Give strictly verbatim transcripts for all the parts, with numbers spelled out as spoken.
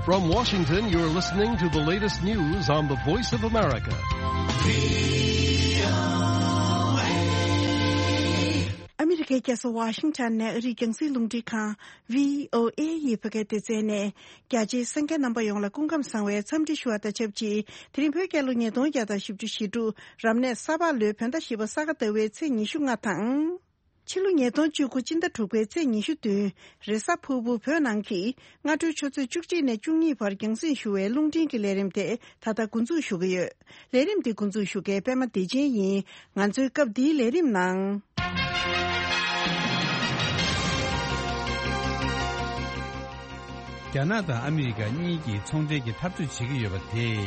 From Washington, you're listening to the latest news on the Voice of America. ཨ་མི་རི་ཀའི་རྒྱལ་ས་ཝ་ཤིང་ཊོན་ནས་ཨ་རིའི་རྒྱང་སྲིང་རླུང་འཕྲིན་ཁང་བྷི་ཨོ་ཨེ་ཡི་བོད་སྐད་སྡེ་ཚན་ནས། རྒྱ་ཆེའི་གསན་མཁན་རྣམ་པ་ཡོངས་ལ་སྐུ་ཁམས་བཟང་བའི་འཚམས་འདྲི་ཞུ་བ་དང་ཆབས་ཅིག་དེ་རིང་བོད་རྒྱལ་ལོ་ཉིས་སྟོང་བརྒྱ་དང་བཞི་བཅུ་ཞེ་དྲུག་རབ་གནས་ས་ཕག་ལོའི་བོད་ཟླ་བཞི་པ་ས་ག་ཟླ་བའི་ཚེས་ཉི་ཤུ་ལྔ་དང་། ཕྱི་ལོ་ཉིས་སྟོང་བཅུ་དགུ་སྤྱི་ཟླ་དྲུག་པའི་ཚེས་ཉི་ཤུ་བདུན། རེས་གཟའ་ཕུར་བུ་བོད་ནང་གི་སྔ་དྲོའི་ཆུ་ཚོད་བཅུ་གཅིག་ནས་བཅུ་གཉིས་བར་རྒྱང་སྲིང་ཞུ་བའི་རླུང་འཕྲིན་གྱི་ལས་རིམ་དེ་ད་ལྟ་འགོ་འཛུགས་ཞུ་གི་ཡོད། ལས་རིམ་འདི་འགོ་འཛུགས་ཞུ་མཁན་པད་མ་བདེ་ཆེན་ཡིན། ང་ཚོའི་སྐབས་འདིའི་ལས་རིམ་ནང་། རྒྱ་ནག་དང་ཨ་མི་རི་ཀ་གཉིས་ཀྱིས་ཚོང་འབྲེལ་གྱི་འཐབ་རྩོད་བྱེད་ཀྱི་ཡོད་པ་དེས།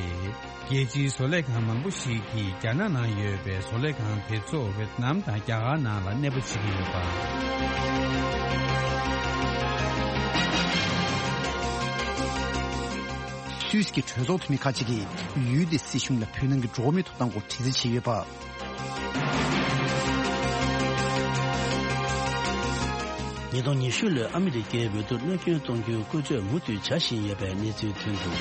རྒྱལ་སྤྱིའི་བཟོ་ལས་ཁང་མང་པོ་ཞིག་གིས་རྒྱ་ནག་ནང་ཡོད་པའི་བཟོ་ལས་ཁང་དེ་ཚོ་ཝེ་ཏི་ནམ་དང་རྒྱ་གར་ནང་ལ་གནས་སྤོ་བྱེད་ཀྱི་ཡོད་པ། སུད་སི་གི་གྲོས་ཚོགས་འཐུས་མི་ཁག་ཅིག་གིས་ཡུལ་དེའི་སྲིད་གཞུང་ལ་བོད་ནང་གི་འགྲོ་བ་མིའི་ཐོབ་ཐང་སྐོར་དྲི་རྩད་བྱས་ཡོད་པ། ཉིས་སྟོང་ཉི་ཤུ་ལོའི་ཨ་མི་རི་ཀའི་འོས་བསྡུར་གནོད་སྐྱོན་གཏོང་རྒྱུའི་སྐུལ་ལྕག་མུ་མཐུད་བྱ་བཞིན་ཡོད་པའི་གནས་ཚུལ་ཐོན་འདུག།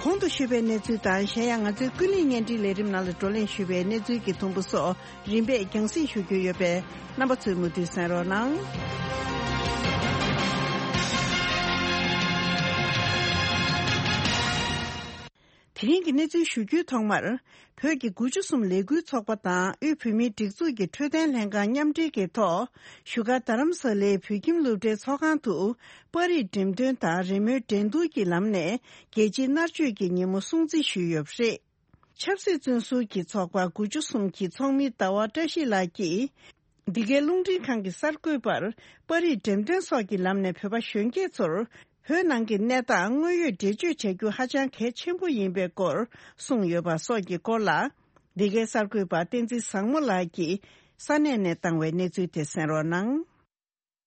གོང་དུ་ཞུས་པའི་གནས་ཚུལ་དང་། གཞན་ཡང་ང་ཚོའི་ཀུན་གླེང་བརྙན་འཕྲིན་ལས་རིམ་ནང་ལ་བགྲོ་གླེང་ཞུས་པའི་གནས་ཚུལ་གྱི་དུམ་བུ་སོགས། རིམ་པས་རྒྱང་སྲིང་ཞུ་རྒྱུ་ཡོད་པས། རྣམ་པ་ཚོས་མུ་མཐུད་གསན་རོགས་གནང་། དེ་རིང་གི་གནས་ཚུལ་ཞུ་རྒྱུའི་ཐོག་མར། བོད་ཀྱི་དགུ་བཅུ་གསུམ་ལས་འགུལ་ཚོགས་པ་དང་དབུས་བོད་མིའི་སྒྲིག་འཛུགས་ཀྱི་འཕྲོད་བསྟེན་ལྷན་ཁང་མཉམ་འབྲེལ་གྱི་ཐོག་བཞུགས་སྒར་རྡ་རམ་ས་ལའི་བོད་ཁྱིམ་སློབ་གྲྭའི་ཚོགས་ཁང་དུ། པར་རིས་འགྲེམས་སྟོན་དང་རེས་མོས་འགྲན་བསྡུར་གྱི་ལམ་ནས་རྒྱལ་སྤྱིའི་མནར་གཅོད་ཀྱི་ཉིན་མོ་སྲུང་བརྩི་ཞུས་ཡོད་པ་རེད། ཆབ་སྲིད་བཙོན་ཟུར་གྱི་ཚོགས་པ་དགུ་བཅུ་གསུམ་གྱི་ཚོགས་མི་ཟླ་བ་བཀྲ་ཤིས་ལགས་ཀྱིས། འདི་གའི་རླུང་འཕྲིན་ཁང་གི་གསར་འགོད་པར་པར་རིས་འགྲེམས་སྟོན་སོགས་ཀྱི་ལམ་ནས་བོད་པ་གཞོན་སྐྱེས་ཚོར་བོད་ནང་གི་གནས་སྟངས་དངོས་ཡོད་འགྲེལ་བརྗོད་བྱ་རྒྱུ་ཧ་ཅང་གལ་ཆེན་པོ་ཡིན་པའི་སྐོར་གསུངས་ཡོད་པ་སོགས་ཀྱི་སྐོར་ལ། འདི་གའི་གསར་འགོད་པ་བསྟན་འཛིན་བཟང་མོ་ལགས་ཀྱིས་ས་གནས་ནས་བཏང་བའི་གནས་ཚུལ་དེ་གསན་རོགས་གནང་།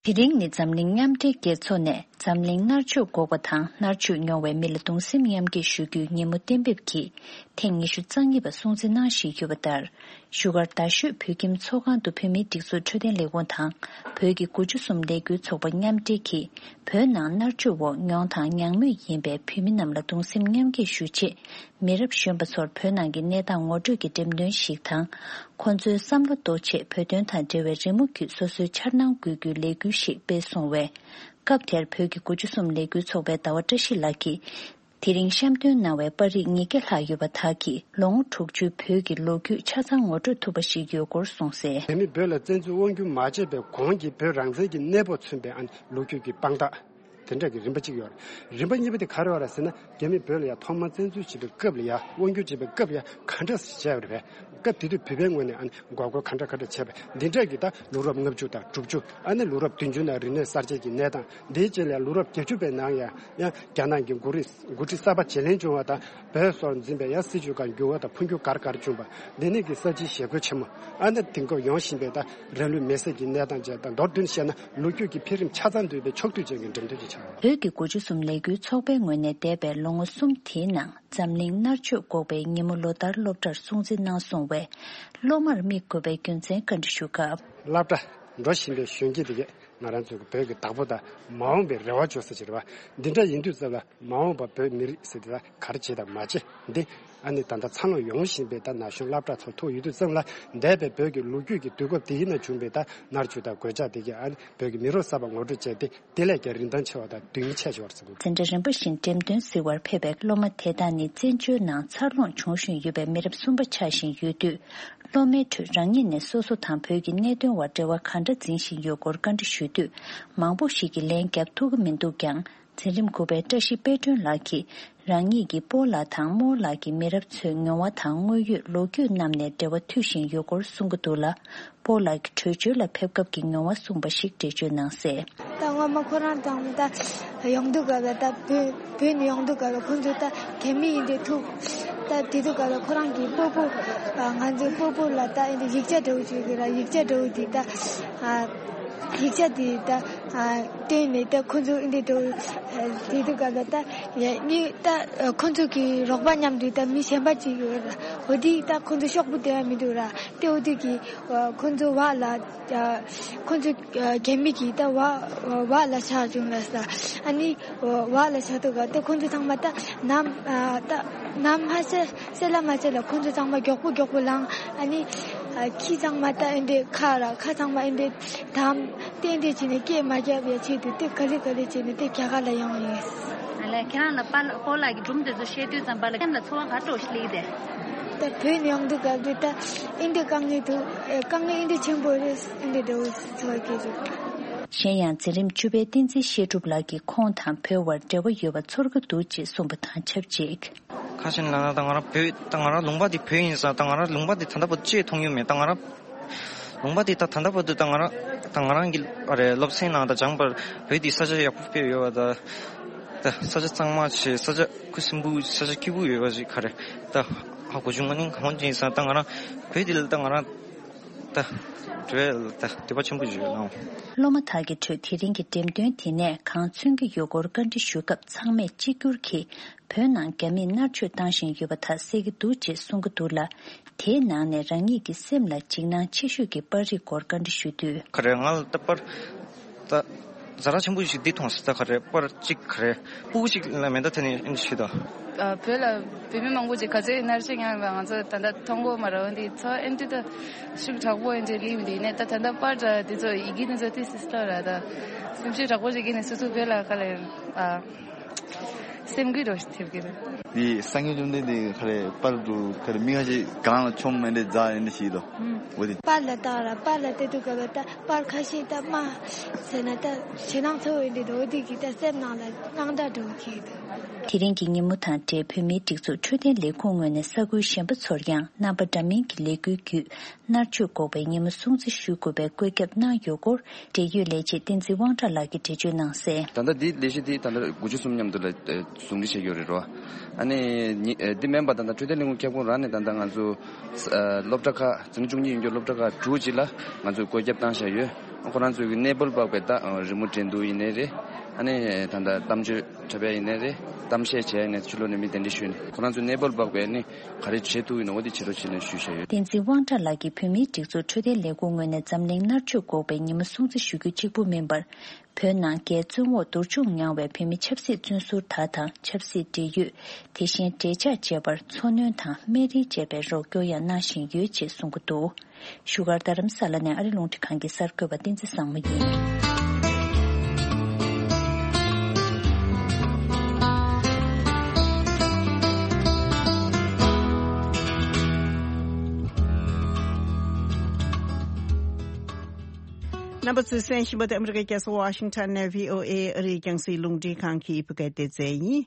དེ་རིང་ནི་འཛམ་གླིང་མཉམ་འབྲེལ་རྒྱལ་ཚོགས་ནས་འཛམ་གླིང་མནར་གཅོད་འགོག་པ་དང་མནར་གཅོད་མྱོང་བའི་མི་ལ་གདུང་སེམས་མཉམ་སྐྱེད་ཞུ་རྒྱུའི་ཉིན་མོ་གཏན་འབེབས་ཀྱིས་ཐེངས་ཉི་ཤུ་རྩ་གཉིས་པ་སྲུང་བརྩི་གནང་བཞིན་ཡོད་པ་ལྟར། བཞུགས་སྒར་རྡ་ཤོད་བོད་ཁྱིམ་ཚོགས་ཁང་དུ་བོད་མིའི་སྒྲིག་འཛུགས་འཕྲོད་བསྟེན་ལས་ཁུངས་དང་། བོད་ཀྱི་དགུ་བཅུ་གསུམ་ལས་འགུལ་ཚོགས་པ་མཉམ་འབྲེལ་གྱིས། བོད་ནང་མནར་གཅོད་འོག་མྱོང་དང་མྱང་མུས་ཡིན་པའི་བོད་མི་རྣམས་ལ་གདུང་སེམས་མཉམ་སྐྱེད་ཞུ་ཆེད། མི་རབས་གཞོན་པ་ཚོར་བོད་ནང་གི་གནས་སྟངས་ངོ་སྤྲོད་ཀྱི་འགྲེམས་སྟོན་ཞིག་དང་། ཁོང་ཚོའི་བསམ་བློ་རྟོགས་ཆེད་བོད་དོན་དང་འབྲེལ་བའི་རི་མོ་བརྒྱུད་སོ་སོའི་འཆར་སྣང་འགོད་རྒྱུའི་ལས་འགུལ་ཞིག་སྤེལ་སོང་བས། སྐབས་དེར་བོད་ཀྱི་དགུ་བཅུ་གསུམ་ལས་འགུལ་ཚོགས་པའི་ཟླ་བ་བཀྲ་ཤིས་ལགས་ཀྱིས། དེ་རིང་བཤམས་སྟོན་གནང་བའི་པར་རིས་ཉིས་བརྒྱ་ལྷག་ཡོད་པ་དག་གིས་ལོ་ངོ་དྲུག་ཅུའི་བོད་ཀྱི་ལོ་རྒྱུས་ཆ་ཚང་ངོ་སྤྲོད་ཐུབ་པ་ཞིག་ཡོད་སྐོར་གསུངས་གསལ། རྒྱ་མིས་བོད་ལ་བཙན་འཛུལ་དབང་བསྒྱུར་མ་བྱས་པའི་གོང་གི་བོད་རང་བཙན་གྱི་གནས་བབ་མཚོན་པའི་ཨ་ནི་ལོ་རྒྱུས་ཀྱི་དཔང་རྟགས། དེ་འདྲ་གི་རིམ་པ་གཅིག་ཡོད་རེད། རིམ་པ་གཉིས་པ་དེ་ག་རེ་ཡོད་རེད་ཟེར་ན། རྒྱ་མིས་བོད་ལ་ཡང་ཐོག་མར་བཙན་འཛུལ་བྱེད་པའི་སྐབས་ལ་ཡང་དབང་བསྒྱུར་བྱེད་པའི་སྐབས་ལ་ཡང་ག་འདྲ་བྱས་ཡོད་རེད་པས། སྐབས་དེ་དུས་བོད་པའི་ངོས་ནས་ཨ་ནི་འགོག་རྒོལ་ག་འདྲ་ག་འདྲ་བྱས་པས། འདི་འདྲ་གི་ད་ལོ་རབས་ལྔ་བཅུ་དང་དྲུག་ཅུ། ཨ་ནི་ལོ་རབས་བདུན་ཅུ་ནང་རིག་གནས་གསར་བརྗེ་གི་གནས་སྟངས། འདིའི་རྗེས་ལ་ལོ་རབས་བརྒྱད་ཅུ་པའི་ནང་ཡང་ཡང་རྒྱ་ནག་གི་འགོ་རིགས་འགོ་ཁྲིད་གསར་པ་བརྗེ་ལེན་བྱུང་བ་དང་། བོད་སོགས་འཛིན་པའི་ཡང་སྲིད་བྱུས་ཁག་འགྱུར་བ་དང་འཕོ་འགྱུར་ག་རེ་ག་རེ་བྱུང་བ། འདི་ནས་ཀྱི་གསར་བརྗེའི་ཞི་རྒོལ་ཆེན་མོ། ཨ་ནི་དེང་སྐབས་ཡོང་བཞིན་པའི་ད་རང་ལུས་མེར་སྲེག་གི་གནས་སྟངས་བཅས་དང་མདོར་བསྡུས་བཤད་ན། ལོ་རྒྱུས་ཀྱི་འཕེལ་རིམ་ཆ་ཚང་འདུས་པའི་ཕྱོགས་བསྡུས་ཅན་གྱི་འགྲེམས་སྟོན་ཅིག་ཆགས་ཡོད། བོད་ཀྱི་དགུ་བཅུ་གསུམ་ལས་འགུལ་ཚོགས་པའི་ངོས་ནས་འདས་པའི་ལོ་ངོ་གསུམ་དེའི་ནང་འཛམ་གླིང་མནར་གཅོད་འགོག་པའི་ཉིན་མོ་ལོ་ལྟར་སློབ་གྲྭར་སྲུང་བརྩི་གནང་སོང་བས། སློབ་མར་དམིགས་དགོས་པའི་རྒྱུ་མཚན་བཀའ་འདྲི་ཞུ་སྐབས། སློབ་གྲྭ་འགྲོ་བཞིན་པའི་གཞོན་སྐྱེས་དེ་གས་ང་རང་ཚོའི་བོད་ཀྱི་བདག་པོ་དང་མ་འོངས་པའི་རེ་བ་བཅོལ་ས་ཅིག་རེད་པ། འདི་འདྲ་ཡིན་དུས་ཙམ་ལ་མ་འོངས་པ་བོད་མི་རིགས་ཟེར་དེ་ལ་ག་རེ་བྱེད་དང་མ་བྱེད་འདི། ཨ་ནི་ད་ལྟ་འཚར་ལོངས་ཡོང་བཞིན་པའི་ད་ན་གཞོན་སློབ་གྲྭ་ཚོ་ཐུག་ཡོད་དུས་ཙམ་ལ། འདས་པའི་བོད་ཀྱི་ལོ་རྒྱུས་ཀྱི་དུས་སྐབས་དེའི་ནང་བྱུང་བའི་ད་མནར་གཅོད་དང་གོད་ཆག་དེ་གས། ཨ་ནི་བོད་ཀྱི་མི་རབས་གསར་པ་ངོ་སྤྲོད་བྱས་ཏེ། དེ་ལས་ཀྱང་རིན་ཐང་ཆེ་བ་དང་དོན་སྙིང་ཆེ་ཞིག་ཡོད་རེད་བསམ་གྱི་འདུག། འཛིན་གྲྭ་རིམ་པ་བཞིན་འགྲེམས་སྟོན་གཟིགས་པར་ཕེབས་པའི་སློབ་མ་དེ་དག་ནི་བཙན་བྱོལ་ནང་འཚར་ལོངས་བྱུང་བཞིན་ཡོད་པའི་མི་རབས་གསུམ་པ་ཆགས་བཞིན་ཡོད་དུས། སློབ་མའི་ཁྲོད་རང་ཉིད་ནས་སོ་སོ་དང་བོད་ཀྱི་གནད་དོན་བར་འབྲེལ་བ་ག་འདྲ་འཛིན་བཞིན་ཡོད་སྐོར་བཀའ་འདྲི་ཞུས་དུས། མང་པོ་ཞིག་གིས་ལན་བརྒྱབ་ཐུབ་ཀྱི་མི་འདུག་ཀྱང་། འཛིན་རིམ་དགུ་པའི་བཀྲ་ཤིས་དཔལ་སྒྲོན་ལགས་ཀྱིས། རང་ཉིད་ཀྱིས་སྤོ་ལགས་དང་རྨོ་ལགས་ཀྱི་མི་རབས་ཚོའི་མྱོང་བ་དང་དངོས་ཡོད་ལོ་རྒྱུས་རྣམས་ནས་འབྲེལ་བ་མཐུད་བཞིན་ཡོད་སྐོར་གསུང་གི་འདུག་ལ། སྤོ་ལགས་ཀྱི་བྲོས་བྱོལ་ལ་ཕེབས་སྐབས་ཀྱི་མྱོང་བ་གསུངས་པ་ཞིག་འགྲེལ་བརྗོད་གནང་གསལ། ད་སྔོན་མ་ཁོ་རང་དང་ད་ཡོང་དུས་སྐབས་ལ་ད་བོད་བོད་ནས་ཡོང་དུས་སྐབས་ལ་ཁོ་ཚོ་ད་རྒྱ་མི་ཡིན་དེ་ཐུག་ད་དེ་དུས་སྐབས་ལ་ཁོ་རང་གི་སྤོ་བོ་ང་ཚོའི་སྤོ་བོ་ལ་ད་ཡིག་ཆ་འདྲ་བོ་བྱོས་གི་ར། ཡིག་ཆ་འདྲ་བོ་དེ་ད། ཡིག་ཆ་དེ་ད་ཨ་བཏོན་ནས་ད་ཁོང་ཚོ་འདི་དུ་དེ་དུ་ག་ལ་ད་ཡ་ནི་ད་ཁོང་ཚོ་གི་རོགས་པ་མཉམ་དུ་ད་མི་གཞན་པ་ཅིག་ཡོད་ར། འོ་དེ་ད་ཁོང་ཚོ་ཤོག་བུ་དེ་ཡང་མི་འདུག་ར། དེ་འོ་དེ་གི་ཁོང་ཚོ་བ་ལ་ཁོང་ཚོ་རྒྱ་མི་གི་ད་བ་བ་ལ་ཆགས་བྱུང་ལ་ས། ཨ་ནི་བ་ལ་ཆགས་དུ་ག་ད་ཁོང་ཚོ་ཚང་མ་ད་ནམ་ད་ནམ་ཧ་ཤ་སེ་ལ་མ་ཆེ་ལ་ཁོང་ཚོ་ཚང་མ་མགྱོགས་པོ་མགྱོགས་པོ་ལངས། ཨ་ནི་ཨ་ཁྱི་ཚང་མ་ད་ཨེ་འདྲས་ཁ་ར་ཁ་ཚང་མ་ཨེ་འདྲས་དམ་ཏན་ཏན་བྱས་ནས་སྐད་མ་རྒྱབ་པའི་ཆེད་དུ་དེ་ག་ལེ་ག་ལེ་བྱས་ནས་དེ་རྒྱ་གར་ལ་ཡོང་ཡིན། ཨ་ལས་ཁྱེད་རང་ལ་པཱ་ལགས་སྤོ་ལགས་ཀྱི་སྒྲུང་དེ་ཚོ་བཤད་དུས་ཙམ་པ་ལ་ཁྱེད་ལ་ཚོར་བ་ག་འདྲ་སླེབས་ཏེ། ད་བོད་ནས་ཡོང་དུས་སྐབས་དེ་ད་ཨེ་འདྲས་དཀའ་ངལ་འདུག་ཨེ་དཀའ་ངལ་ཨེ་འདྲས་ཆེན་པོ་རེད། ཨེ་འདྲས་འདྲ་བོ་ཚོར་གྱི་འདུག་གཞན་ཡང་འཛིན་རིམ་བཅུ་པའི་བསྟན་འཛིན་བཤད་སྒྲུབ་ལགས་ཀྱིས་ཁོང་དང་བོད་དབར་འབྲེལ་བ་ཡོད་པ་ཚོར་གྱི་འདུག་ཅེས་གསུངས་པ་དང་ཆབས་ཅིག་ཁ་ཤས་ལ་ན་ད་ང་རང་བོད་ད་ང་རང་ལུང་པ་འདི་བོད་ཡིན་ཙང་ད་ང་རང་ལུང་པ་འདི་ད་ལྟ་བར་དུ་ཅིག་མཐོང་མྱོང་མེད། ད་ང་རང་ལུང་པ་འདི་ད་ད་ལྟ་བར་དུ་ད་ང་རང་ད་ང་རང་གི་ཨ་རེ་སློབ་ཚན་ནང་ད་སྦྱངས་པར་བོད་འདི་ས་ཆ་ཡག་པོ་དཔེ་ཡོད་པ། ད་ད་ས་ཆ་གཙང་མ་ཆེ། ས་ཆ་ཁུ་སིམ་པོ། ས་ཆ་སྐྱིད་པོ་ཡོད་པ་ཞིག་ག་རེ་ད་ཧ་གོ་བྱུང་། ང་ནི་གང་ཡིན་ཙང་ད་ང་རང་བོད་འདི་ལ་ད་ང་རང་ད་བྲོས་ད་འདོད་པ་ཆེན་པོ་ཞིག་ཡོད་ལ། སློབ་མ་དག་གི་ཁྲོད་དེ་རིང་གི་འགྲེམས་སྟོན་དེ་ནས་གང་མཚོན་གྱི་ཡོད་སྐོར་བཀའ་འདྲི་ཞུས་སྐབས་ཚང་མས་གཅིག་གྱུར་གྱིས་བོད་ནང་རྒྱ་མིས་མནར་གཅོད་བཏང་བཞིན་ཡོད་པ་དག་གསལ་གྱི་འདུག་ཅེས་གསུང་གི་འདུག་ལ། དེའི་ནང་ནས་རང་ཉིད་ཀྱི་སེམས་ལ་འཇིགས་སྣང་ཆེ་ཤོས་ཀྱི་པར་རིས་སྐོར་བཀའ་འདྲི་ཞུས་དུས། ག་རེ་ང་ལ་ད་པར་ད་ཛ་དྲག་ཆེན་པོ་ཞིག་འདི་མཐོང་སྲིད། ད་ག་རེ་པར་གཅིག་ག་རེ་སྤུ་གུ་ཞིག་ལ་མེ་མདའ་འཐེན་ནས་ཨེ་འདྲ་ཞིག་ད། ཨ་བོད་ལ་བོད་མི་མང་པོ་ཅིག་ག་ཚོད་མནར་གཅོད་མྱངས་ཡོད་པ་ང་ཚོ་ད་ལྟ་མཐོང་གོ་མ་རེད། འོན་ཏེ་ཚོ་ཨེ་འདྲ་ད་ཤུགས་དྲག་པོ་ཨེ་འདྲ་རིག་མི་འདུག་ཡིན་ནའི་ད་ད་ལྟ་པར་འདྲ་འདི་ཚོ་ཡི་གེ་འདི་ཚོ་ཏི་སི་སི་ལ་ར་ད་སེམས་ཤུགས་དྲག་པོ་ཞིག་གིས་ནས་སོ་སོ་བོད་ལ་ག་ལ་ཨ་སེམས་འགུལ་འགྲོ་ཞིག་ཐེབས་ཀྱི་རེད། དེ་སང་ཉིན་བཅོམ་ལྡན་འདས་ག་རེ་པར་དུ་ག་རེ་མི་ཁ་ཤས་གང་ལ་ཆོམ་མེ་འདྲ་རྫ་ཨེ་འདྲ་ཞིག་དོ། འོ་དེ། པར་ལ་བཏགས་ར་པར་ལ་བལྟས་དུས་སྐབས་ལ་ད་པར་ཁ་ཤས་ད་དམར་ཟེར་ན་ད་ཞེད་སྣང་ཚ་བོ་ཡིན་དུས་འོ་དེ་གི་ད་སེམས་ནང་ལ་དངངས་སྐྲག་འགྲོ་གི་འདུག་དེ་རིང་གི་ཉིན་མོ་དང་འབྲེལ་བོད་མིའི་སྒྲིག་འཛུགས་འཕྲོད་བསྟེན་ལས་ཁུངས་ངོས་ནས་ས་ཁུལ་གཞན་པ་ཚོར་ཡང་རྣམ་པ་འདྲ་མིན་གྱི་ལས་འགུལ་བརྒྱུད་མནར་གཅོད་འགོག་པའི་ཉིན་མོ་སྲུང་བརྩི་ཞུ་དགོས་པའི་བཀོད་ཁྱབ་གནང་ཡོད་སྐོར་འབྲེལ་ཡོད་ལས་བྱེད་བསྟན་འཛིན་དབང་གྲགས་ལགས་ཀྱིས་འགྲེལ་བརྗོད་གནང་གསལ། ད་ལྟ་འདི་ལས་གཞི་འདི་ད་ལྟ་དགུ་བཅུ་གསུམ་མཉམ་དུ་ལ་ཟུང་འབྲེལ་བྱས་ཡོད་རེད་རོ། ཨ་ནི་ཉི་ཨ་འདི་མིན་པ་ད་ལྟ་འཕྲོད་བསྟེན་ལས་ཁུངས་ཁྱབ་ཁོངས་རང་ནས་ད་ལྟ་ང་ཚོ་ཨ་སློབ་གྲྭ་ཁག་འཛིན་གྲྭ་བཅུ་གཉིས་ཡོད་རྒྱུ་སློབ་གྲྭ་ཁག་དྲུག་ཅིག་ལ་ང་ཚོས་བཀོད་ཁྱབ་བཏང་བཞག་ཡོད། ཁོ་རང་ཚོའི་གི་གནས་སྤོར་འབག་པའི་ད་རི་མོ་འགྲན་བསྡུར་ཡིན་ནའི་རེད། ཨ་ནི་ད་ལྟ་གཏམ་བརྗོད་འཁྲབ་ཡ་ཡིན་ནའི་རེད། གཏམ་བཤད་བྱས་ནས་ཕྱི་ལོགས་ནས་མི་གདན་འདྲེན་ཞུས་ནས་ཁོ་རང་ཚོའི་གནས་སྤོར་འབག་པའི་ནི་ག་རེ་བྱེད་ཐུབ་ཡིན་ནོ་འོ་དེ་བྱེད་རོགས་བྱེད་ནས་ཞུས་བཞག་ཡོད། བསྟན་འཛིན་དབང་གྲགས་ལགས་ཀྱིས་བོད་མིའི་སྒྲིག་འཛུགས་འཕྲོད་བསྟེན་ལས་ཁུངས་ངོས་ནས་འཛམ་གླིང་མནར་གཅོད་འགོག་པའི་ཉིན་མོ་སྲུང་བརྩི་ཞུ་རྒྱུ་གཅིག་པུ་མིན་པར། བོད་ནང་རྒྱའི་བཙོན་འོག་བསྡུར་བཅུག་མྱངས་པའི་བོད་མི་ཆབ་སྲིད་བཙོན་ཟུར་དག་དང་ཆབ་སྲིད་འབྲེལ་ཡོད། དེ་བཞིན་འབྲེལ་ཆགས་བཅས་པར་འཚོ་སྣོན་དང་སྨན་རིན་བཅས་པའི་རོགས་སྐྱོར་ཡང་གནང་བཞིན་ཡོད་ཅེས་གསུང་གི་འདུག་བཞུགས་སྒར་རྡ་རམ་ས་ལ་ནས་ཨ་རི་རླུང་འཕྲིན་ཁང་གི་གསར་འགོད་པ་བསྟན་འཛིན་བཟང་མོ་ཡིན། རྣམ་པ་ཚོས་གསན་བཞིན་པ་དེ་ཨ་མི་རི་ཀའི་རྒྱལ་ས་ཝ་ཤིང་ཊོན་ནས་བྷི་ཨོ་ཨེ་ཨ་རིའི་རྒྱང་སྲིང་རླུང་འཕྲིན་ཁང་གི་བོད་སྐད་སྡེ་ཚན་ཡིན།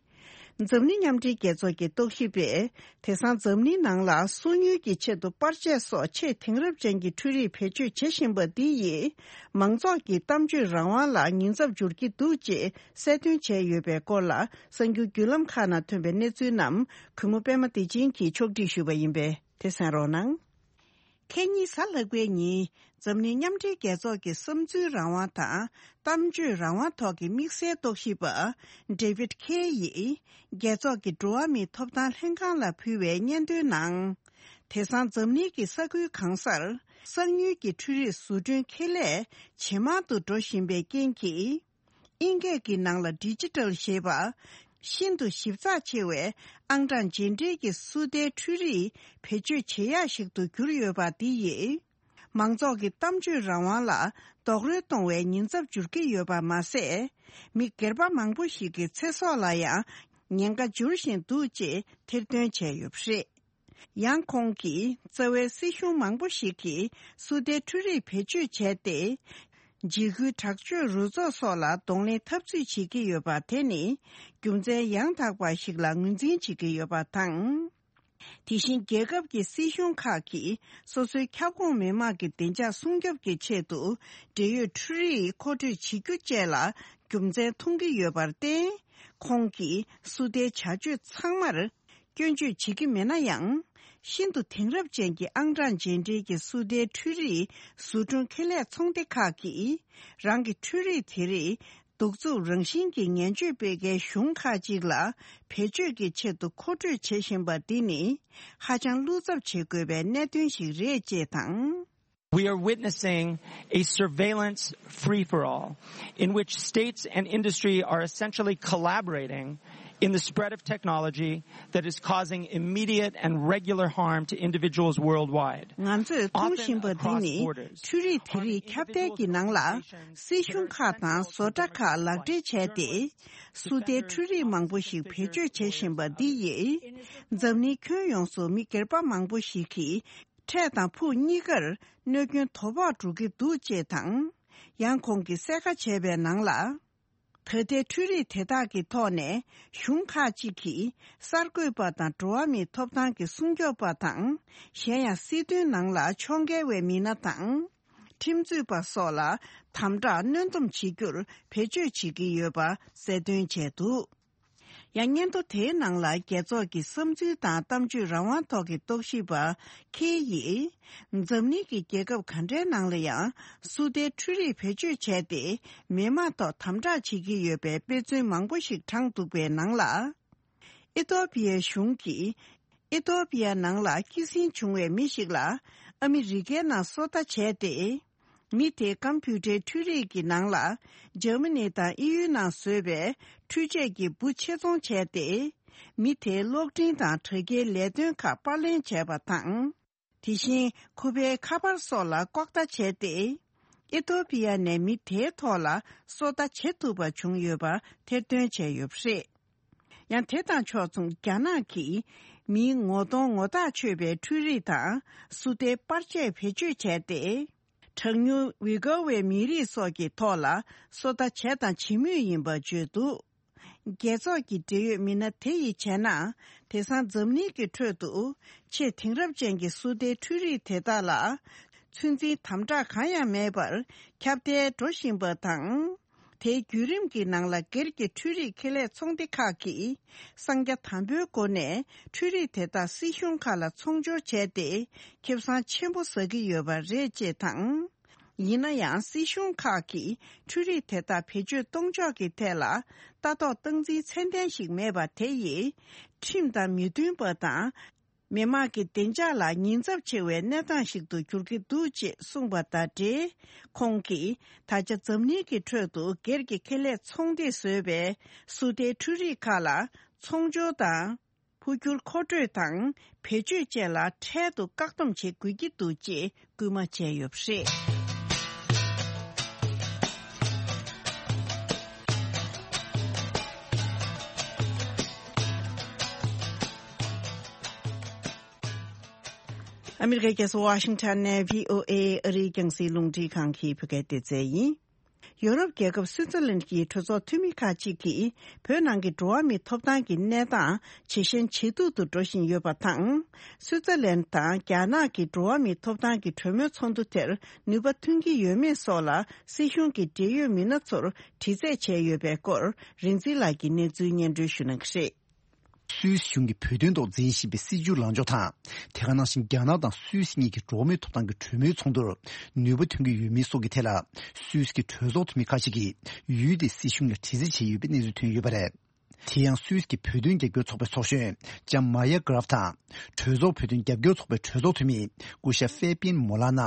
འཛམ་གླིང་མཉམ་འབྲེལ་རྒྱལ་ཚོགས་ཀྱི་རྟོག་ཞིབ་པས་དེང་སང་འཛམ་གླིང་ནང་ལ་སོ་ཉུལ་གྱི་ཆེད་དུ་པར་ཆས་སོགས་ཆེས་དེང་རབས་ཅན་གྱི་འཕྲུལ་རིག་བེད་སྤྱོད་བྱེད་བཞིན་པ་འདི་ཡིས་མང་ཚོགས་ཀྱི་གཏམ་བརྗོད་རང་དབང་ལ་ཉེན་ཚབས་འབྱོར་གྱི་འདུག་ཅེས་གསལ་སྟོན་བྱས་ཡོད་པའི་སྐོར་ལ་གསར་འགྱུར་བརྒྱུད་ལམ་ཁག་ནང་ཐོན་པའི་གནས་ཚུལ་རྣམས་གུས་མོ་པད་མ་བདེ་ཆེན་གྱིས་ཕྱོགས་སྒྲིག་ཞུས་པ་ཡིན་པས་དེ་གསན་རོགས་གནང་། ཁེ་ཉིན་གཟའ་ལྷག་པའི་ཉིན་འཛམ་གླིང་མཉམ་འབྲེལ་རྒྱལ་ཚོགས་ཀྱི་བསམ་ཚུལ་རང་དབང་དང་གཏམ་བརྗོད་རང་དབང་ཐོག་གི་དམིགས་བསལ་རྟོག་ཞིབ་པ་David Kaye ཡིས་རྒྱལ་ཚོགས་ཀྱི་འགྲོ་བ་མིའི་ཐོབ་ཐང་ལྷན་ཁང་ལ་ཕུལ་བའི་སྙན་ཐོའི་ནང་། དེང་སང་འཛམ་གླིང་གི་ས་ཁུལ་གང་སར་གསར་ཉུལ་གྱི་འཕྲུལ་རིག་བཟོ་སྐྲུན་ཁེ་ལས་ཇེ་མང་དུ་འགྲོ་བཞིན་པའི་རྐྱེན་གྱིས། དབྱིན་སྐད་ཀྱི་ནང་ལ་ཌི་ཇི་ཊལ་ཞེས་པ། ཤིན་ཏུ་ཞིབ་ཚགས་ཆེ་བའི་ཨང་གྲངས་རྗེས་འབྲེལ་གྱི་སུ་ཏའི་འཕྲུལ་རིག་བེད་སྤྱོད་བྱེད་ཡག་ཞིག་ཏུ་གྱུར་ཡོད་པ་འདི་ཡིས། མང་ཚོགས་ཀྱི་གཏམ་བརྗོད་རང་དབང་ལ་རྡོག་རོལ་གཏོང་བའི་ཉེན་ཚབས་འབྱོར་གྱི་ཡོད་པ་མ་ཟད། མི་སྒེར་པ་མང་པོ་ཞིག་གི་ཚེ་སྲོག་ལ་ཡང་ཉེན་ཁ་འབྱོར་བཞིན་འདུག་ཅེས་ཐེར་འདོན་བྱས་ཡོད་པ་རེད། ཡང་ཁོང་གིས་རྩ་བའི་སྲིད་གཞུང་མང་པོ་ཞིག་གིས་སུ་ཏའི་འཕྲུལ་རིག་བེད་སྤྱོད་བྱས་ཏེ། འཇིགས་སྐུལ་དྲག་སྤྱོད་རུ་ཚོགས་སོགས་ལ་གདོང་ལེན་འཐབ་རྩོད་བྱེད་ཀྱི་ཡོད་པ་དེ་ནི་རྒྱུ་མཚན་ཡང་དག་པ་ཞིག་ལ་ངོས་འཛིན་བྱེད་ཀྱི་ཡོད་པ་དང་། དེ་བཞིན་རྒྱལ་ཁབ་ཀྱི་སྲིད་གཞུང་ཁག་གིས་སོ་སོའི་ཁྱབ་ཁོངས་མི་དམངས་ཀྱི་བདེ་འཇགས་སྲུང་སྐྱོབ་ཀྱི་ཆེད་དུ་འབྲེལ་ཡོད་འཕྲུལ་རིག་མཁོ་སྤྲོད་བྱེད་རྒྱུ་བཅས་ལ་རྒྱུ་མཚན་མཐོང་གི་ཡོད་པར་བརྟེན། ཁོང་གིས་སུ་ཏའི་བྱ་སྤྱོད་ཚང་མར་སྐྱོན་བརྗོད་བྱེད་ཀྱི་མེད་ན་ཡང་། ཤིན་ཏུ་དེང་རབས་ཅན་གྱི་ཨང་གྲངས་རྗེས་འབྲེལ་གྱི་སུ་ཏའི་འཕྲུལ་རིག་བཟོ་སྐྲུན་ཁེ་ལས་ཚོང་སྡེ་ཁག་གིས་རང་གི་འཕྲུལ་རིག་དེ་རིགས་གདུག་རྩུབ་རང་བཞིན་གྱི་ངན་སྤྱོད་སྤེལ་མཁན་གཞུང་ཁག་ཅིག་ལ་བེད་སྤྱོད་ཀྱི་ཆེད་དུ་མཁོ་སྤྲོད་བྱེད་བཞིན་པ་འདི་ནི་ཧ་ཅང་བློ་འཚབ་བྱེད་དགོས་པའི་གནད་དོན་ཞིག་རེད་ཅེས་དང་། We are witnessing a surveillance free-for-all in which states and industry are essentially collaborating in the spread of technology that is causing immediate and regular harm to individuals worldwide. ང་ཚོས་མཐོང་བཞིན་པ་འདི་ནི་འཕྲུལ་རིག་དེ་རིགས་ཁྱབ་གདལ་གྱི་ནང་ལ་སྲིད་གཞུང་ཁག་དང་བཟོ་གྲྭ་ཁག་ལག་འབྲེལ་བྱས་ཏེ། སུ་ཏའི་འཕྲུལ་རིག་མང་པོ་ཞིག་བེད་སྤྱོད་བྱེད་བཞིན་པ་འདི་ཡིས། འཛམ་གླིང་ཁྱོན་ཡོངས་སུ་མི་སྒེར་པ་མང་པོ་ཞིག་གིས་འཕྲལ་དང་ཕུགས་གཉིས་ཀར་གནོད་སྐྱོན་དོ་ཕོག་འགྲོ་གི་འདུག་ཅེས་དང་། ཡང་ཁོང་གིས་གསལ་ཁ་བྱས་པའི་ནང་ལ། ད་ལྟའི་འཕྲུལ་རིག་དེ་དག་གི་ཐོག་ནས་གཞུང་ཁག་ཅིག་གིས་གསར་འགོད་པ་དང་འགྲོ་བ་མིའི་ཐོབ་ཐང་གི་སྲུང་སྐྱོབ་པ་དང་། གཞན་ཡང་སྲིད་དོན་ནང་ལ་ཕྱོགས་འགལ་བའི་མི་སྣ་དང་། ཁྲིམས་རྩོད་པ་སོགས་ལ་དམ་དྲག་གནོན་སྡོམ་བྱེད་རྒྱུར་བེད་སྤྱོད་བྱེད་ཀྱི་ཡོད་པ་གསལ་སྟོན་བྱས་འདུག་ཡང་སྙན་ཐོ་དེའི་ནང་ལ་རྒྱལ་ཚོགས་ཀྱི་བསམ་ཚུལ་དང་གཏམ་བརྗོད་རང་དབང་ཐོག་གི་རྟོག་ཞིབ་པ་ཁེ་ཡིས། འཛམ་གླིང་གི་རྒྱལ་ཁབ་ག་འདྲའི་ནང་ལ་ཡང་སུ་ཏའི་འཕྲུལ་རིག་བེད་སྤྱོད་བྱས་ཏེ་མི་དམངས་ཐོག་དམ་དྲག་བྱེད་ཀྱི་ཡོད་པའི་དཔེ་མཚོན་མང་པོ་ཞིག་དྲངས་འདུག་པའི་ནང་ལ། ཨི་ཐོ་པི་ཡའི་གཞུང་གིས། ཨི་ཐོ་པི་ཡ་ནང་ལ་སྐྱེད་སྲིང་བྱུང་བའི་མི་ཞིག་ལ་ཨ་མི་རི་ཀའི་ནང་སོ་ལྟ་བྱས་ཏེ། མི་དེའི་ཀམ་པུ་ཊའི་འཕྲུལ་རིག་གི་ནང་ལ་འཇར་མ་ནི་དང་དབྱིན་ཡུལ་ནང་བཟོས་པའི་འཕྲུལ་ཆས་ཀྱི་འབུ་ཆེད་རྫོང་བྱས་ཏེ། མི་དེའི་གློག་འཕྲིན་དང་དྲ་རྒྱའི་ལས་དོན་ཁག་པར་ལེན་བྱས་པ་དང་། དེ་བཞིན་ཁོ་པའི་ཁ་པར་སོགས་ལ་ལྐོག་ལྟ་བྱས་ཏེ། ཨི་ཐོ་པི་ཡ་ནས་མི་དེའི་ཐོག་ལ་སོ་ལྟ་བྱེད་ཐུབ་པ་བྱུང་ཡོད་པ་ཐེར་འདོན་བྱས་ཡོད་པ་རེད། ཡང་དེ་དང་ཕྱོགས་མཚུངས་རྒྱ་ནག་གིས་མིའི་ངོ་གདོང་ངོ་ཐག་ཆོད་པའི་འཕྲུལ་རིག་དང་སུ་ཏའི་པར་ཆས་བེད་སྤྱོད་བྱས་ཏེ། གྲངས་ཉུང་ཝི་གོ་བའི་མི་རིགས་སོགས་ཀྱི་ཐོག་ལ་སོ་ལྟ་བྱས་དང་བྱེད་མུས་ཡིན་པ་བརྗོད་འདུག་རྒྱལ་ཚོགས་ཀྱི་འབྲེལ་ཡོད་མི་སྣ་དེ་ཡིས་བྱས་ན། དེང་སང་འཛམ་གླིང་གི་ཁྲོད་དུ་ཆེས་དེང་རབས་ཅན་གྱི་སུ་ཏའི་འཕྲུལ་རིག་དེ་དག་ལ་ཚོད་འཛིན་དམ་དྲག་གང་ཡང་མེད་པར་ཁྱབ་གདལ་འགྲོ་བཞིན་པ་དང་། དེའི་བརྒྱུད་རིམ་གྱི་ནང་ལ་སྒེར་གྱི་འཕྲུལ་རིག་ཁེ་ལས་ཚོང་སྡེ་ཁག་གིས་གསང་རྒྱ་དམ་པོའི་སྒོ་ནས་འཕྲུལ་རིག་དེ་དག་སྲིད་གཞུང་ཁག་ལ་ཚོང་སྦྱོར་བྱས་ཏེ་ཁེ་བཟང་ཆེན་པོ་ཟ་གི་ཡོད་པ་རེད་ཅེས་དང་། ཡིན་ན་ཡང་སྲིད་གཞུང་ཁག་གིས་འཕྲུལ་རིག་དེ་དག་བེད་སྤྱོད་གཏོང་ཕྱོགས་ཀྱི་ཐད་ལ་ལྟ་རྟོག་སྟངས་འཛིན་ཚད་ལྡན་ཞིག་མེད་པ་དེ་ཡིས་ཁྲིམས་དང་མི་མཐུན་པ་དང་། མི་དམངས་ཀྱི་བདེ་འཇགས་ལ་ཉེན་ཚབས་ཆེ་བའི་གནས་སྟངས་ཤིག་ཏུ་འགྱུར་གྱི་འདུག་ཅེས་གསུངས་པ་དང་འབྲེལ། ཁོང་གིས་ད་ཆ་འཛམ་གླིང་གི་ཁྲོད་དུ་སྒེར་གྱི་ཁེ་ལས་ཚོང་སྡེས་བཟོས་པའི་སུ་ཏའི་འཕྲུལ་རིག་ཁག་ལ་ཚོང་སྦྱོར་དང་། འཕོ་འགྱུར་མཁོ་སྤྲོད་དང་བེད་སྤྱོད་བཅས་ལ་འཕྲལ་དུ་བཀག་སྡོམ་བྱེད་དགོས་ཀྱི་འདུག་ཅེས་སྐུལ་མ་བྱས་ཡོད་པ་རེད། ཨ་མི་རི་ཀའི་རྒྱལ་ས་ཝ་ཤིང་ཊོན་ནས་བྷི་ཨོ་ཨེ་ཨ་རིའི་རྒྱང་སྲིང་རླུང་འཕྲིན་ཁང་གི་བོད་སྐད་སྡེ་ཚན་ཡིན། ཡོ་རོབ་རྒྱལ་ཁབ་སུད་ཙར་ལན་གྱི་གྲོས་ཚོགས་འཐུས་མི་ཁག་ཅིག་གིས་བོད་ནང་གི་འགྲོ་བ་མིའི་ཐོབ་ཐང་གི་གནས་སྟངས་ཇེ་ཞན་ཇེ་སྡུག་ཏུ་འགྲོ་བཞིན་ཡོད་པ་དང་། སུད་ཙར་ལན་དང་རྒྱ་ནག་གི་འགྲོ་བ་མིའི་ཐོབ་ཐང་གི་གྲོས་མོལ་ཚོགས་འདུ་དེར་ནུས་པ་ཐོན་གྱི་ཡོད་མེད་སོགས་ལ་སྲིད་གཞུང་གི་འབྲེལ་ཡོད་མི་སྣ་ཚོར་དྲི་རྩད་བྱས་ཡོད་པའི་སྐོར་རིག་འཛིན་ལགས་ཀྱིས་གནས་ཚུལ་སྙན་སྒྲོན་ཞུ་གནང་གི་རེད། སུད་སི་གཞུང་གིས་བོད་དོན་ཐོག་འཛིན་བཞིན་པའི་སྲིད་བྱུས་ལངས་ཕྱོགས་དང་། དེ་ག་ནང་བཞིན་རྒྱ་ནག་དང་སུད་སི་གཉིས་ཀྱི་འགྲོ་བ་མིའི་ཐོབ་ཐང་གི་གྲོས་མོལ་ཚོགས་འདུར་ནུས་པ་ཐོན་གྱི་ཡོད་མེད་སོགས་ཀྱི་ཐད་ལ། སུད་སི་གི་གྲོས་ཚོགས་འཐུས་མི་ཁག་ཅིག་གིས་ཡུལ་དེའི་སྲིད་གཞུང་ལ་དྲི་རྩད་བྱས་ཡོད་པའི་གནས་ཚུལ་ཐོན་ཡོད་པ་རེད། དེ་ཡང་སུད་སི་གི་བོད་དོན་རྒྱབ་སྐྱོར་ཚོགས་པའི་ཚོགས་གཞོན་ལྕམ་མ་ཡ་གྷ་རབ་དང་། གྲོས་ཚོགས་བོད་དོན་རྒྱབ་སྐྱོར་ཚོགས་པའི་གྲོས་ཚོགས་འཐུས་མི་སྐུ་ཞབས་ཧྥེ་པིན་མོ་ལ་ན།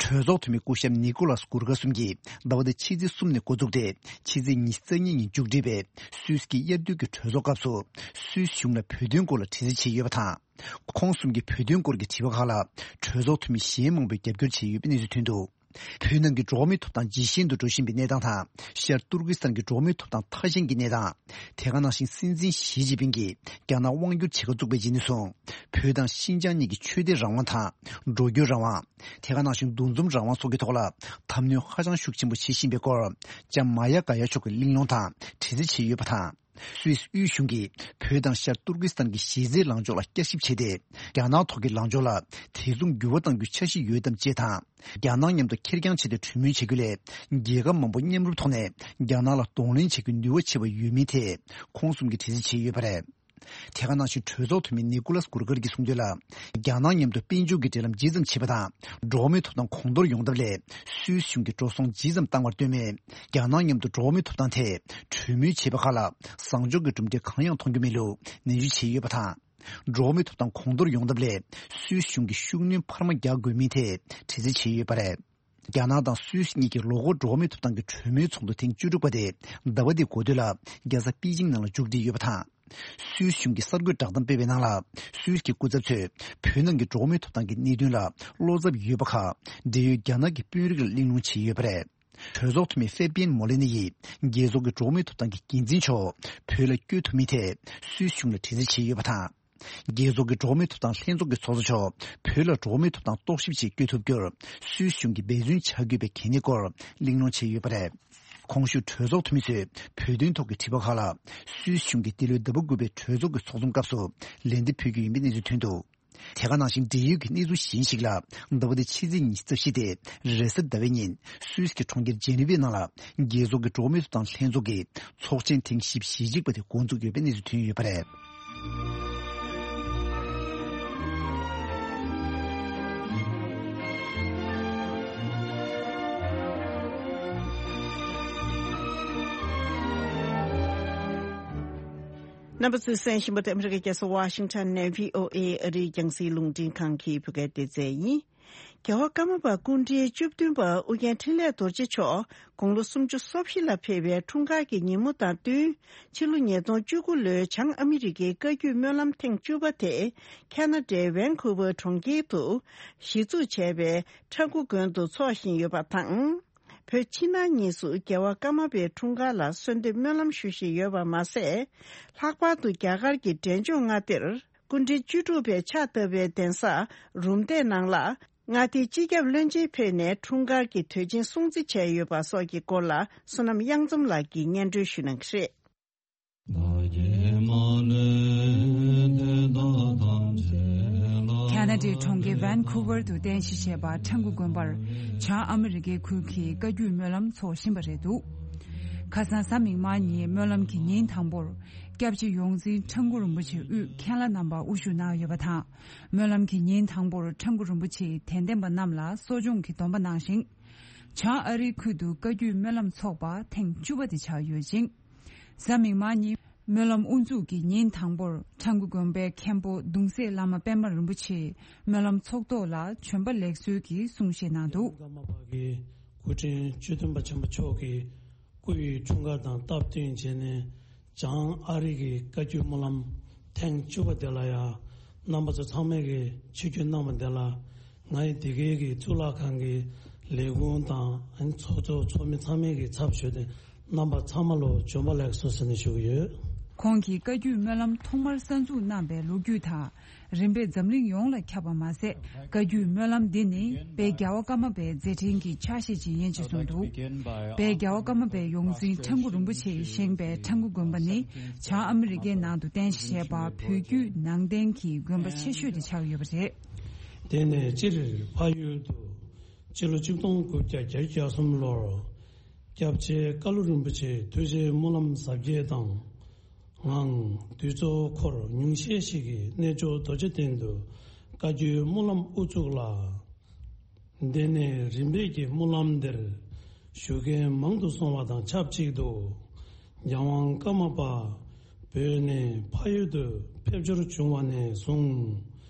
གྲོས་ཚོགས་འཐུས་མི་སྐུ་ཞབས་ནི་ཀོ་ལཱས་གུར་ག་གསུམ་གྱིས་ཟླ་བ་འདིའི་ཕྱི་ཚེས་གསུམ་ནས་འགོ་འཛུགས་ཏེ་ཕྱི་ཚེས་ཉི་ཤུ་རྩ་གཉིས་ཉིན་མཇུག་སྒྲིལ་བའི་སུད་སི་གི་དབྱར་དུས་ཀྱི་གྲོས་ཚོགས་སྐབས་སུ། སུད་སི་གཞུང་ལ་བོད་དོན་སྐོར་ལ་དྲི་རྩད་བྱས་ཡོད་པ་དང་། ཁོང་གསུམ་གྱིས་བོད་དོན་སྐོར་གྱི་དྲི་བ་ཁག་ལ་གྲོས་ཚོགས་འཐུས་མི་གཞན་མང་པོས་རྒྱབ་སྐྱོར་བྱས་ཡོད་པའི་གནས་ཚུལ་ཐོན་འདུག་བོད་ནང་གི་འགྲོ་བ་མིའི་ཐོབ་ཐང་ཇེ་ཞན་དུ་འགྲོ་བཞིན་པའི་གནས་སྟངས་དང་། ཤར་ཏུར་ཀི་སི་ཐན་གྱི་འགྲོ་བ་མིའི་ཐོབ་ཐང་ཐ་ཞན་གྱི་གནས་སྟངས། དེ་ག་ནང་བཞིན་སྲིད་འཛིན་ཞི་ཅིན་ཕིང་གིས་རྒྱ་ནག་དབང་བསྒྱུར་བྱེད་ཁ་བཙུགས་པའི་རྗེས་ནས་བཟུང་། བོད་དང་ཤིན་ཅང་གཉིས་ཀྱི་ཆོས་དད་རང་དབང་དང་། འགྲོ་སྐྱོད་རང་དབང་། དེ་ག་ནང་བཞིན་འདུ་འཛོམས་རང་དབང་སོགས་ཀྱི་ཐོག་ལ་དམ་གནོན་ཧ་ཅང་ཤུགས་ཆེན་པོ་བྱེད་བཞིན་པའི་སྐོར། ལྕམ་མ་ཡ་ག་ཡ་མཆོག་གི་གླེང་སློང་དང་དྲི་རྩད་བྱས་ཡོད་པ་དང་། སུད་སི་དབུས་གཞུང་གིས་བོད་དང་ཤར་ཏུར་ཀི་སི་ཐན་གྱི་གཞི་རྩའི་ལངས་ཕྱོགས་ལ་བསྐྱར་ཞིབ་བྱས་ཏེ། རྒྱ་ནག་ཐོག་གི་ལངས་ཕྱོགས་ལ་དེ་མཚུངས་འགྱུར་བ་གཏང་རྒྱུའི་འཆར་གཞི་ཡོད་དམ་ཅེས་དང་། རྒྱ་ནག་མཉམ་དུ་ཁེར་རྐྱང་བྱས་ཏེ་གྲོས་མོལ་བྱེད་རྒྱུ་ལས། རྒྱལ་ཁབ་མང་པོ་མཉམ་རུབ་ཐོག་ནས་རྒྱ་ནག་ལ་གདོང་ལེན་བྱེད་རྒྱུའི་ནུས་པ་ཆེ་བ་ཡོད་མིན་ཐད། ཁོང་གསུམ་གྱིས་དྲི་རྩད་བྱས་ཡོད་པ་རེད། དེ་ག་ནང་བཞིན་གྲོས་ཚོགས་འཐུས་མི་ནི་ཀུ་ལཱས་གུར་གྷར་གྱིས་གསུངས་དོན་ལ། རྒྱ་ནག་མཉམ་དུ་དཔལ་འབྱོར་གྱི་འབྲེལ་ལམ་ཇི་ཙམ་བྱེད་པ་དང་། འགྲོ་བ་མིའི་ཐོབ་ཐང་གོང་མཐོར་ཡོང་ཐབས་ལས། སུད་སི་གཞུང་གིས་འགྲོ་སོང་ཇི་ཙམ་བཏང་བར་ལྟོས་མེད། རྒྱ་ནག་མཉམ་དུ་འགྲོ་བ་མིའི་ཐོབ་ཐང་ཐད་གྲོས་མོལ་བྱས་པ་ཁག་ལ། བཟང་ཕྱོགས་ཀྱི་གྲུབ་འབྲས་གང་ཡང་མཐོང་རྒྱུ་མེད་ལུགས་ནན་བརྗོད་བྱས་ཡོད་པ་དང་། འགྲོ་བ་མིའི་ཐོབ་ཐང་གོང་མཐོར་ཡོང་ཐབས་ལས། སུད་སི་གཞུང་གིས་ཤུགས་སྣོན་འཕར་མ་རྒྱག་དགོས་མིན་ཐད་དྲི་རྩད་བྱས་ཡོད་པ་རེད། རྒྱ་ནག་དང་སུད་སི་གཉིས་ཀྱི་ལོ་འཁོར་འགྲོ་བ་མིའི་ཐོབ་ཐང་གི་གྲོས་མོལ་ཚོགས་འདུ་ཐེངས་བཅུ་དྲུག་པ་དེ་ཟླ་བ་འདིའི་འགོ་སྟོད་ལ་རྒྱལ་ས་པེ་ཅིང་ནང་ལ་མཇུག་སྒྲིལ་ཡོད་པ་དང་། སུད་སི་གཞུང་གིས་གསར་འགོད་བསྒྲགས་གཏམ་སྤེལ་བའི་ནང་ལ། སུད་སི་གི་སྐུ་ཚབ་ཚོས་བོད་ནང་གི་འགྲོ་བ་མིའི་ཐོབ་ཐང་གི་གནད་དོན་ལ་བློ་འཚབ་ཡོད་པ་ཁག་འབྲེལ་ཡོད་རྒྱ་ནག་གི་དཔོན་རིགས་ལ་གླེང་སློང་བྱས་ཡོད་པ་རེད། གྲོས་ཚོགས་འཐུས་མི་ཧྥེ་པིན་མོ་ལེ་ནི་ཡིས་རྒྱལ་ཚོགས་ཀྱི་འགྲོ་བ་མིའི་ཐོབ་ཐང་གི་འགན་འཛིན་མཆོག་བོད་ལ་བསྐྱོད་ཐུབ་མིན་ཐད་སུད་སི་གཞུང་ལ་དྲི་རྩད་བྱས་ཡོད་པ་དང་། རྒྱལ་ཚོགས་ཀྱི་འགྲོ་བ་མིའི་ཐོབ་ཐང་ལྷན་ཚོགས་ཀྱི་ཚོགས་གཙོ་མཆོག་བོད་ལ་འགྲོ་བ་མིའི་ཐོབ་ཐང་རྟོག་ཞིབ་ཆེད་བསྐྱོད་ཐུབ་རྒྱུར་སུད་སི་གཞུང་གིས་འབད་བརྩོན་བྱ་དགོས་པའི་གལ་གནད་སྐོར་གླེང་སློང་བྱས་ཡོད་པ་རེད། གོང་ཞུས་གྲོས་ཚོགས་འཐུས་མི་ཚོས་བོད་དོན་ཐོག་གི་དྲི་བ་ཁག་ལ་སུད་སི་གཞུང་གིས་འདི་ལོའི་ཟླ་བ་དགུ་པའི་གྲོས་ཚོགས་ཀྱི་ཚོགས་འཛོམས་སྐབས་སུ་ལན་འདེབས་ཕུལ་རྒྱུ་ཡིན་པའི་གནས་ཚུལ་ཐོན་འདུག་དེ་ག་ནང་བཞིན་འབྲེལ་ཡོད་ཀྱི་གནས་ཚུལ་གཞན་ཞིག་ལ། ཟླ་བ་འདིའི་ཕྱི་ཚེས་ཉི་ཤུ་རྩ་བཞི་སྟེ་རེས་གཟའ་ཟླ་བའི་ཉིན་སུད་སི་གི་གྲོང་ཁྱེར་ཇེ་ནི་ཝའི་ནང་ལ་རྒྱལ་ཚོགས་ཀྱི་འགྲོ་བ་མིའི་ཐོབ་ཐང་ལྷན་ཚོགས་ཀྱི་ཚོགས་ཆེན་ཐེངས་བཞི་བཅུ་ཞེ་གཅིག་པ་དེ་འགོ་འཛུགས་ཡོད་པའི་གནས་ཚུལ་ཐོན་ཡོད་པ་རེད། རྣམ་པ་ཚོས་གསན་བཞིན་པ་དེ་ཨ་མི་རི་ཀའི་རྒྱལ་ས་ཝ་ཤིང་ཊོན་ནས་བྷི་ཨོ་ཨེ་ཨ་རིའི་རྒྱང་སྲིང་རླུང་འཕྲིན་ཁང་གི་བོད་སྐད་སྡེ་ཚན་ཡིན། རྒྱལ་བ་ཀརྨ་པ་སྐུ་ཕྲེང་བཅུ་བདུན་པ་ཨུ་རྒྱན་འཕྲིན་ལས་རྡོ་རྗེ་མཆོག་དགུང་ལོ་སུམ་ཅུ་སོ་བཞི་ལ་ཕེབས་པའི་འཁྲུངས་སྐར་གྱི་ཉིན་མོ་དང་བསྟུན། ཕྱི་ལོ་ཉིས་སྟོང་བཅུ་དགུ་ལོའི་བྱང་ཨ་མི་རི་ཀའི་བཀའ་བརྒྱུད་སྨོན་ལམ་ཐེངས་བཅུ་པ་དེ་ཁ་ན་ཌའི་ཝན་ཁུ་ཝར་གྲོང་ཁྱེར་དུ་གཞི་བཙུགས་བྱས་པའི་ཁྲ་འགུ་དགོན་དུ་འཚོགས་བཞིན་ཡོད་པ་དང་། བོད་ཕྱི་ནང་གཉིས་སུ་རྒྱལ་བ་ཀརྨ་པའི་འཁྲུངས་སྐར་ལ་གསོལ་འདེབས་སྨོན་ལམ་ཞུ་བཞིན་ཡོད་པ་མ་ཟད། ལྷག་པར་དུ་རྒྱ་གར་གྱི་འབྲས་ལྗོངས་མངའ་སྡེར་སྐུ་ཕྲེང་བཅུ་དྲུག་པའི་ཕྱག་བཏབ་པའི་གདན་ས་རུམ་བཏེག་ནང་ལ་མངའ་སྡེའི་སྤྱི་ཁྱབ་བློན་ཆེན་ཕེབས་ནས་འཁྲུངས་སྐར་གྱི་དུས་ཆེན་སྲུང་བརྩི་བྱས་ཡོད་པ་སོགས་ཀྱི་སྐོར་ལ་བསོད་ནམས་གཡང་འཛོམས་ལགས་ཀྱིས་སྙན་སྒྲོན་ཞུ་གནང་གི་རེད། ཁ་ན་ཌའི་གྲོང་ཁྱེར་ཝན་ཁུ་ཝར་དུ་རྟེན་གཞི་བྱས་པ་ཁྲ་འགུ་དགོན་པར་བྱང་ཨ་མི་རི་ཀའི་ཁུལ་གྱི་བཀའ་བརྒྱུད་སྨོན་ལམ་འཚོགས་བཞིན་པ་རེད་འདུག་ཁ་སང་གཟའ་མིག་དམར་ཉིན་སྨོན་ལམ་གྱི་ཉིན་དང་པོར་སྐྱབས་རྗེ་ཡོངས་འཛིན་ཁྲ་འགུ་རིན་པོ་ཆེ་དབུས་མཁན་བླ་རྣམ་པ་དབུ་བཞུགས་གནང་ཡོད་པ་དང་། སྨོན་ལམ་གྱི་ཉིན་དང་པོར་ཁྲ་འགུ་རིན་པོ་ཆེས་དད་ལྡན་པ་རྣམས་ལ་གསོ་སྦྱོང་གི་སྡོམ་པ་གནང་ཞིང་། བྱང་ཨ་རིའི་ཁུལ་དུ་བཀའ་བརྒྱུད་སྨོན་ལམ་འཚོགས་པ་ཐེངས་བཅུ་པ་དེ་ཆགས་ཡོད་ཅིང་། གཟའ་མིག་དམར་ཉིན་སྨོན་ལམ་དབུ་འཛུགས་ཀྱི་ཉིན་དང་པོར་ཁྲ་འགུ་དགོན་པའི་མཁན་པོ་གདུང་སྲས་བླ་མ་པད་མ་རིན་པོ་ཆེས་སྨོན་ལམ་ཚོགས་ཐོག་ལ་བྱོན་པ་ལེགས་གསོལ་གྱི་གསུང་བཤད་གནང་འདུག་ཀརྨ་པ་གི་སྐུ་ཕྲེང་བཅུ་བདུན་པ་ཆེན་པོ་མཆོག་གི་སྐུ་ཡི་འཁྲུངས་སྐར་དང་སྟབས་བསྟུན་བྱས་ནས། བྱང་ཨ་རི་གི་བཀའ་བརྒྱུད་སྨོན་ལམ་ཐེངས་བཅུ་པ་དེ་ལ་ཡང་རྣམ་པ་ཚོ་ཚང་མས་ཀྱི་ཆིབས་བསྒྱུར་གནང་བ་དེ་ལ། ང་ཡི་འདི་གའི་གི་གཙུག་ལག་ཁང་གི་ལས་ཁུངས་དང་ཚོགས་གཙོ་ཚོགས་མི་ཚང་མས་ཀྱི་ཚབ་ཞུས་ཏེ་རྣམ་པ་ཚང་མ་ལོ་བྱོན་པ་ལེགས་སོ་ཟེར་ནས་ཞུ་གི་ཡོད། ཁོང་གིས་བཀའ་བརྒྱུད་སྨོན་ལམ་ཐོག་མར་གསར་འཛུགས་གནང་པའི་ལོ་རྒྱུས་དང་། རིམ་པས་འཛམ་གླིང་ཡོངས་ལ་ཁྱབ་པ་མ་ཟད། བཀའ་བརྒྱུད་སྨོན་ལམ་འདི་ནི་དཔལ་རྒྱལ་བ་ཀརྨ་པའི་མཛད་འཕྲིན་གྱི་ཆ་ཤས་ཤིག་ཡིན་ཅེས་གསུངས་འདུག་དཔལ་རྒྱལ་བ་ཀརྨ་པའི་ཡོངས་འཛིན་ཁྲ་འགུ་རིན་པོ་ཆེས་བཞེངས་པའི་ཁྲ་འགུ་དགོན་པ་ནི་བྱང་ཨ་མི་རི་ཀའི་ནང་དུ་རྟེན་གཞི་བྱས་པ་བོད་བརྒྱུད་ནང་བསྟན་གྱི་དགོན་པ་ཆེ་ཤོས་དེ་ཆགས་ཡོད་པ་རེད། དེ་ནས་སྤྱིར་འཕགས་ཡུལ་དུ་སྤྱི་ལོ་ཆིག་སྟོང་དགུ་བརྒྱ་བརྒྱད་ཅུ་གྱ་གསུམ་ལོར་སྐྱབས་རྗེ་ཀ་ལུ་རིན་པོ་ཆེའི་ཐུགས་རྗེའི་སྨོན་ལམ་ཟབ་རྒྱས་དང་། ངང་དུས་ཚོད་འཁོར་ཉུང་ཤས་ཤིག་གིས་གནས་མཆོག་རྡོ་རྗེ་གདན་དུ་བཀའ་བརྒྱུད་སྨོན་ལམ་དབུ་བཙུགས་ལ། དེ་ནས་རིམ་པས་ཀྱིས་སྨོན་ལམ་འདིར་ཞུགས་མཁན་མང་དུ་སོང་བ་དང་ཆབས་ཅིག་ཏུ། རྒྱལ་དབང་ཀརྨ་པ་བོད་ནས་འཕགས་ཡུལ་དུ་ཕེབས་འབྱོར་བྱུང་བ་ནས་བཟུང་།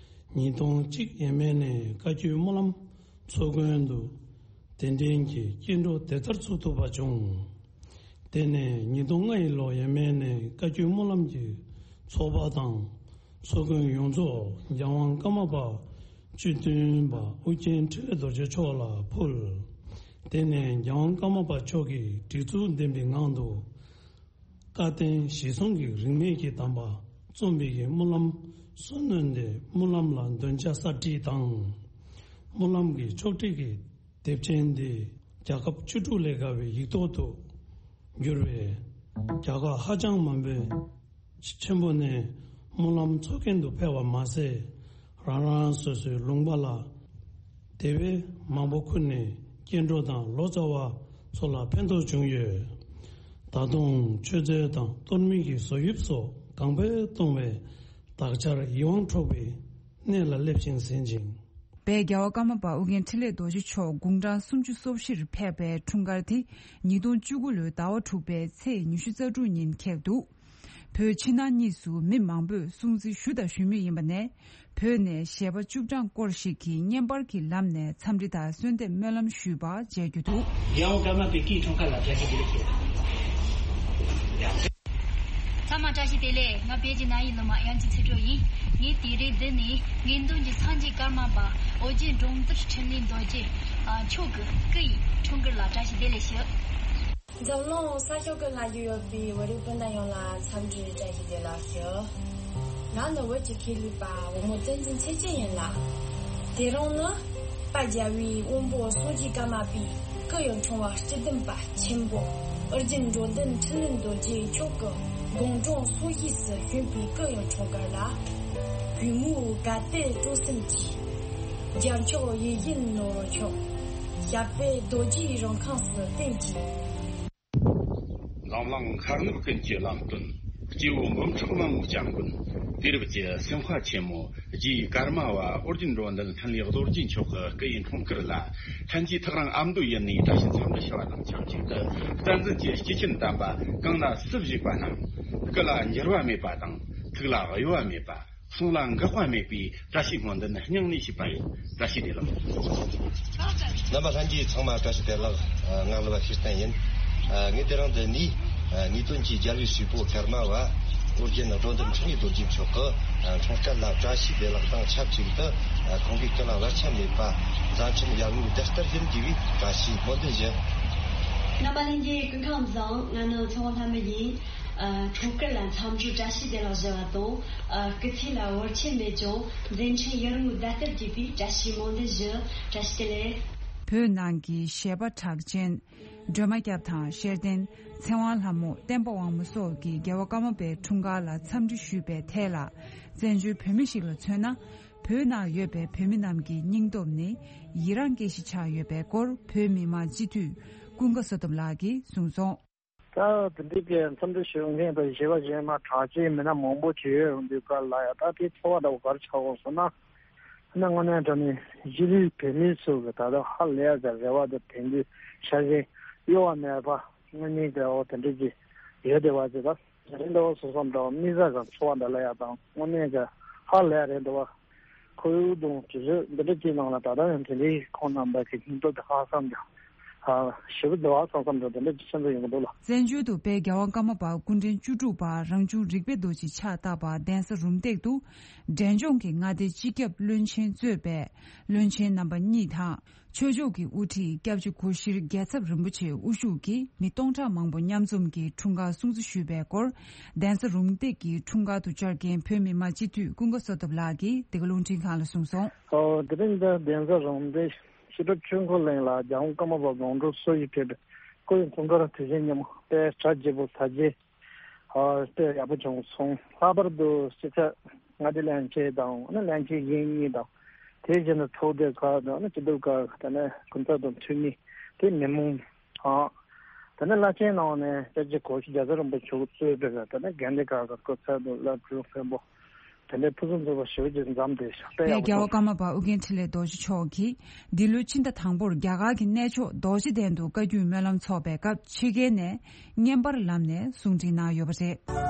ཉིས་སྟོང་གཅིག་ཡས་མས་ནས་བཀའ་བརྒྱུད་སྨོན་ལམ་ཚོགས་མགོན་དུ་གདན་འདྲེན་གྱིས་སྐྱེ་འགྲོ་བདེ་ཐར་ཚུགས་ཐུབ་པ་བྱུང་། དེ་ནས་ཉིས་སྟོང་ལྔ་ཡི་ལོ་ཡས་མས་ནས་བཀའ་བརྒྱུད་སྨོན་ལམ་གྱི་ཚོགས་པ་དང་ཚོགས་མགོན་ཡོངས་རྫོགས་རྒྱལ་དབང་ཀརྨ་པ་བཅུ་བདུན་པ་ཨོ་རྒྱན་འཕྲིན་ལས་རྡོ་རྗེ་མཆོག་ལ་ཕུལ། དེ་ནས་རྒྱལ་དབང་ཀརྨ་པ་མཆོག་གིས་སྒྲིག་འཛུགས་ལྡན་པའི་ངང་དུ། བཀའ་བསྟན་གཞིར་བཟུང་གི་རིས་མེད་ཀྱི་གདམས་པ་རྩོམ་པའི་སྨོན་ལམ་སུ་གནོན་ཏེ་སྨོན་ལམ་ལ་འདོན་ཆ་གསར་བསྒྲིགས་དང་། སྨོན་ལམ་གྱི་ཕྱོགས་བསྒྲིགས་ཀྱི་དེབ་ཆེན་འདི་རྒྱལ་ཁབ་བཅུ་དྲུག་ལས་བརྒལ་བའི་ཡིག་ཐོག་ཏུ་བསྒྱུར་བས། རྒྱལ་ཁབ་ཧ་ཅང་མང་པོའི་ཆེན་པོ་ནས་སྨོན་ལམ་འཚོགས་མཁན་དུ་ཕེབས་པ་མ་ཟད། རང་རང་སོ་སོའི་ལུང་པ་ལ་དེ་བས་མང་པོ་ཁུར་ནས་སྐྱེ་འགྲོ་དང་ལོ་ཙཱ་བ་ཚོ་ལ་ཕན་ཐོགས་བྱུང་ཡོད། ད་དུང་མཆོད་རྫས་དང་གཏོར་མའི་གི་བཟོ་དབྱིབས་སོགས་ གོང་འཕེལ་གཏོང་བའི་དག་ཆར་ཡིད་དབང་འཕྲོག་པའི་གནས་ལ་སླེབས་ཤིང་ཟིན་ཅིང་། དཔལ་རྒྱལ་བ་ཀརྨ་པ་ཨོ་རྒྱན་འཕྲིན་ལས་རྡོ་རྗེ་མཆོག་དགུང་གྲངས་སུམ་ཅུ་སོ་བཞིར་ཕེབས་པའི་འཁྲུངས་སྐར་དེ་ཉིས་སྟོང་བཅུ་དགུ་ལོའི་ཟླ་བ་དྲུག་པའི་ཚེས་ཉི་ཤུ་རྩ་དྲུག་ཉིན་འཁེལ་འདུག་བོད་ཕྱི་ནང་གཉིས་སུ་མི་མང་པོས་སྲུང་བརྩི་ཞུ་དང་ཞུ་མུས་ཡིན་པ་ནས། བོད་ནས་གཞས་པ་བཅུ་གྲངས་སྐོར་ཞིག་གིས་བརྙན་པར་གྱི་ལམ་ནས་འཚམས་འདྲི་དང་གསོལ་འདེབས་སྨོན་ལམ་ཞུས་པ་མཇལ་རྒྱུ་འདུག་རྒྱལ་དབང་ཀརྨ་པའི་སྐུའི་འཁྲུངས་སྐར་ལ་བཀྲ་ཤིས་བདེ་ལེགས་ཞུ། ཚང་མ་བཀྲ་ཤིས་བདེ་ལེགས། ང་བོད་ཀྱི་ན་ཡི་ལོ་མ་དབྱངས་ཅན་ཚེ་སྒྲོལ་ཡིན། ངས་དེ་རིང་འདི་ནས་ངེས་འདུན་གྱི་སངས་རྒྱས་ཀརྨ་པ་ཨོ་རྒྱན་འབྲོམ་སྟོན་འཕྲིན་ལས་རྡོ་རྗེ་མཆོག་གི་སྐུ་ཡི་འཁྲུངས་སྐར་ལ་བཀྲ་ཤིས་བདེ་ལེགས་ཞུ། འཛམ་གླིང་ས་ཕྱོགས་ཀྱི་ལྷག་རྒྱུ་ཡོད་པའི་བོད་རིགས་སྤུན་ཟླ་ཡོངས་ལ་འཚམས་འདྲི་བཀྲ་ཤིས་བདེ་ལེགས་ཞུ། ང་ནི་བོད་ཀྱི་མཁས་བླུན་པ་བུ་མོ་བསྟན་འཛིན་ཚེ་བརྟན་ཡིན་ལ། དེ་རིང་ནི་དཔལ་རྒྱལ་བའི་དབོན་པོ་སངས་རྒྱས་ཀརྨ་པའི་སྐུ་ཡི་འཁྲུངས་པ་སྤྱི་བདུན་པ་ཆེན་པོ་ཨོ་རྒྱན་འབྲོམ་སྟོན་འཕྲིན་ལས་རྡོ་རྗེ་མཆོག་གི་དགུང་གྲངས་སོ་བཞི་སུ་བྱོན་པའི་སྐུ་ཡི་འཁྲུངས་སྐར་ལ། གུས་མོས་དགའ་དད་སྤྲོ་སེམས་ཀྱིས། རྒྱལ་མཆོག་ཡིད་བཞིན་ནོར་བུ་མཆོག་ཞབས་པད་རྡོ་རྗེའི་རིང་ཁམས་སུ་བརྟན་ཅིང་། འཛམ་གླིང་མཁའ་ངོས་ཀུན་གྱི་ལམ་སྟོན། སྐྱེས་བུ་འབུམ་ཕྲག་མང་པོའི་སྐྱབས་མགོན། དུས་རབས་ཀྱི་སེམས་དཔའ་ཆེན་མོ་རྗེ་ཀརྨ་པ་ཨོ་རྒྱན་འབྲོམ་སྟོན་འཕྲིན་ལས་རྡོ་རྗེ་མཆོག་གི་སྐུ་ཡི་འཁྲུངས་སྐར་ལ། ལྷན་རྒྱས་ཐག་རིང་ཨ་མདོ་ཡུལ་ནས་བཀྲ་ཤིས་འཚམས་འདྲི་ཞུ་བ་དང་ཆབས་ཅིག་ཏུ། བསྟན་འཛིན་གྱི་སྐྱེས་ཆེན་དམ་པ་གང་ན་སུ་བཞུགས་པ་རྣམས། སྐུ་ལ་འགྱུར་བ་མེད་པ་དང་། ཐུགས་ལ་གཡོ་བ་མེད་པ། གསུང་ལ་འགག་པ་མེད་པའི་བཀྲ་ཤིས་སྨོན་འདུན་སྙིང་ནས་ཞུས་པ་ཡིན། བཀྲ་ཤིས་བདེ་ལེགས། རྣམ་པ་ལྷན་རྒྱས་ཚང་མ་བཀྲ་ཤིས་བདེ་ལེགས། ང་གླུ་བ་ཤེས་བསྟན་ཡིན། ངས་དེ་རིང་འདི་ནས་ངེས་དོན་གྱི་རྒྱལ་བའི་སྲས་པོ་ཀརྨ་པ་ཨོ་རྒྱན་འབྲོམ་སྟོན་འཕྲིན་ལས་རྡོ་རྗེ་མཆོག་གི་འཁྲུངས་སྐར་ལ་བཀྲ་ཤིས་བདེ་ལེགས་དང་ཆབས་ཅིག་ཏུ། ཁོང་གི་སྐུ་ལ་བར་ཆད་མེད་པ། མཛད་འཕྲིན་ཡར་ངོའི་ཟླ་ལྟར་ཡིན་དགོས་པའི་བཀྲ་ཤིས་སྨོན་འདུན་ཞུ། རྣམ་པ་ལྷན་རྒྱས་སྐུ་ཁམས་བཟང་། ང་ནི་མཚོ་སྔོན་ལྷ་མོ་ཡིན། ཨ། འཁྲུངས་སྐར་ལ་འཚམས་འདྲི་བཀྲ་ཤིས་བདེ་ལེགས་ཞུ་བ་དང་། ཨ། སྐུ་ཚེ་ལ་བར་ཆད་མེད་ཅིང་མཛད་འཕྲིན་ཡར་ངོའི་ཟླ་ལྟར་རྒྱས་པའི་བཀྲ་ཤིས་སྨོན་འདུན་ཞུ། བཀྲ་ཤིས་བདེ་ལེགས། བོད་ནང་གི་གཞས་པ་གྲགས་ཅན་སྒྲོལ་མ་སྐྱབས་དང་། ཤེར་ལྡན། ཚེ་དབང་ལྷ་མོ། བསྟན་པ་དབང་མོ་སོགས་ཀྱིས་རྒྱལ་བ་ཀརྨ་པའི་འཁྲུངས་སྐར་ལ་འཚམས་འདྲི་ཞུས་པའི་ཐད་ལ། བཙན་བྱོལ་བོད་མི་ཞིག་ལ་མཚོན་ན། བོད་ནང་ཡོད་པའི་བོད་མི་རྣམས་ཀྱི་སྙིང་སྟོབས་ནི་ཡི་རངས་སྐྱེ་གཞི་ཆགས་ཡོད་པའི་སྐོར་བོད་མི་མང་སྤྱི་འཐུས་ཀུན་དགའ་བསོད་སྟོབས་ལགས་ཀྱིས་གསུངས་སོང་། ད་དེ་འདྲའི་གི་འཚམས་འདྲི་ཞུ་མཁན་དང་གཞས་པ་གཞས་མ་གྲགས་ཅན་མི་སྣ་མང་པོ་ཅིག་ཡོད་འོང་དུས་སྐབས་ལ་ཡ། ད་དེ་ཚོར་བ་འདྲ་བོ་ག་རེ་ཆགས་འོང་ཟེར་ན། ཨ་ནི་དངོས་གནས་དྲང་གནས་གཞིས་ལུས་བོད་མི་ཚོ་གི་ད་ལྟ་ཧ་ལས་ཡ་གི་རེ་བ་དང་དོན་འདོད་ཤ་ཞེན་གཡོ་བ་མེད་པ་དངོས་གནས་གི་འོ་དེ་འདྲ་ཅིག་ཡོད་བསྡད་པ་ཅིག་ད། རེད་འདུག་བ། སོ་སོ་འདྲ་བ་དམིགས་བསལ་གྱི་ཚོར་བ་འདྲ་ལ་ཡ་དང་དངོས་གནས་ཀྱི་ཧ་ལས་རེད་འདུག་བ། ཁོ་བོའི་གདོང་དྲི་ཟ་འདི་འདྲ་ཅིག་ནང་ལ་ད་ལྟ་ཡང་དེ་འདྲའི་ཁོང་རྣམ་པ་གི་སྙིང་སྟོབས་དེ་ཧ་སམ་ཀྱང་ཞེ་པོ་འདུག་བ། བསམ་བསམ་འདྲ་དེ་འདྲ་ཅིག་ཤེས་འདོད་ཡོང་གི་འདུག་ལ། བཙན་བྱོལ་དུ་དཔལ་རྒྱལ་བ་ཀརྨ་པ་སྐུ་ཕྲེང་བཅུ་དྲུག་པ་རང་བྱུང་རིག་པའི་རྡོ་རྗེ་ཕྱག་བཏབ་པ་གདན་ས་རུམ་བཏེག་ཏུ་འབྲས་ལྗོངས་ཀྱི་མངའ་སྡེ་སྤྱི་ཁྱབ་བློན་ཆེན་གཙོས་པའི་བློན་ཆེན་རྣམ་པ་གཉིས་དང་། ཆོས་ཕྱོགས་ཀྱི་དབུ་ཁྲིད་སྐྱབས་རྗེ་སྐུ་ཞབས་རྒྱལ་ཚབ་རིན་པོ་ཆེ་དབུ་བཞུགས་ཀྱིས་མི་སྟོང་ཕྲག་མང་པོ་མཉམ་འཛོམས་ཀྱིས་འཁྲུངས་སྐར་སྲུང་བརྩི་ཞུས་པའི་སྐོར། གདན་ས་རུམ་བཏེག་གི་འཁྲུངས་སྐར་དུ་བཅར་མཁན་བོད་མི་མང་སྤྱི་འཐུས་ཀུན་དགའ་བསོད་སྟོབས་ལགས་ཀྱིས་འདི་ག་རླུང་འཕྲིན་ཁང་ལ་གསུངས་སོང་། ཨོ། དེ་རིང་འདི་གདན་ས་རུམ་བཏེག་ཕྱི་དྲོ་ཆོས་འཁོར་གླིང་ལ་རྒྱལ་དབང་ཀརྨ་པ་དགུང་གྲངས་སོ་བཞི་ཕེབས་པའི་སྐུ་ཡི་འཁྲུངས་སྐར་དུས་ཆེན་ཉིན་མོ་དཔེ་གྲ་རྒྱས་པོ་ཚར་རྗེས། ཨ། དཔེ་ཡག་པོ་བྱུང་སོང་། ལྷག་པར་དུ་སྤྱི་ཁྱབ་མངའ་སྡེ་བློན་ཆེན་དང་། ཨ་ནི་བློན་ཆེན་གཞོན་གཉིས་དང་། དེ་བཞིན་དུ་ཚོགས་སྡེ་ཁག་དང་། ཨ་ནི་སྐྱིད་སྡུག་ཁག་ད་ནི་སྐུ་ཚབ་དང་འཐུས་མི། དེ་མི་མང་དང་། ད་ནི་བླ་ཆེན་ནང་ནས་སྐྱབས་རྗེ་གོང་ས་རྒྱལ་ཚབ་རིན་པོ་ཆེ་གཙོས་པའི་ད་ནི་དགོན་སྡེ་ཁག་གི་སྐུ་ཚབ་དང་བླ་སྤྲུལ་མཁན་པོ། དེ་འདྲའི་ཕུན་སུམ་ཚོགས་པ་ཞེ་པོ་ཅིག་འཛོམས་ཏེ་ཤག་དཔེ་ཡག་པོ་རྒྱལ་བ་བྱུང་། ཀརྨ་པ་ཨོ་རྒྱན་འཕྲིན་ལས་རྡོ་རྗེ་མཆོག་གིས་འདི་ལོའི་ཕྱི་ཟླ་དང་པོར་རྒྱ་གར་གྱི་གནས་མཆོག་རྡོ་རྗེ་གདན་དུ་བཀའ་བརྒྱུད་སྨོན་ལམ་འཚོགས་པའི་སྐབས་ཕྱི་རྒྱལ་ནས་བརྙན་པར་ལམ་ནས་གསུང་འཕྲིན་གནང་ཡོད་པ་རེད།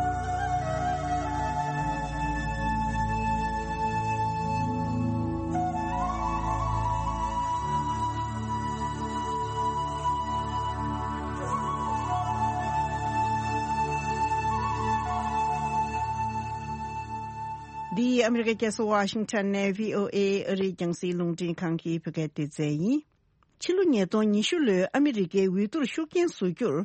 འདི་ཨ་མི་རི་ཀའི་རྒྱལ་ས་ཝ་ཤིང་ཊོན་ནས་བྷི་ཨོ་ཨེ་ཨ་རིའི་རྒྱང་སྲིང་རླུང་འཕྲིན་ཁང་གི་བོད་སྐད་སྡེ་ཚན་ཡིན། ཕྱི་ལོ་ཉིས་སྟོང་ཉི་ཤུ་ལོའི་ཨ་མི་རི་ཀའི་འོས་བསྡུར་ཤུགས་རྐྱེན་བཟོ་རྒྱུར་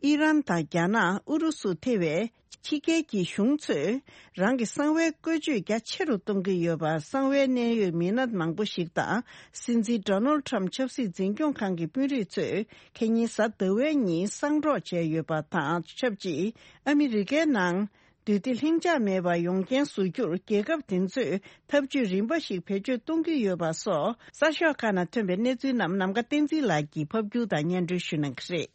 ཨི་རན་དང་རྒྱ་ནག་ཨུ་རུ་སུ་ཐེ་བའི་ཕྱི་རྒྱལ་གྱི་གཞུང་ཚོས་རང་གི་གསང་བའི་བཀོལ་སྤྱོད་རྒྱ་ཆེ་རུ་གཏོང་གི་ཡོད་པ་གསང་བའི་གནད་ཡོད་མི་སྣ་མང་པོ་ཞིག་དང་། སྲིད་འཛིན་ཌོ་ནལ་ཌི་ཊརམ་ཕི་ཆབ་སྲིད་འཛིན་སྐྱོང་ཁང་གི་དཔོན་རིགས་ཚོས་ཁེ་ཉིན་གཟའ་ཟླ་བའི་ཉིན་གསང་སྒྲོག་བྱས་ཡོད་པ་དང་ཆབས་ཅིག་ཨ་མི་རི་ཀའི་ནང་འདུས་སྡོད་ལྷིང་འཇགས་མེད་པ་ཡོང་རྐྱེན་བཟོ་རྒྱུར་རྒྱལ་ཁབ་དེ་ཚོས་ཐབས་ཇུས་རིམ་པ་ཞིག་བེད་སྤྱོད་གཏོང་གི་ཡོད་པ་སོགས་གསར་ཤོག་ཁག་ནང་ཐོན་པའི་གནས་ཚུལ་རྣམས་ནམ་མཁའ་བསྟན་འཛིན་ལགས་ཀྱིས་ཕབ་སྒྱུར་དང་སྙན་སྒྲོན་ཞུ་གནང་གི་རེད།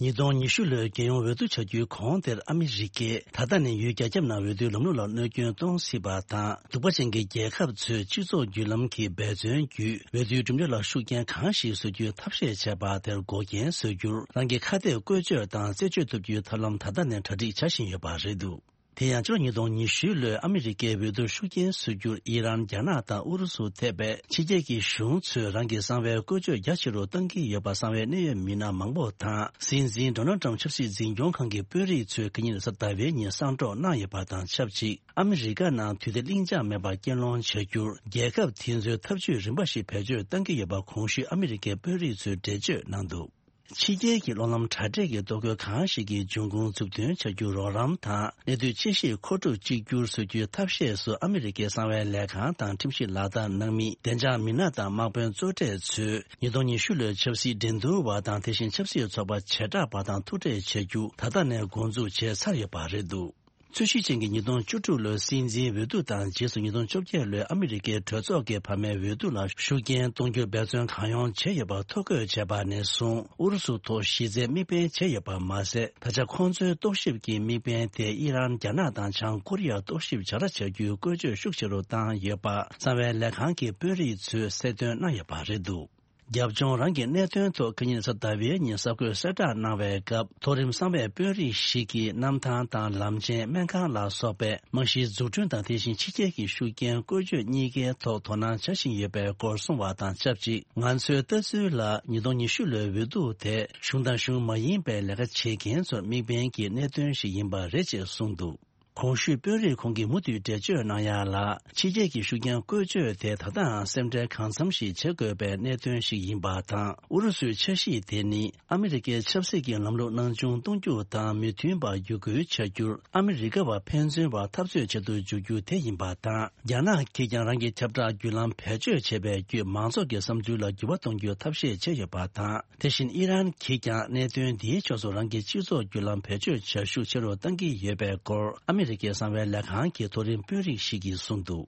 ཉིས་སྟོང་ཉི་ཤུ་ལོའི་རྒྱལ་ཡོངས་འོས་བསྡུ་བྱ་རྒྱུའི་གོང་དེར་ཨ་མི་རི་ཀས་ད་ལྟ་ནས་ཡུལ་རྒྱ་ཁྱབ་ནང་འོས་བསྡུའི་ལམ་ལུགས་ལ་གནོད་སྐྱོན་གཏོང་སྲིད་པ་དང་། གདུག་པ་ཅན་གྱི་རྒྱལ་ཁབ་ཚོས་སྤྱི་ཚོགས་བརྒྱུད་ལམ་གྱི་འབད་བརྩོན་བརྒྱུད་འོས་བསྡུའི་གྲུབ་འབྲས་ལ་ཤུགས་རྐྱེན་གང་ཞིག་བཟོ་རྒྱུའི་ཐབས་ཤེས་བྱས་པ་དེར་འགོག་རྐྱེན་བཟོ་རྒྱུར་རང་གི་ཁ་གཏད་བཀོལ་སྤྱོད་དང་རྩད་གཅོད་ཐུབ་རྒྱུའི་ཐབས་ལམ་ད་ལྟ་ནས་གྲ་སྒྲིག་བྱ་བཞིན་ཡོད་པ་རེད་འདུག་དེ་ཡང་ཕྱི་ལོ་ཉིས་སྟོང་ཉི་ཤུ་ལོའི་ཨ་མི་རི་ཀའི་འོས་བསྡུར་ཤུགས་རྐྱེན་བཟོ་རྒྱུར་ཨི་རན། རྒྱ་ནག་དང་ཨུ་རུ་སུ་ཐེ་བའི་ཕྱི་རྒྱལ་གྱི་གཞུང་ཚོས་རང་གི་གསང་བའི་བཀོལ་སྤྱོད་རྒྱ་ཆེ་རུ་གཏང་གི་ཡོད་པ་གསང་བའི་གནད་ཡོད་མི་སྣ་མང་པོ་དང་། སྲིད་འཛིན་ཌོ་ནལ་ཊམ་ཆབ་སྲིད་འཛིན་སྐྱོང་ཁང་གི་དཔོན་རིགས་ཚོས་ཁ་ཉིན་གཟའ་ཟླ་བའི་ཉིན་གསང་སྒྲོག་གནང་ཡོད་པ་དང་ཆབས་ཅིག་ཨ་མི་རི་ཀ་ནང་དུས་བདེ་ལྷིང་འཇགས་མེད་པར་རྐྱེན་སློང་བྱ་རྒྱུར་རྒྱལ་ཁབ་དེ་ཚོའི་ཐབས་ཇུས་རིམ་པ་ཞིག་བེད་སྤྱོད་གཏང་གི་ཡོད་པ་གོང་ཞུས་ཨ་མི་རི་ཀའི་དཔོན་རིགས་ཚོས་འགྲེལ་བརྗོད་གནང་འདུག་ཕྱི་རྒྱལ་གྱི་གློག་ལམ་དྲ་སྦྲེལ་གྱི་ལྟོ་གོས་གང་ཞིག་གི་འབྱུང་ཁུངས་མཛུབ་སྟོན་བྱ་རྒྱུར་རོགས་རམ་དང་། གནས་དུས་ཆེ་བཞིའི་མཁོ་སྒྲུབ་གཅིག་གྱུར་བཟོ་རྒྱུའི་ཐབས་ཤེས་སུ་ཨ་མི་རི་ཀའི་གསང་བའི་ལས་ཁང་དང་ཁྲིམས་ཞིབ་ལག་བསྟར་གནང་མི་བདེ་འཇགས་མི་སྣ་དང་དམག་དཔོན་གཙོ་གྲས་ཚོས་ཉིས་སྟོང་ཉི་ཤུ་ལོའི་ཆབ་སྲིད་འགྲན་བསྡུར་བ་དང་། དེ་བཞིན་ཆབ་སྲིད་ཚོགས་པ་བྱེ་བྲག་པ་དང་ཐུག་འཕྲད་བྱ་རྒྱུ་ད་ལྟ་ནས་འགོ་འཛུགས་བྱས་ཚར་ཡོད་པ་རེད་འདུག་འཚོལ་ཞིབ་ཅན་གྱི་ཉིས་སྟོང་བཅུ་དྲུག་ལོའི་སྲིད་འཛིན་འོས་བསྡུ་དང་རྗེས་སུ་ཉིས་སྟོང་བཅོ་བརྒྱད་ལོའི་ཨ་མི་རི་ཀའི་གྲོས་ཚོགས་ཀྱི་བར་མའི་འོས་བསྡུ་ལ་ཤུགས་རྐྱེན་གཏོང་རྒྱུར་འབད་བརྩོན་གང་ཡོང་བྱས་ཡོད་པར་ཐོ་འགོད་བྱས་པ་ནས་བཟུང་། ཨུ་རུ་སུ་ཐོག་གཞི་རྩའི་དམིགས་འབེན་བྱས་ཡོད་པ་མ་ཟད། ད་ཆ་ཁོང་ཚོའི་རྟོག་ཞིབ་ཀྱི་དམིགས་འབེན་དེ་ཨི་རན། རྒྱ་ནག་དང་བྱང་ཀོ་རི་ཡར་རྟོག་ཞིབ་བྱ་ར་བྱ་རྒྱུའི་བཀོལ་སྤྱོད་ཤུགས་ཆེ་རུ་བཏང་ཡོད་པ་གསང་བའི་ལས་ཁང་གི་དཔོན་རིགས་ཚོས་གསལ་སྟོན་གནང་ཡོད་པ་རེད་འདུག་རྒྱབ་ལྗོངས་རང་གི་གནད་དོན་ཐོག་ཁ་ཉིན་གཟའ་ཟླ་བའི་ཉིན་གསར་འགོད་གསལ་བསྒྲགས་གནང་བའི་སྐབས། མཐོ་རིམ་གསང་བའི་དཔོན་རིགས་ཤིག་གིས་གནམ་ཐང་དང་ལམ་ཆེན། སྨན་ཁང་ལ་སོགས་པའི་རྨང་གཞིའི་འཛུགས་སྐྲུན་དང་། དེ་བཞིན་ཕྱི་རྒྱལ་གྱི་ཤུགས་རྐྱེན་བཀོལ་སྤྱོད་གཉིས་ཀའི་ཐོག་དོ་སྣང་བྱ་བཞིན་ཡོད་པའི་སྐོར་གསུངས་པ་དང་ཆབས་ཅིག་ང་ཚོའི་ལྟ་ཚུལ་ལ། ཉིས་སྟོང་ཉི་ཤུ་ལོའི་འོས་བསྡུ་དེ་གཞུང་དང་གཞུང་མ་ཡིན་པའི་ལས་ཀ་བྱེད་མཁན་ཚོར་དམིགས་འབེན་གྱི་གནད་དོན་ཞིག་ཡིན་པ་རེད་ཅེས་གསུངས་འདུག་གོང་ཞུས་དཔོན་རིགས་ཁོང་གིས་མུ་མཐུད་འགྲེལ་བརྗོད་གནང་ཡག་ལ། ཕྱི་རྒྱལ་གྱི་ཤུགས་རྐྱེན་བཀོལ་སྤྱོད་དེ་ད་ལྟའང་སེམས་ཁྲལ་གང་འཚམ་ཞིག་བྱེད་དགོས་པའི་གནད་དོན་ཞིག་ཡིན་པ་དང་། ཨུ་རུ་སུའི་འཆར་གཞི་དེ་ནི་ཨ་མི་རི་ཀའི་ཆབ་སྲིད་ཀྱི་ལམ་ལུགས་སྣང་ཆུང་གཏོང་རྒྱུ་དང་མི་མཐུན་པ་བརྒྱུད་སྐུལ་བྱ་རྒྱུར་ཨ་མི་རི་ཀ་བ་ཕན་ཚུན་བར་འཐབ་རྩོད་བྱེད་དུ་འཇུག་རྒྱུ་དེ་ཡིན་པ་དང་། རྒྱ་ནག་གིས་ཀྱང་རང་གི་ཁྱབ་བསྒྲགས་བརྒྱུད་ལམ་བེད་སྤྱོད་བྱེད་པའི་བརྒྱུད་མང་ཚོགས་ཀྱི་བསམ་ཚུལ་ལ་འགྱུར་བ་གཏོང་རྒྱུའི་ཐབས་ཤེས་བྱས་ཡོད་པ་དང་། དེ་བཞིན་ཨི་རན་གྱིས་ཀྱང་གནད་དོན་འདིའི་ཕྱོགས་སུ་རང་གི་སྤྱི་ཚོགས་བརྒྱུད་ལམ་བེད་སྤྱོད་བྱ་ཤུགས་ཆེ་རུ་གཏང་གི་ཡོད་པའི་སྐོར་ཨ་མི་རི་ཀའི་གསང་བའི་ལས་ཁང་གི་མཐོ་རིམ་དཔོན་རིགས་ཤིག་གིས་གསུངས་འདུག་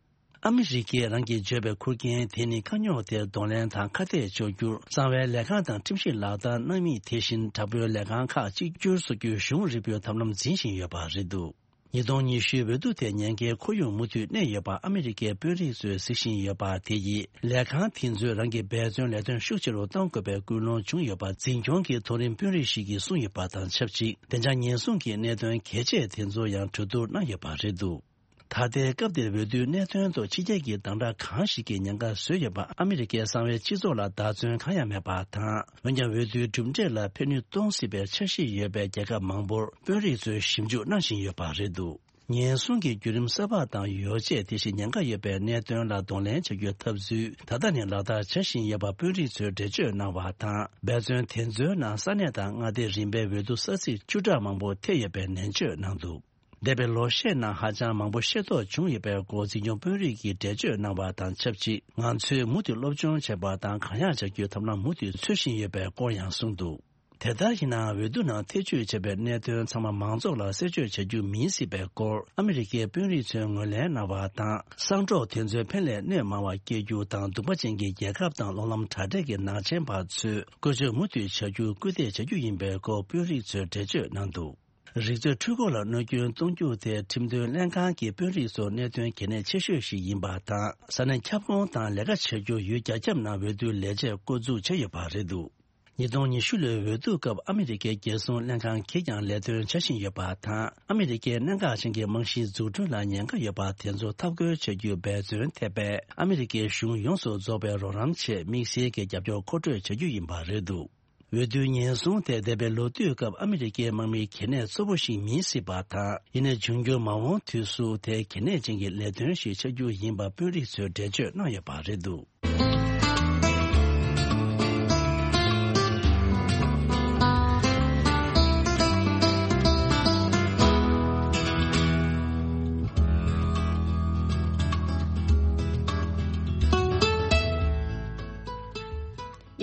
ཨ་མི་རི་ཀས་རང་གིས་བརྗོད་པའི་ཁུར་མཁན་དེ་ནི་དཀའ་རྙོག་དེར་གདོང་ལེན་དང་ཁ་གཏད་གཅོག་རྒྱུར་གསང་བའི་ལས་ཁང་དང་ཁྲིམས་ཞིབ་ལག་བསྟར་གནང་མི། དེ་བཞིན་དྲག་པོའི་ལས་ཁང་ཁག་གཅིག་གྱུར་བཟོ་རྒྱུའི་གཞུང་རིལ་པོའི་ཐབས་ལམ་འཛིན་བཞིན་ཡོད་པ་རེད་འདུག་ཉིས་སྟོང་ཉི་ཤུའི་འོས་བསྡུ་དེ་ཉེན་ཁའི་ཁོར་ཡུག་མུ་མཐུད་གནས་ཡོད་པ་ཨ་མི་རི་ཀའི་དཔོན་རིགས་ཚོས་གཟིགས་བཞིན་ཡོད་པ་དེ་ཡིས། ལས་ཁང་དེ་ཚོས་རང་གི་འབད་བརྩོན་ལས་དོན་ཤུགས་ཆེ་རུ་གཏང་དགོས་པའི་ཀུན་སློང་བྱུང་ཡོད་པ་འཛིན་སྐྱོང་གི་མཐོ་རིམ་དཔོན་རིགས་ཤིག་གིས་གསུངས་ཡོད་པ་དང་ཆབས་ཅིག་བདེ་འཇགས་ཉེན་སྲུང་གི་གནད་དོན་གལ་ཆེ་དེ་ཚོ་ཡང་གྲོས་བསྡུར་གནང་ཡོད་པ་རེད་འདུག་ད་ལྟའི་སྐབས་འདིར་འོས་བསྡུའི་གནད་དོན་ཐོག་ཕྱི་རྒྱལ་གྱི་བདམས་ཁྲ་གང་ཞིག་གིས་ཉེན་ཁ་བཟོས་ཡོད་པ། ཨ་མི་རི་ཀའི་གསང་བའི་སྤྱི་ཚོགས་ལ་བདག་བརྩོན་གང་ཡང་མེད་པ་དང་། འོན་ཀྱང་འོས་བསྡུའི་གྲུབ་འབྲས་ལ་ཕན་ནུས་གཏོང་སྲིད་པའི་འཆར་གཞི་ཡོད་པའི་རྒྱལ་ཁབ་མང་པོར་དཔོན་རིགས་ཚོས་ཞིབ་འཇུག་གནང་བཞིན་ཡོད་པ་རེད་འདུག་ཉེན་སྲུང་གི་བརྒྱུད་རིམ་གསར་པ་དང་ཡོ་བྱད། དེ་བཞིན་ཉེན་ཁ་ཡོད་པའི་གནད་དོན་ལ་གདོང་ལེན་བྱ་རྒྱུའི་ཐབས་ཚུལ་ད་ལྟ་ནས་ལག་བསྟར་བྱ་བཞིན་ཡོད་པ་དཔོན་རིགས་ཚོས་འགྲེལ་བརྗོད་གནང་བ་དང་། འབད་བརྩོན་དེ་ཚོའི་ནང་ས་གནས་དང་མངའ་སྡེ་རིམ་པའི་འོས་བསྡུ་ས་ཚིགས་བཅུ་ཕྲག་མང་པོ་ཐེ་ཡོད་པའི་ནན་བརྗོད་གནང་འདུག་འདས་པའི་ལོ་ཤས་ནང་ཧ་ཅང་མང་པོ་ཤེས་རྟོགས་བྱུང་ཡོད་པའི་སྐོར་འཛིན་སྐྱོང་དཔོན་རིགས་ཀྱིས་འགྲེལ་བརྗོད་གནང་བ་དང་ཆབས་ཅིག་ང་ཚོས་མུ་མཐུད་སློབ་སྦྱོང་བྱེད་པ་དང་གང་ཡག་བྱ་རྒྱུའི་ཐབས་ལམ་མུ་མཐུད་འཚོལ་བཞིན་ཡོད་པའི་སྐོར་ཡང་གསུངས་འདུག་དེ་ལྟར་ཡིན་ནའང་འོས་བསྡུ་ནང་ཐེ་བྱུས་བྱས་པའི་གནད་དོན་ཚང་མ་མང་ཚོགས་ལ་གསལ་བརྗོད་བྱ་རྒྱུ་མིན་སྲིད་པའི་སྐོར་ཨ་མི་རི་ཀའི་དཔོན་རིགས་ཚོས་ངོས་ལེན་གནང་བ་དང་། གསང་སྒྲོག་དེ་ཚོའི་ཕན་ལས་གནོད་མང་བ་སྐྱེལ་རྒྱུ་དང་གདུག་པ་ཅན་གྱི་རྒྱལ་ཁབ་དང་གློག་ལམ་དྲ་སྦྲེལ་གྱི་ནག་ཅན་པ་ཚོས་བཀོལ་སྤྱོད་མུ་མཐུད་བྱ་རྒྱུར་སྐུལ་འདེད་བྱ་རྒྱུ་ཡིན་པའི་སྐོར་དཔོན་རིགས་ཚོས་འགྲེལ་བརྗོད་གནང་འདུག་རིག་མཛོད་འཕྲུལ་འཁོར་ལ་གནོད་སྐྱོན་གཏོང་རྒྱུ་དེ་ཁྲིམས་དོན་ལྷན་ཁང་གི་དཔོན་རིགས་ཚོར་གནད་དོན་གལ་གནད་ཆེ་ཤོས་ཤིག་ཡིན་པ་དང་། ས་གནས་ཁྱབ་ཁོངས་དང་ལས་ཀ་བྱ་རྒྱུར་ཡུལ་རྒྱ་ཁྱབ་ནང་འོས་བསྡུའི་ལས་བྱེད་བསྐོ་འཛུགས་བྱས་ཡོད་པ་རེད་འདུག་ཉིས་སྟོང་ཉི་ཤུ་ལོའི་འོས་བསྡུ་སྐབས་ཨ་མི་རི་ཀའི་རྒྱལ་སྲུང་ལྷན་ཁང་གིས་ཀྱང་ལས་དོན་བྱ་བཞིན་ཡོད་པ་དང་། ཨ་མི་རི་ཀའི་གནད་འགག་ཅན་གྱི་རྨང་གཞིའི་འཛུགས་སྐྲུན་ལ་ཉེན་ཁ་ཡོད་པ་དེ་ཚོ་འཐབ་རྒོལ་བྱ་རྒྱུའི་འབད་བརྩོན་ཐེབས་པས། ཨ་མི་རི་ཀའི་གཞུང་ཡོངས་སུ་རྫོགས་པའི་རོགས་རམ་ཆེད་དམིགས་བསལ་གྱི་རྒྱབ་སྐྱོར་མཁོ་སྤྲོད་བྱ་རྒྱུ་ཡིན་པ་རེད་འདུག་འོས་བསྡུའི་ཉེན་སྲུང་དེ་འདས་པའི་ལོ་དུས་སྐབས་ཨ་མི་རི་ཀའི་དམག་མིའི་གལ་གནད་གཙོ་བོ་ཞིག་མིན་སྲིད་པ་དང་། ཡིན་ནའི་འབྱུང་འགྱུར་མ་འོངས་དུས་སུ་དེ་གལ་གནད་ཅན་གྱི་ལས་དོན་ཞིག་ཆགས་རྒྱུ་ཡིན་པ་དཔོན་རིགས་ཚོས་འགྲེལ་བརྗོད་གནང་ཡོད་པ་རེད་འདུག་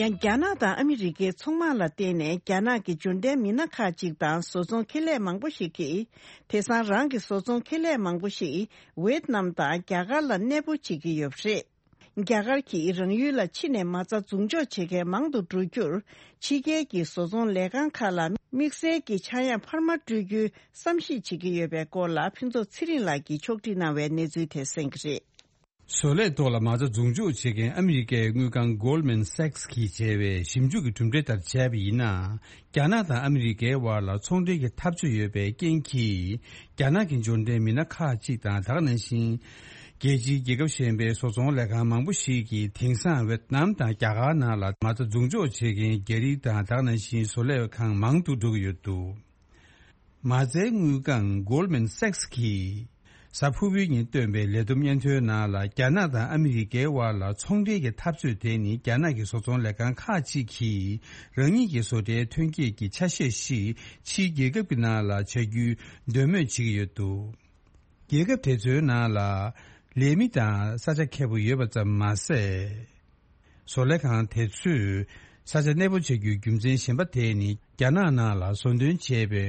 ཡང་རྒྱ་ནག་དང་ཨ་མི་རི་ཀའི་ཚོང་དམག་ལ་བརྟེན་ནས་རྒྱ་ནག་གི་འབྱོར་ལྡན་མི་སྣ་ཁག་ཅིག་དང་བཟོ་ཚོང་ཁེ་ལས་མང་པོ་ཞིག་གིས། དེང་སང་རང་གི་བཟོ་ཚོང་ཁེ་ལས་མང་པོ་ཞིག་ཝེད་ནམ་དང་རྒྱ་གར་ལ་གནས་སྤོ་བྱེད་ཀྱི་ཡོད་པ་རེད། རྒྱ་གར་གྱིས་རང་ཡུལ་ལ་ཕྱི་ནས་མ་རྩ་འཛུགས་འཇོག་བྱེད་མཁན་མང་དུ་འགྲོ་རྒྱུར། ཕྱི་རྒྱལ་གྱི་བཟོ་ཚོང་ལས་ཁང་ཁག་ལ་ དམིགས་བསལ་གྱི་ཆག་ཡང་འཕར་མ་སྤྲོད་རྒྱུའི་བསམ་གཞིག་བྱེད་ཀྱི་ཡོད་པའི་སྐོར་ལ་ཕུན་ཚོགས་ཚེ་རིང་ལགས་ཀྱིས་ཕྱོགས་སྒྲིག་གནང་བའི་གནས་ཚུལ་དེ་གསན་གྱི་རེད། བཟོ་ལས་ཐོག་ལ་མ་རྩ་འཛུགས་འཇོག་བྱེད་མཁན་ཨ་མི་རི་ཀའི་དངུལ་ཁང་Goldman Sachs་གིས་བྱས་པའི་ཞིབ་འཇུག་གི་གྲུབ་འབྲས་ལྟར་བྱས་པ་ཡིན་ན། རྒྱ་ནག་དང་ཨ་མི་རི་ཀའི་དབར་ལ་ཚོང་འབྲེལ་གྱི་འཐབ་རྩོད་ཡོད་པའི་རྐྱེན་གྱིས། རྒྱ་ནག་གི་འབྱོར་ལྡན་མི་སྣ་ཁག་ཅིག་དང་། ད་ག་ནང་བཞིན། རྒྱལ་སྤྱིའི་རྒྱལ་ཁབ་གཞན་པའི་བཟོ་ཚོང་ལས་ཁང་མང་པོ་ཞིག་གིས་དེང་སང་ཝེད་ནམ་དང་རྒྱ་གར་ནང་ལ་མ་རྩ་འཛུགས་འཇོག་བྱེད་མཁན་རྒྱ་རིགས་དང་། ད་ག་ནང་བཞིན་བཟོ་ལས་ཁང་མང་དུ་འགྲོ་གི་ཡོད་འདུག། མ་རྩའི་དངུལ་ཁང་Goldman Sachs་གིས་གཟའ་ཕུར་བུའི་ཉིན་བཏོན་པའི་ལས་བསྡོམས་སྙན་ཐོའི་ནང་ལ། རྒྱ་ནག་དང་ཨ་མི་རི་ཀའི་དབར་ལ་ཚོང་འབྲེལ་གྱི་འཐབ་རྩོད་དེ་ནི། རྒྱ་ནག་གི་བཟོ་ཚོང་ལས་ཁང་ཁག་ཅིག་གིས་རང་ཉིད་ཀྱི་བཟོ་གྲྭའི་ཐོན་སྐྱེད་ཀྱི་ཆ་ཤས་ཤིག་ཕྱིའི་རྒྱལ་ཁབ་ཀྱི་ནང་ལ་བྱ་རྒྱུའི་འདོད་མོས་བྱེད་ཀྱི་ཡོད་འདུག། རྒྱལ་ཁབ་དེ་ཚོའི་ནང་ལ་ལས་མི་དང་ས་ཆ་མཁས་པོ་ཡོད་པ་ཙམ་མ་ཟད། བཟོ་ལས་ཁང་དེ་ཚོས་ས་ཆ་གནས་སྤོ་བྱ་རྒྱུའི་རྒྱུ་མཚན་གཞན་པ་དེ་ནི། རྒྱ་ནག་ནང་ལ་བཟོ་འདོན་བྱས་པའི་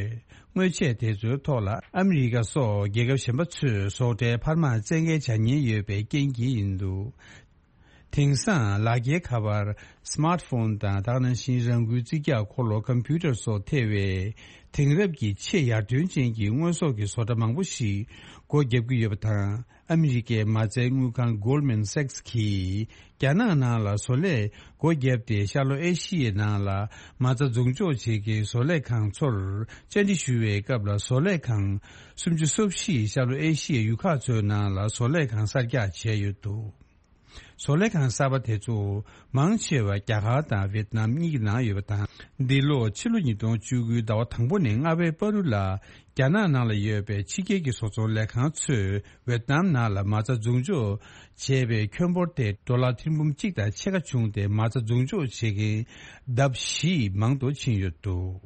དངོས་ཆས་དེ་ཚོའི་ཐོག་ལ་ཨ་མི་རི་ཀ་སོགས་རྒྱལ་ཁབ་གཞན་པ་ཚོས་བཟོ་གྲྭའི་འཕར་མ་བཙན་འགེལ་བྱ་ཉེན་ཡོད་པའི་རྐྱེན་གྱིས་ཡིན་འདུག། དེང་སང་ལག་འཁྱེར་ཁ་པར། Smartphone་དང་། ད་ག་ནང་བཞིན་རང་འགུལ་རྩིས་རྒྱག་འཁོར་ལོ་Computer་སོགས་ཐེ་བའི་དེང་རབས་ཀྱི་ཆེས་ཡར་ཐོན་ཅན་གྱི་དངོས་ཟོག་གི་བཟོ་གྲྭ་མང་པོ་ཞིག་སྒོ་བརྒྱབ་ཀྱི་ཡོད་པ་དང་། ཨ་མི་རི་ཀའི་མ་རྩའི་དངུལ་ཁང་Goldman Sachs་གིས་རྒྱ་ནག་ནང་ལ་བཟོ་ལས་སྒོ་བརྒྱབ་སྟེ། ཤར་ལྷོ་ཨེ་ཤི་ཡའི་ནང་ལ་མ་རྩ་འཛུགས་འཇོག་བྱེད་མཁན་བཟོ་ལས་ཁང་ཚོར་བཅར་འདྲི་ཞུ་བའི་སྐབས་ལ། བཟོ་ལས་ཁང་སུམ་ཅུ་སོ་བཞི་ཤར་ལྷོ་ཨེ་ཤི་ཡའི་ཡུལ་ཁག་ཚོའི་ནང་ལ་བཟོ་ལས་ཁང་གསར་རྒྱག་བྱས་ཡོད་འདུག། བཟོ་ལས་ཁང་གསར་པ་དེ་ཚོ་མང་ཆེ་བ་རྒྱ་གར་དང་ཝེད་ནམ་གཉིས་ཀྱི་ནང་ཡོད་པ་དང་། འདི་ལོ་ཕྱི་ལོ་ཉིས་སྟོང་བཅུ་དགུའི་ཟླ་བ་དང་པོ་ནས་ལྔ་པའི་བར་དུ་ལ། རྒྱ་ནག་ནང་ལ་ཡོད་པའི་ཕྱི་རྒྱལ་གྱི་བཟོ་ཚོང་ལས་ཁང་ཚོས་ཝེད་ནམ་ནང་ལ་མ་རྩ་འཛུགས་འཇོག་བྱས་པའི་ཁྱོན་འབོར་དེ་ཌོ་ལར་ཐེར་འབུམ་གཅིག་དང་ཕྱེད་ཀ་བྱུང་སྟེ། མ་རྩ་འཛུགས་འཇོག་བྱེད་མཁན་ལྡབ་བཞི་མང་དུ་ཕྱིན་ཡོད་འདུག།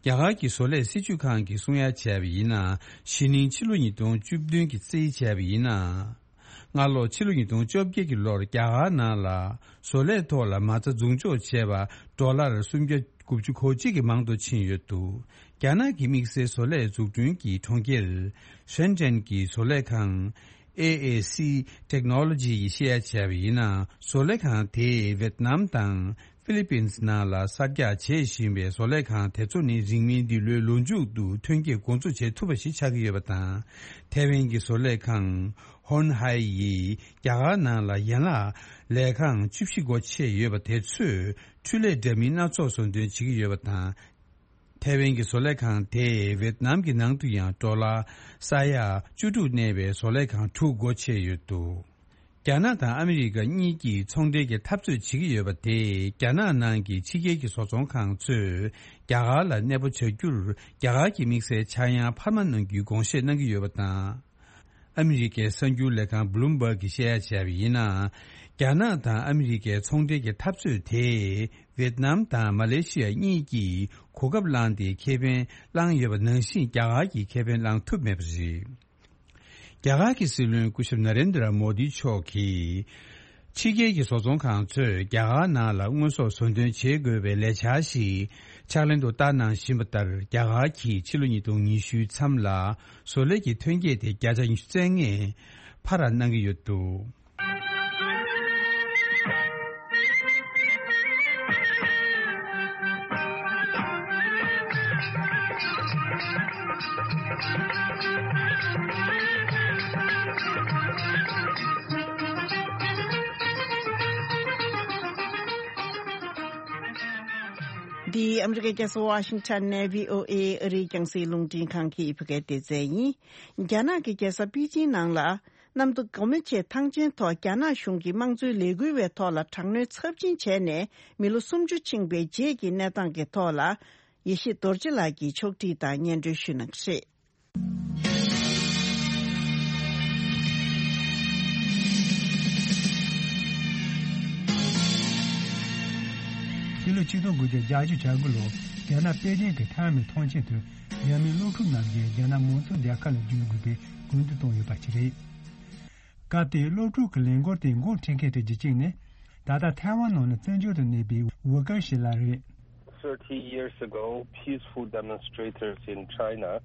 རྒྱ་གར་གྱི་བཟོ་ལས་སྲིད་བྱུས་ཁང་གིས་གསུང་ཡ་བྱས་པ་ཡིན་ན། གཞེས་ནིང་ཕྱི་ལོ་ཉིས་སྟོང་བཅུ་བདུན་གྱི་རྩིས་བྱས་པ་ཡིན་ན། སྔ་ལོ་ཕྱི་ལོ་ཉིས་སྟོང་བཅོ་བརྒྱད་ཀྱི་ལོར་རྒྱ་གར་ནང་ལ་བཟོ་ལས་ཐོག་ལ་མ་རྩ་འཛུགས་འཇོག་བྱས་པ་ཌོ་ལར་སུམ་བརྒྱ་དགུ་བཅུ་གོ་གཅིག་གི་མང་དུ་ཕྱིན་ཡོད་འདུག། རྒྱ་ནག་གི་དམིགས་བསལ་བཟོ་ལས་འཛུགས་སྐྲུན་གྱི་གྲོང་ཁྱེར་ཧྲེན་ཀྲེན་གྱི་བཟོ་ལས་ཁང་ཨེ་ཨེ་སི་Technology་ཡིས་བཤད་ཡ་བྱས་པ་ཡིན་ན། བཟོ་ལས་ཁང་དེས་ཝེད་ནམ་དང་ཧྥི་ལི་པིན་ནང་ལ་གསར་རྒྱག་བྱེད་བཞིན་པའི་བཟོ་ལས་ཁང་དེ་ཚོ་ནི་རིང་མིན་འདི་ལོའི་ལོ་མཇུག་ཏུ་ཐོན་སྐྱེད་འགོ་འཛུགས་བྱེད་ཐུབ་པ་ཞིག་ཆགས་ཀྱི་ཡོད་པ་དང་། ཐའེ་ཝན་གྱི་བཟོ་ལས་ཁང་ཧོན་ཧའེ་ཡིས་རྒྱ་གར་ནང་ལ་ཡན་ལག་ལས་ཁང་བཅུ་བཞི་སྒོ་ཕྱེ་ཡོད་པ་དེ་ཚོས་འཕྲུལ་ལས་འདྲ་མིན་སྣ་ཚོགས་བཟོ་འདོན་བྱེད་ཀྱི་ཡོད་པ་དང་། ཐའེ་ཝན་གྱི་བཟོ་ལས་ཁང་དེས་ཝེད་ནམ་གྱི་ནང་དུ་ཡང་ཌོ་ལར་ས་ཡ་བཅུ་དྲུག་གནས་པའི་བཟོ་ལས་ཁང་དྲུག་སྒོ་ཕྱེ་ཡོད་འདུག། རྒྱ་ནག་དང་ཨ་མི་རི་ཀ་གཉིས་ཀྱིས་ཚོང་འབྲེལ་གྱི་འཐབ་རྩོད་བྱེད་ཀྱི་ཡོད་པ་དེས། རྒྱ་ནག་ནང་གི་ཕྱི་རྒྱལ་གྱི་བཟོ་ཚོང་ཁང་ཚོས་རྒྱ་གར་ལ་གནས་སྤོ་བྱ་རྒྱུར་རྒྱ་གར་གྱི་དམིགས་བསལ་ཆག་ཡང་འཕར་མ་གནང་རྒྱུའི་དགོངས་བཞེས་གནང་གི་ཡོད་པ་དང་། ཨ་མི་རི་ཀའི་གསར་འགྱུར་ལས་ཁང་Bloomberg་གིས་བཤད་ཡ་བྱས་པ་ཡིན་ན། རྒྱ་ནག་དང་ཨ་མི་རི་ཀའི་ཚོང་འབྲེལ་གྱི་འཐབ་རྩོད་དེས་ཝེད་ནམ་དང་མ་ལེ་ཤི་ཡ་གཉིས་ཀྱིས་གོ་སྐབས་བླངས་ཏེ་ཁེ་ཕན་བླངས་ཡོད་པ་ནང་བཞིན་རྒྱ་གར་གྱིས་ཁེ་ཕན་བླངས་ཐུབ་མེད་པ་རེད། རྒྱ་གར་གྱི་སྲིད་བློན་སྐུ་ཞབས་ན་རེན་དྲ་མོ་དི་མཆོག་གིས། ཕྱི་རྒྱལ་གྱི་བཟོ་ཚོང་ཁང་ཚོས་རྒྱ་གར་ནང་ལ་དངོས་ཟོག་བཟོ་འདོན་བྱེད་དགོས་པའི་ལས་འཆར་ཞིག་ཕྱག་ལེན་དུ་བསྟར་གནང་བཞིན་པ་ལྟར། རྒྱ་གར་གྱིས་ཕྱི་ལོ་ཉིས་སྟོང་ཉི་ཤུའི་མཚམས་ལ་བཟོ་ལས་ཀྱི་ཐོན་སྐྱེད་དེ་བརྒྱ་ཆ་ཉི་ཤུ་རྩ་ལྔ་འཕར་ར་གནང་གི་ཡོད་འདུག། འདི་ཨ་མི་རི་ཀའི་རྒྱལ་ས་ཝ་ཤིང་ཊོན་ནས་བྷི་ཨོ་ཨེ་ཨ་རིའི་རྒྱང་སྲིང་རླུང་འཕྲིན་ཁང་གི་བོད་སྐད་སྡེ་ཚན་ཡིན། རྒྱ་ནག་གི་རྒྱལ་ས་པེ་ཅིང་ནང་ལ། གནམ་གྲུ་སྒོ་མོ་ཕྱེ་ཐང་ཆེན་ཐོག་རྒྱ་ནག་གཞུང་གི་དམངས་གཙོའི་ལས་འགུལ་བའི་ཐོག་ལ་དྲག་གནོན་ཚབས་ཆེན་བྱས་ནས་མི་ལོ་སུམ་ཅུ་ཕྱིན་པའི་རྗེས་ཀྱི་གནས་སྟངས་ཀྱི་ཐོག་ལ། ཡེ་ཤེས་རྡོ་རྗེ་ལགས་ཀྱིས་ཕྱོགས་སྒྲིག་དང་སྙན་སྒྲོན་ཞུ་གནང་གི་རེད། སྤྱི་ལོ་ཆིག་སྟོང་དགུ་བརྒྱ་བརྒྱད་ཅུ་གྱ་དགུ་ལོར་རྒྱ་ནག་པེ་ཅིང་གི་ཐའེ་མེ་ཐང་ཆེན་དུ་རྒྱ་མིའི་སློབ་ཕྲུག་རྣམས་ཀྱིས་རྒྱ་ནག་མང་གཙོ་རྒྱལ་ཁབ་ལ་བསྒྱུར་དགོས་པའི་སྐུལ་འདེད་བཏང་ཡོད་པ་ཞིག་རེད། སྐབས་དེའི་སློབ་ཕྲུག་གི་ལས་འགུལ་དེ་འགོ་འཁྲིད་མཁན་གྲས་ཀྱི་གཅིག་ནི། ད་ལྟ་ཐའེ་ཝན་ནང་ལ་བཙན་བྱོལ་དུ་གནས་པའི་ཝུ་ཀར་ཤི་ལགས་རེད། Thirty years ago, peaceful demonstrators in China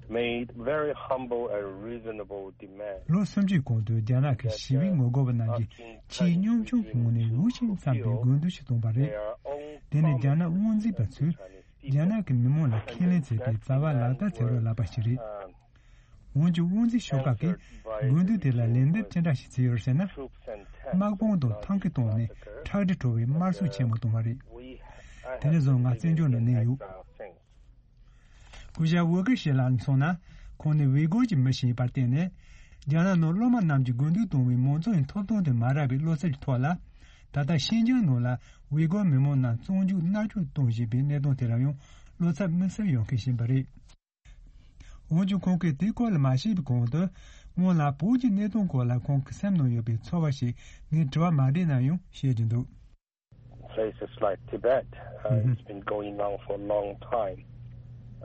made very humble and reasonable demands. ལོ་སུམ་ཅུའི་གོང་དུ་རྒྱ་ནག་གི་ཞི་བའི་ངོ་རྒོལ་བ་རྣམས་ཀྱིས་ཆེས་གཉོམ་ཆུང་གི་ངོས་ནས་འུད་ཤིང་བརྩམས་པའི་དགོས་འདུན་ཞིག་བཏོན་པ་རེད། དེ་ནི་རྒྱ་ནག་དབང་འཛིན་པ་ཚོས་ རྒྱ་ནག་གི་མི་མང་ལ་ཁས་ལེན་བྱས་པའི་བྱ་བ་ལག་བསྟར་བྱེད་རོགས་ལབ་པ་ཞིག་རེད། འོན་ཀྱང་དབང་འཛིན་ཤོག་ཁག་གིས་དགོས་འདུན་དེ་ལ་ལན་འདེབས་ཅི་འདྲ་ཞིག་བྱས་ཡོད་ཟེར་ན། དམག་དཔུང་དང་ཐང་གི་སྟེང་ནས་ཁྲག་དྲི་བྲོ་བའི་དམར་གསོད་ཆེན་མོ་བཏང་བ་རེད། དེ་ནས་བཟུང་ང་བཙན་བྱོལ་ནང་གནས་ཡོད། སྐུ་ཞབས་ཝུ་ཀེ་ཤི་ལགས་མཚོན་ན། ཁོང་ནི་ཝི་གོར་གྱི་མི་ཞིག་ཡིན་པར་བརྟེན་ནས། རྒྱ་ནག་ནང་སློབ་མ་རྣམས་ཀྱིས་དགོས་འདུན་བཏང་བའི་མང་གཙོ་ཡི་ཐོབ་ཐང་དེ་མ་རག་པའི་བློ་འཚབ་ཀྱི་ཐོག་ལ། ད་ལྟ་ཤིན་ཅང་ནང་ལ་ཝི་གོར་མི་མང་རྣམས་བཙོན་འཇུག་མནར་གཅོད་གཏོང་བཞིན་པའི་གནས་སྟངས་དེ་ལ་ཡང་བློ་འཚབ་དམིགས་བསལ་ཡོང་མཁན་ཞིག་ཡིན་པ་རེད། འོན་ཀྱང་ཁོང་གིས་དེའི་སྐོར་ལ་མ་བཤད་པའི་གོང་དུ། སྔོན་ལ་བོད་ཀྱི་གནད་དོན་སྐོར་ལ་ཁོང་གི་སེམས་ནང་ཡོད་པའི་ཚོར་བ་ཞིག་ངས་དྲི་བ་མ་དྲིས་ན་ཡང་བཤད་ཀྱི་འདུག། Places like Tibet, uh, it's been going on for a long time.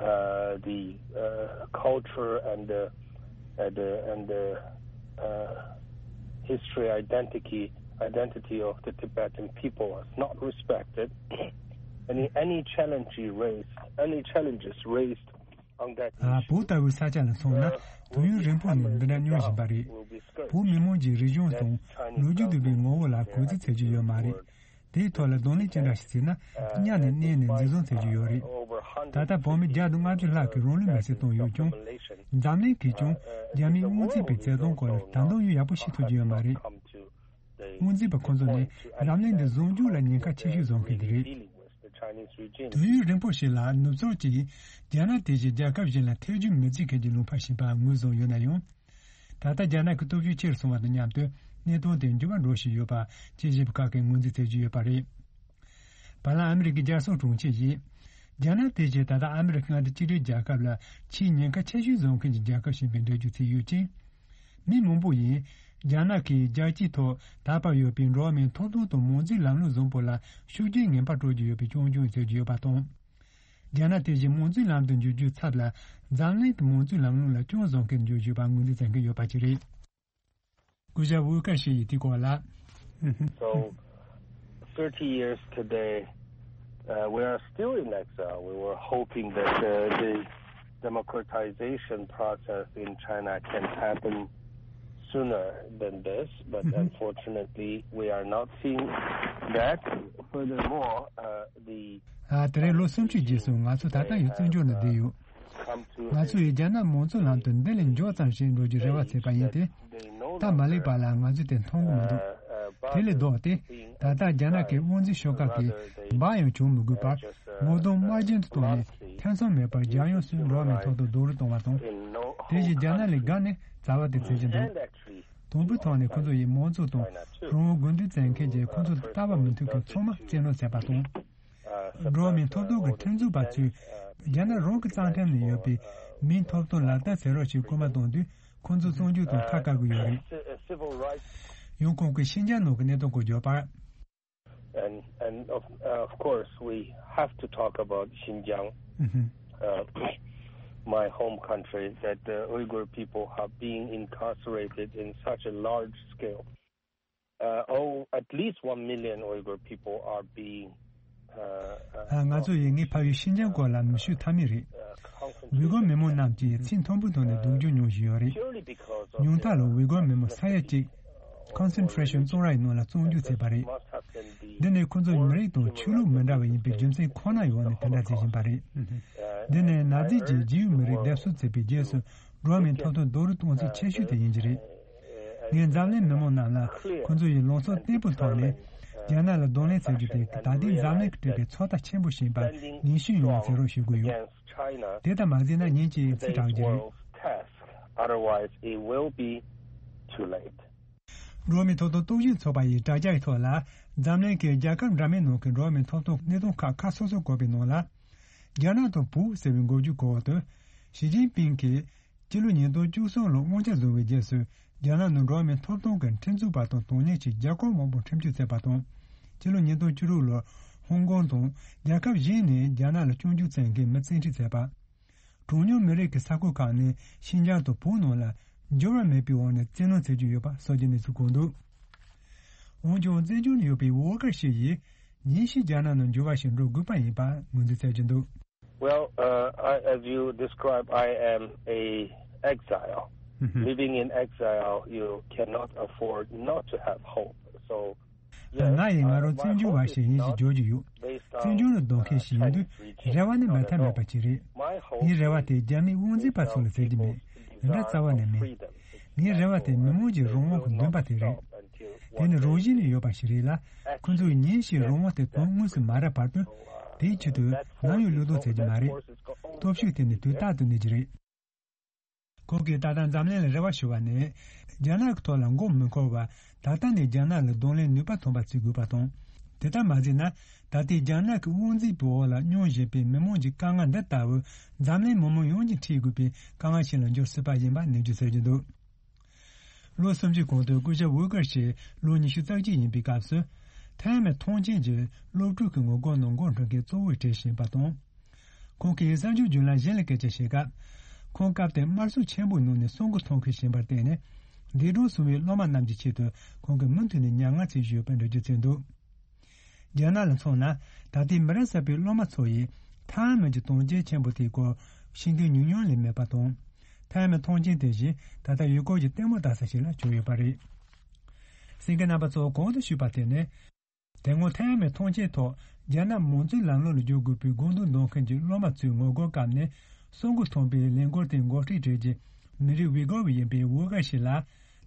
Uh, the uh, culture and the uh, the and the uh, history identity identity of the Tibetan people is not respected. Any any challenge you raised, any challenges raised on that issue, བོད་ལྟ་བུའི་ས་ཆ་ལ་སོང་ན་དུས་ཡུན་རིང་པོ་ནས་འདི་འདྲ་མྱོང་བཞིན་པ་རེད། བོད་མི་མང་གི་རིག་གཞུང་དང་ལོ་རྒྱུས་ལྡན་པའི་ངོ་བོ་ལ་གུས་བརྩི་བྱེད་རྒྱུ་ཡོད་མ་རེད། དེའི་ཐོག་ལ་གདོང་ལེན་ཅི་འདྲ་ཞིག་བྱས་ན་གཉའ་ནས་མནན་ནས་འཛིན་བཟུང་བྱེད་རྒྱུ་ཡོད་རེད། ད་ལྟ་བོད་མི་བརྒྱ་དང་ལྔ་བཅུ་ལྷག་གིས་རང་ལུས་མེར་སྲེག་བཏང་ཡོད་ཀྱང་། འཛམ་གླིང་གིས་ཀྱང་རྒྱ་མིའི་དངུལ་རྩིས་པའི་བྱེད་སྟངས་སྐོར་ལ་ད་དུང་ཡང་ཡག་པོ་ཤེས་ཐུབ་ཀྱི་ཡོད་མ་རེད། དངུལ་རྩིས་པ་ཁོ་ཚོ་ནི་འཛམ་གླིང་འདི་བཟུང་རྒྱུ་ལ་ཉེན་ཁ་ཆེ་ཤོས་བཟོ་མཁན་དེ་རེད། དུས་ཡུན་རིང་པོ་ཞིག་ལ་ནུབ་ཕྱོགས་ཀྱིས་རྒྱ་ནག་དེ་བཞིན་རྒྱལ་ཁབ་གཞན་ལ་ཐེ་བྱུས་མི་བྱེད་མཁན་གྱི་ལུང་པ་ཞིག་ཡིན་པ་ངོས་བཟུང་ཡོད་ན་ཡང་། ད་ལྟ་རྒྱ་ནག་གི་སྟོབས་ཤུགས་ཆེ་རུ་སོང་བ་དང་མཉམ་དུ་གནས་སྟངས་དེ་འགྱུར་བ་འགྲོ་བཞིན་ཡོད་པ་དཔྱད་ཞིབ་པ་ཁག་གིས་ངོས་འཛིན་བྱེད་ཀྱི་ཡོད་པ་རེད། བར་ལམ་ཨ་མི་རི་ཀའི་རྒྱལ་སྲུང་དྲུང་ཆེ་ཡིས། རྒྱ་ནག་དེ་བཞིན་ད་ལྟ་ཨ་མི་རི་ཀ་མངའ་སྡེ་གཅིག་སྒྲིལ་རྒྱལ་ཁབ་ལ་ཆེས་ཉེན་ཁ་ཆེ་ཤོས་བཟོ་མཁན་གྱི་རྒྱལ་ཁབ་ཞིག་ཡིན་པའི་འགྲེལ་བརྗོད་བྱས་ཡོད་ཅིང་། མི་མང་པོ་ཡིས་རྒྱ་ནག་གིས་རྒྱལ་སྤྱིའི་ཐོག་དར་བར་ཡོད་པའི་འགྲོ་བ་མིའི་ཐོབ་ཐང་དང་མང་གཙོའི་ལམ་ལུགས་བཟང་པོ་ལ་ཤུགས་རྐྱེན་ངན་པ་སྤྲོད་ཀྱི་ཡོད་པའི་སྐྱོན་བརྗོད་བྱེད་ཀྱི་ཡོད་པ་དང་། རྒྱ་ནག་དེ་བཞིན་མང་གཙོའི་ལམ་དུ་འགྱུར་རྒྱུའི་ཚབ་ལ་འཛམ་གླིང་གི་མང་གཙོའི་ལམ་ལུགས་ལ་སྐྱོན་བཟོ་མཁན་འགྱུར་བཞིན་པ་ངོས་འཛིན་བྱེད་མཁན་ཡོད་པ་ཅིག་རེད། སྐུ་ཞབས་ཝུ་ཀ་ཤི་ཡིས་དེའི་སྐོར་ལ། So, thirty years today, uh, we are still in exile. We were hoping that uh, the democratization process in China can happen sooner than this, but unfortunately, we are not seeing that. Furthermore, uh, the ཨ། དེ་རིང་ལོ་སུམ་ཅུ་རྗེས་སུ་ང་ཚོ་ད་ལྟ་ཡང་བཙན་བྱོལ་ནང་བསྡད་ཡོད། ང་ཚོ་ཡིས་རྒྱ་ནག་མང་གཙོའི་ལམ་དུ་འདི་ལས་མགྱོགས་ཙམ་ཞིག་འགྲོ་རྒྱུའི་རེ་བ་བྱས་པ་ཡིན་ཏེ། སྟབས་མ་ལེགས་པ་ལ་ང་ཚོས་དེ་མཐོང་གི་མི་འདུག། དེ་ལས་ལྡོག་སྟེ། ད་ལྟ་རྒྱ་ནག་གི་དབང་འཛིན་ཤོག་ཁག་གིས་འབའ་ཡང་བྱུང་མི་དགོས་པར་ངོ་གདོང་དམར་རྗེན་དུ་བཏང་ནས་ཐེ་ཚོམ་མེད་པར་རྒྱལ་ཡོངས་སུ་འགྲོ་བ་མིའི་ཐོབ་ཐང་རྡོག་རོལ་གཏོང་བ་དང་། དེ་བཞིན་རྒྱ་ནག་ལས་བརྒལ་ནས་བྱ་བ་དེ་བྱེད་ཀྱི་འདུག། དང་པོའི་ཐོག་ནས་ཁོ་ཚོ་ཡིས་མང་གཙོ་དང་རང་དབང་དགོས་འདུན་བཙན་མཁན་གྱིས་ཁོ་ཚོ་དང་ལྟ་བ་མི་མཐུན་མཁན་ཚང་མ་བཙན་གནོན་བྱས་པ་དང་། འགྲོ་བ་མིའི་ཐོབ་ཐང་གི་ཁྲིམས་རྩོད་པ་ཚོས་རྒྱ་ནག་རང་གི་རྩ་ཁྲིམས་ནང་ཡོད་པའི་མིའི་ཐོབ་ཐང་ལག་བསྟར་བྱེད་རོགས་ཞེས་སྐུལ་མ་བཏང་དུས་ཁོང་ཚོ་བཙོན་འཇུག་དང་ཐར་དཀའ་གི་ཡོད་རེད། ཡང་ཁོང་གིས་ཤིན་ཅང་ནང་གི་གནད་དོན་སྐོར་བརྗོད་པར། And and of, uh, of course, we have to talk about Xinjiang, uh, my home country, that the Uyghur people have been incarcerated in such a large scale. Uh, oh, at least one million Uyghur people are being. Uh, uh, ང་ཚོ་ཡིས་ངའི་ཕ་ཡུལ་ཤིན་ཅང་སྐོར་ལ་མི་ཤོད་ཐབས་མེད་རེད། ཝི་གོར་མི་མང་རྣམས་ཀྱིས་ཚེ་མཐོན་པོའི་ཐོག་ནས་སྡུག་སྦྱོང་མྱོང་བཞིན་ཡོད་རེད། ཉུང་མཐའ་ལ་ཝི་གོར་མི་མང་ས་ཡ་གཅིག་ཀོན་སེན་ཊྲེ་ཤོན་བཙོན་རའི་ནང་ལ་བཙོན་འཇུག་བྱས་པ་རེད། འདི་ནི་ཁོ་ཚོ་མི་རིགས་དང་ཆོས་ལུགས་མི་འདྲ་བ་ཡིན་པའི་རྒྱུ་མཚན་ཁོ་ན་ཡོད་ནས་དེ་འདྲ་བྱེད་བཞིན་པ་རེད། འདི་ནི་ནཱ་ཛི་ཀྱིས་རྗེས་ཡོད་མི་རིགས་སྡེབ་གསོད་བྱས་པའི་རྗེས་སུ་འགྲོ་བ་མིའི་ཐོབ་ཐང་རྡོག་རོལ་གཏོང་ཚུལ་ཆེ་ཤོས་དེ་ཡིན་གྱི་རེད། ངས་འཛམ་གླིང་མི་མང་རྣམས་ལ་ཁོ་ཚོ་ཡིས་ལངས་ཕྱོགས་བརྟན་པོའི་ཐོག་ནས་རྒྱ་ནག་ལ་གདོང་ལེན་བྱ་རྒྱུ་དེ་ད་ལྟའི་འཛམ་གླིང་གིས་སྤྲད་པའི་ཚོད་ལྟ་ཆེན་པོ་ཞིག་ཡིན་པ་ངེས་ཤེས་ཡོང་བ་བྱེད་རོགས་ཞུ་གི་ཡོད། དེ་ལྟར་མ་བྱས་ན་ཉིན་གཅིག་ཚེ་དྲག་རྒྱུ་རེད། Otherwise, it will be too late. འགྲོ་བ་མིའི་ཐོབ་ཐང་རྟོག་ཞིབ་ཚོགས་པ་ཡི་དྲ་རྒྱའི་ཐོག་ལ་འཛམ་གླིང་གི་རྒྱལ་ཁབ་འདྲ་མིན་ནང་གི་འགྲོ་བ་མིའི་ཐོབ་ཐང་གནད་དོན་ཁག་ཁག་སོ་སོ་བཀོད་པའི་ནང་ལ། རྒྱ་ནག་དང་བོད་ཟེར་བའི་འགོ་བརྗོད་གོ་བ་དུ། ཞི་ཅིན་ཕིང་གིས་སྤྱི་ལོ་ཉིས་སྟོང་བཅུ་གསུམ་ལོར་དབང་ཆ་བཟུང་བའི་རྗེས་སུ་རྒྱ་ནག་ནང་འགྲོ་བ་མིའི་ཐོབ་ཐང་གི་ཁྲིམས་རྩོད་པ་དང་དོན་གཉེར་ཆེད་རྒྱ་སྐོར་མང་པོ་ཁྲིམས་གཅོད་བྱས་པ་དང་། སྤྱི་ལོ་ཉིས་སྟོང་བཅུ་དྲུག་ལོར་ཧོང་ཀོང་དང་རྒྱལ་ཁབ་གཞན་ནས་རྒྱ་ནག་ལ་སྐྱོན་བརྗོད་བྱེད་མཁན་མི་བཙན་ཁྲིད་བྱས་པ། གྲངས་ཉུང་མི་རིགས་ཀྱི་ས་ཁུལ་ཁག་ནས་ཤིན་ཅང་དང་བོད་ནང་ལ་འགྱུར་བ་མེད་པའི་འོག་ནས་བཙན་གནོན་བྱེད་ཀྱི་ཡོད་པ་སོགས་ཀྱི་གནས་ཚུལ་བཀོད་འདུག། འོན་ཀྱང་བཙན་བྱོལ་ནང་ཡོད་པའི་ཝོ་ཀར་ཞིག་ཡིས་ཉིན་ཞིག་རྒྱ་ནག་ནང་འགྱུར་བ་ཞིག་འགྲོ་དགོས་པ་ཡིན་པ་ངོས་འཛིན་བྱེད་ཀྱི་འདུག། Well, uh, I, as you describe, I am a exile living in exile. You cannot afford not to have hope. So ད་ང་ཡིས་ང་རང་བཙན་བྱོལ་བ་ཞིག་ཡིན་ཞེས་བརྗོད་ཀྱི་ཡོད། བཙན་བྱོལ་ལ་སྡོད་མཁན་ཞིག་ཡིན་དུས་རེ་བ་ནི་མེད་ཐབས་མེད་པ་ཅིག་རེད། ངའི་རེ་བ་དེ་རྒྱ་མིའི་དབང་འཛིན་པ་ཚོ་ལ་ཟེར་གྱི་མེད། འདི་འདྲ་རྩ་བ་ནས་མེད། ངའི་རེ་བ་དེ་མི་མང་གི་རང་དབང་གི་འདུན་པ་དེ་རེད། དེ་ནི་རང་བཞིན་ནས་ཡོད་པ་ཞིག་རེད་ལ། ཁོ་ཚོས་ཉིན་ཞིག་རང་དབང་དེ་དོན་དངོས་སུ་མ་རག་བར་དུ། དེའི་ཆེད་དུ་ནམ་ཡང་བློས་གཏོང་བྱེད་ཀྱི་མ་རེད། སྟོབས་ཤུགས་དེ་ནི་དུས་རྟག་ཏུ་གནས་ཀྱི་རེད། ཁོང་གིས་ད་ལྟ་འཛམ་གླིང་ལ་རེ་བ་ཞུ་བ་ནི། རྒྱ་ནག་གི་ཐོག་ལ་མགོ་མི་འཁོར་བར། ད་ལྟ་ནས་རྒྱ་ནག་ལ་གདོང་ལེན་ནུས་པ་ཐོན་པ་བྱེད་དགོས་པ་དང་། དེ་ལྟར་མ་བྱས་ན། ད་ལྟའི་རྒྱ་ནག་གི་དབང་འཛིན་པའི་འོག་ལ་མྱོང་བཞིན་པའི་མི་མང་གི་དཀའ་ངལ་འདི་ལྟ་བུ། འཛམ་གླིང་མི་མང་ཡོངས་ཀྱིས་འཕྲད་དགོས་པའི་དཀའ་ངལ་ཞིག་ལ་འགྱུར་སྲིད་པ་ཡིན་པ་ནན་བརྗོད་མཛད་ཀྱི་འདུག་ལོ་སུམ་ཅུ་གོང་དུ་སྐུ་ཞབས་ཝུ་ཀར་ཞིག་ལོ་ཉི་ཤུ་རྩ་གཅིག་ཡིན་པའི་སྐབས་སུ། ཐའེ་མེ་ཐང་ཆེན་གྱི་སློབ་ཕྲུག་གི་ངོ་རྒོལ་ནང་འགོ་འཁྲིད་མཁན་གཙོ་བོར་བགྲེས་བཞིན་པ་དང་། ཁོང་གིས་གསར་འགྱུར་བརྒྱུད་ལམ་གཞན་ལ་སྐད་ཆ་བཤད་སྐབས། ཁོང་སྐབས་དེར་དམར་གསོད་ཆེན་པོའི་ནང་ནས་གསོན་པོ་མཐོང་ཁུལ་བཞིན་པར་བརྟེན་ནས། འདས་གྲོངས་སོང་བའི་སློབ་མ་རྣམས་ཀྱི་ཆེད་དུ་ཁོང་གིས་མུ་མཐུད་ནས་མྱ་ངན་ཚེ་ཞུས་པའི་འགྲེལ་བརྗོད་བྱས་འདུག་རྒྱ་ནག་ལ་མཚོན་ན། ད་ལྟའི་མི་རབས་གསར་པའི་སློབ་མ་ཚོ་ཡིས་ཐའེ་མེ་གྱི་དོན་རྐྱེན་ཆེན་པོ་དེའི་སྐོར་ཤེས་མཁན་ཉུང་ཉུང་ལས་མེད་པ་དང་། ཐའེ་མེ་ཐང་ཆེན་དེ་བཞིན་ད་ལྟ་ཡུལ་སྐོར་གྱི་ལྟད་མོ་ལྟ་ས་ཞིག་ལ་གྱུར་ཡོད་པ་རེད། གསན་མཁན་རྣམ་པ་ཚོ་གོང་དུ་ཞུས་པ་དེ་ནི། དེ་སྔོན་ཐའེ་མེ་ཐང་ཆེན་ཐོག་རྒྱ་ནག་མང་གཙོའི་ལམ་ལུགས་ལ་བསྒྱུར་དགོས་པའི་དགོངས་དོན་འདོན་མཁན་གྱི་སློབ་མ་ཚོའི་ངོ་རྒོལ་སྐབས་ནས་གསོན་པོ་མཐོང་པའི་ལས་འགུལ་དེ་འགོ་ཁྲིད་བྱེད་ཀྱི་མི་རིགས་ཝི་གོ་བ་ཡིན་པའི་ཝུ་ཀར་ཞིག་ལ།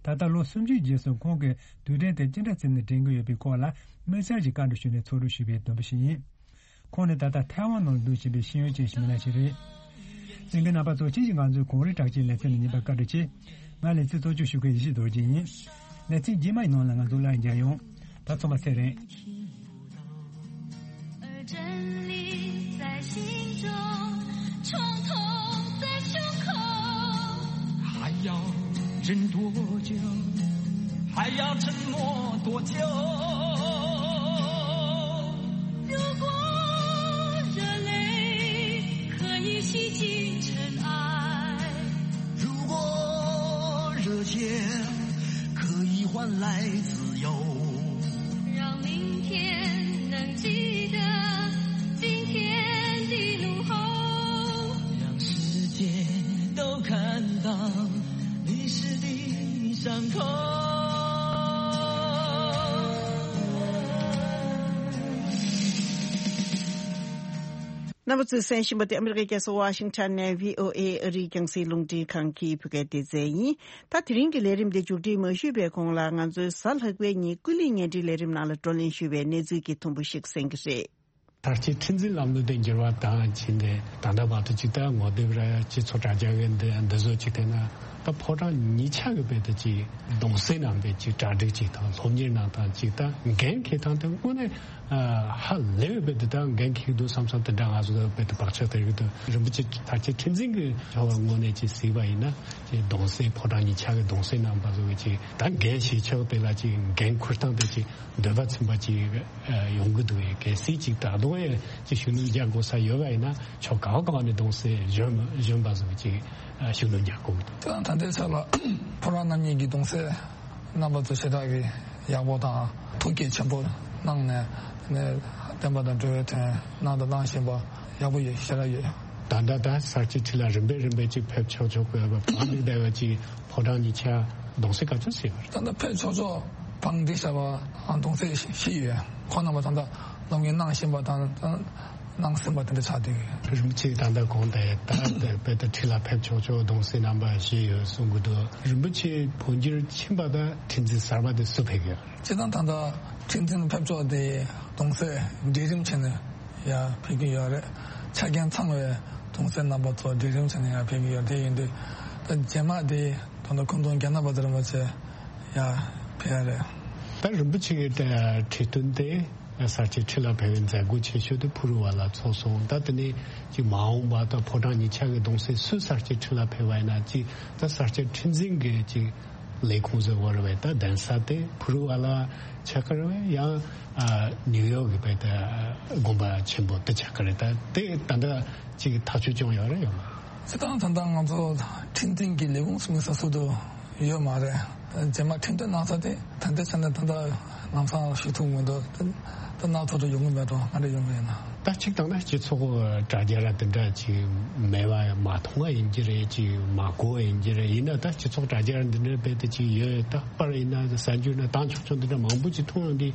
ད་ལྟ་ལོ་སུམ་ཅུ་རྗེས་སུ་ཁོང་གིས་དུས་དྲན་དེ་ཅི་འདྲ་བརྩིས་ནས་དྲན་གྱི་ཡོད་པའི་སྐོར་ལ་དམིགས་བསལ་གྱི་བཀའ་འདྲི་ཞུས་ནས་ཚོགས་སྒྲུབ་ཞུས་པའི་བསྡོམས་པ་ཞིག་ཡིན། ཁོང་ནི་ད་ལྟ་ཐའེ་ཝན་ནང་སྡོད་བཞིན་པའི་ཤེས་ཡོན་ཅན་ཞིག་མིན་ན་ཞིག་རེད། གསན་མཁན་རྣམ་པ་ཚོ་ཁྱེད་ཀྱིས་ང་ཚོའི་གངས་རི་གྲགས་ཅན་ལེ་ཚན་ལ་ཉན་པར་བཀའ་དྲིན་ཆེ། ང་ལེ་ཚན་གཙོ་སྐྱོང་ཞུ་མཁན་ཡེ་ཤེས་རྡོ་རྗེ་ཡིན། ལེ་ཚན་རྗེས་མའི་ནང་ལ་ང་ཚོ་སླར་མཇལ་ཡོང་། ད་ཚང་མ་ཚེ་རིང་། 还要忍多久？还要沉默多久？如果热泪可以洗尽尘埃，如果热血可以换来自由，让明天能记得今天的怒吼，让世界都看到历史的伤口。 རྣམ་པ་ཚོས་གསན་བཞིན་པ་དེ་ཨ་མི་རི་ཀའི་རྒྱལ་ས་ཝ་ཤིང་ཊོན་ནས་བྷི་ཨོ་ཨེ་ཨ་རིའི་རྒྱང་སྲིང་རླུང་འཕྲིན་ཁང་གི་བོད་སྐད་སྡེ་ཚན་ཡིན། ད་དེ་རིང་གི་ལས་རིམ་འདི་མཇུག་སྒྲིལ་མ་ཞུས་པའི་གོང་ལ་ང་ཚོའི་གཟའ་ལྷག་པའི་ཉིན་ཀུན་གླེང་བརྙན་འཕྲིན་ལས་རིམ་ནང་ལ་བགྲོ་གླེང་ཞུས་པའི་གནས་ཚུལ་གྱི་ཐུང་པོ་ཞིག་གསན་གྱི་རེད། ད་ལྟའི་ཁྲིམས་འཛིན་ལམ་ལུགས་དེ་འགྱུར་བ་བཏང་ཕྱིན་ཏེ་ད་ལྟ་བར་དུ་ཅིག་ད་ངོ་དེབ་ར་སྤྱི་ཚོགས་དྲ་རྒྱ་གི་འདི་འདི་བཟོ་ཅིག་བལྟས་ན་ད་ཕོ་བྲང་ཉིས་ཆ་གི་དཔེ་དེ་ཅིག་གདུང་སེམས་ནང་པའི་ཅིག་གྲ་སྒྲིག་ཅིག་དང་སློབ་གཉེར་གནང་སྟངས་ཅིག་ད་འགན་འཁྱེར་སྟངས་དེ་དངོས་གནས་ཧ་ལས་པའི་དཔེ་དེ་ད་འགན་འཁྱེར་གི་འདུག་བསམ་བསམ་དེ་འདྲ་ང་ཚོ་དཔེ་དེ་བག་ཆགས་དེ་རིགས་དུ་རིན་པོ་ཆེ་ད་ལྟའི་ཁྲིམས་འཛིན་གི་བྱ་བ་དངོས་གནས་ཅིག་གཟིགས་པ་ཡིན་ན་ཅིག་གདུང་སེམས་ཕོ་བྲང་ཉིས་ཆ་གི་གདུང་སེམས་གནང་པ་བཟོ་གི་ཅིག་ད་འགན་བཞེས་ཕྱོགས་དེ་ལ་ཅིག་འགན་འཁུར་སྟངས་དེ་ཅིག་འདོད་པ་ཚིམ་པ་ཅིག་ཡོང་གི་འདུག་གལ་སྲིད་ཅིག་ད་དུང་ཡང་ཅིག་ཤུགས་སྣོན་རྒྱག་དགོས་ས་ཡོད་པ་ཡིན་ན་ཕྱོགས་གང་གང་ནས་གདུང་སེམས་གཞོན་གཞོན་པ་ཚོ་ཅིག་ཤུགས་སྣོན་རྒྱག་དགོས་ཀྱི་འདུག་དེ་དང་ད་ལྟའི་ཆ་ལ་ཕོ་བྲང་རྣམ་གཉིས་ཀྱི་གདུང་སེམས་རྣམ་པ་ཚོ་ཞེ་དྲག་གི་ཡག་པོ་དང་ཐུགས་བསྐྱེད་ཆེན་པོ་གནང་ནས་ནས་བསྟན་པ་དང་འགྲོ་བའི་དོན་གནང་དང་གནང་བཞིན་པ་ཡག་པོ་ཡོད་ཞེ་དྲག་ཡོད། ད་ལྟ་ད་གསར་བརྗེ་ཁྲི་ལ་རིམ་པས་རིམ་པས་ཅིག་ཕེབས་ཆོག་ཆོག་གི་བ་བང་མིག་བསྡད་པ་ཅིག་ཕོ་བྲང་ཉིས་ཆ་གདུང་སེམས་ག་ཚོད་ཟེར་བ་རེད། ད་ལྟ་ཕེབས་ཆོག་ཆོག་བང་སྒྲིག་བྱ་བ་གདུང་སེམས་ཤི་ཡོད། ཁོང་རྣམ་པ་ད་ལྟ་སློབ་གཉེར་གནང་བཞིན་པ་དང་གནང་ཟིན་པ་དེ་འདྲ་ཆགས་བསྡད་ཡོད། རིན་པོ་ཆེ་ད་ལྟ་གོང་དེ་ད་དཔེ་ད་ཁྲི་ལ་ཕེབས་ཆོག་ཆོག་གདུང་སེམས་རྣམ་པ་ཞིག་ཡོད་གསུང་གི་འདུག་རིན་པོ་ཆེ་འཕོ་འགྱུར་ཕྱིན་པ་ད་ཁྲི་འཛིན་གསར་པ་དེ་སུ་ཕེབས་ཡོད། སྤྱིར་བཏང་ད་ལྟ་ཁྲི་འཛིན་ཕེབས་ཆོག་དེ་གདུང་སེམས་སྒྲིག་རིམ་བྱས་ནས་ཡར་ཕེབས་ཀྱི་ཡོད་རེད། ཆ་རྐྱེན་ཚང་བའི་གདུང་སེམས་རྣམ་པ་ཚོ་སྒྲིག་རིམ་བྱས་ནས་ཡར་ཕེབས་ཀྱི་ཡོད་དེ་ཡིན་དུས་ད་རྗེས་མ་དེ་ད་ལྟ་སྐུ་མདུན་རྒྱལ་བ་རིན་པོ་ཆེ་ཡར་ཕེབས་ཡ་རེད། ད་རིན་པོ་ཆེ་གི་ཁྲི་སྟོན་དེ་གསར་བརྗེ་ཁྲི་ལ་ཕེབས་པའི་མཛད་སྒོ་ཆེ་ཤོས་དེ་ཕུ་རུ་ཝ་ལ་ཚོགས་སོང་། ད་དེ་ནས་ཀྱི་མ་འོངས་པ་ད་ཕོ་བྲང་ཉིས་ཆ་གི་གདུང་སེམས་སུ་གསར་བརྗེ་ཁྲི་ལ་ཕེབས་པ་ཡིན་ན་ཅིག་ད་གསར་བརྗེ་ཁྲི་འཛིན་གི་ཅིག་ལས་ཁུངས་ཟེར་བ་རེད་བས། ད་གདན་ས་དེ་ཕུ་རུ་ཝ་ལ་ཆགས་ཀྱི་རེད་བས། ཡང་ཨ་ནིའུ་ཡོག་གི་བས་ད་དགོན་པ་ཆེན་པོ་དེ་ཆགས་ཀྱི་རེད། ད་དེ་ད་ལྟ་ཅིག་ཐག་གཅོད་བྱུང་ཡོད་རེད་ཡོད་མ། སྤྱིར་བཏང་ད་ལྟ་ང་ཚོ་ཁྲི་འཛིན་གྱི་ལས་ཁུངས་སུ་མི་ས་སུ་དུ་ཡོད་མ་རེད། རྗེས་མ་ཁྲི་འདོན་གནང་ས་དེ་ད་ལྟའི་ཆ་ནས་ད་ལྟ་ལམ་སང་ཞུ་ཐུབ་མི་འདུག་ད་སྣ་ཚོགས་དུ་ཡོང་གི་མེད་དོ། ང་འདྲ་ཡོང་གི་ཡིན་ན། ད་གཅིག་དང་ད་སྤྱི་ཚོགས་དྲ་རྒྱ་ར་དེ་འདྲ་ཅིག་མེད་པ་མ་མཐོང་བ་ཡིན་གྱི་རེད། ཅིག་མ་གོ་བ་ཡིན་གྱི་རེད། ཡིན་ན་ད་སྤྱི་ཚོགས་དྲ་རྒྱ་ར་འདི་འདྲ་རྦད་དེ་ཅིག་ཡོད། ད་པར་ཡིན་ན་གསར་འགྱུར་ན་དང་ཆོག་ཆོག་འདི་འདྲ་མང་པོ་ཅིག་མཐོང་ཡོང་གི།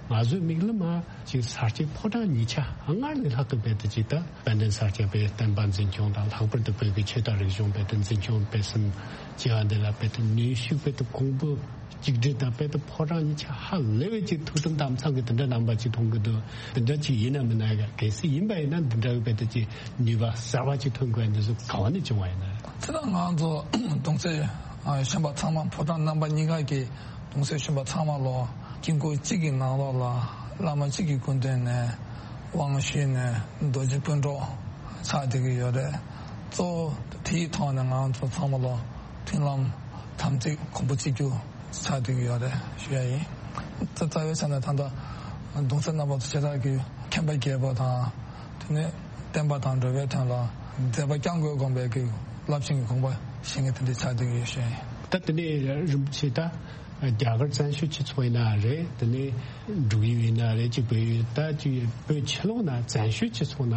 ང་ཚོའི་མིག་ལམ་ལ་ཅིག་ས་སྐྱའི་ཕོ་བྲང་གཉིས་ཆ་སྔར་ལས་ལྷག་གི་རྦད་དེ་ཅིག་ད་དཔལ་ལྡན་ས་སྐྱ་པའི་བསྟན་པ་འཛིན་སྐྱོང་དང་། ལྷག་པར་དུ་བོད་ཀྱི་ཆོས་དང་རིག་གཞུང་རྦད་དེ་འཛིན་སྐྱོང་སྤེལ་གསུམ་བྱེད་པ་འདི་ལ་རྦད་དེ་ནུས་ཤུགས་རྦད་དེ་གོང་བུ་གཅིག་སྒྲིལ་དང་། རྦད་དེ་ཕོ་བྲང་གཉིས་ཆ་ཧ་ལས་པའི་ཅིག་ཐུགས་དམ་དམ་གཙང་གི་དེ་འདྲ་རྣམ་པ་ཅིག་མཐོང་གི་འདུག་དེ་འདྲ་ཅིག་ཡིན་ན་མིན་ན། གལ་སྲིད་ཡིན་པ་ཡིན་ན་འདི་འདྲ་གི་རྦད་དེ་ཅིག་ནུས་པ་གསར་པ་ཅིག་ཐོན་དགོས་ཡ་འདི་ཚོ་ག་བ་ནས་བྱུང་བ་ཡིན་ན། ཁྱེད་རང་ང་ཚོ་གདུང་སྲས་གཞོན་པ་ཚང་མ། ཕོ་བྲང་རྣམ་པ་གཉིས་ཀ་གི་གདུང་སྲས་གཞོན་པ་ཚང་མ་ལོ་དཀྱིལ་འཁོར་གཅིག་གི་ནང་ལོགས་ལ་བླ་མ་གཅིག་གི་སྐུ་མདུན་ནས་དབང་ཞུས་ནས་རྡོ་རྗེ་སྤུན་གྲོགས་ཆགས་བསྡད་ཀྱི་ཡོད་རེད། གཙོ་བོ་དེའི་ཐོག་ནས་ང་ཚོ་ཚང་མ་ལོ་མཐུན་ལམ་དམ་ཚིག་གོང་བུ་གཅིག་གྱུར་ཆགས་བསྡད་ཀྱི་ཡོད་རེད་ཞུ་ཡ་ཡིན། རྩ་རྩ་བའི་ཆ་ནས་ད་ལྟ་གདུང་སྲས་རྣམ་པ་ཚོ་ཞེ་དྲག་གི་མཁྱེན་པ་རྒྱས་པ་དང་། དེ་ནས་བསྟན་པ་དང་འགྲོ་བའི་དོན་ལ་མཛད་པ་བསྐྱངས་དགོས་དགོངས་པའི་གི་རླབས་ཆེན་གྱི་དགོངས་པ་བཞེས་མཁན་དེ་འདྲ་ཆགས་བསྡད་ཀྱི་ཡོད་ཞུ་ཡ་ཡིན། ད་དེ་ནས་རིན་པོ་ཆེ་ད་རྒྱ་གར་བཙན་བྱོལ་སྤྱི་ཚོགས་ཡིན་ན་རེད། དེ་ནས་འབྲུག་ཡུལ་ཡིན་ན་རེད། ཅིག་བོད་ཡུལ། ད་ཅིག་བོད་ཕྱི་ལོགས་ན་བཙན་བྱོལ་སྤྱི་ཚོགས་ན་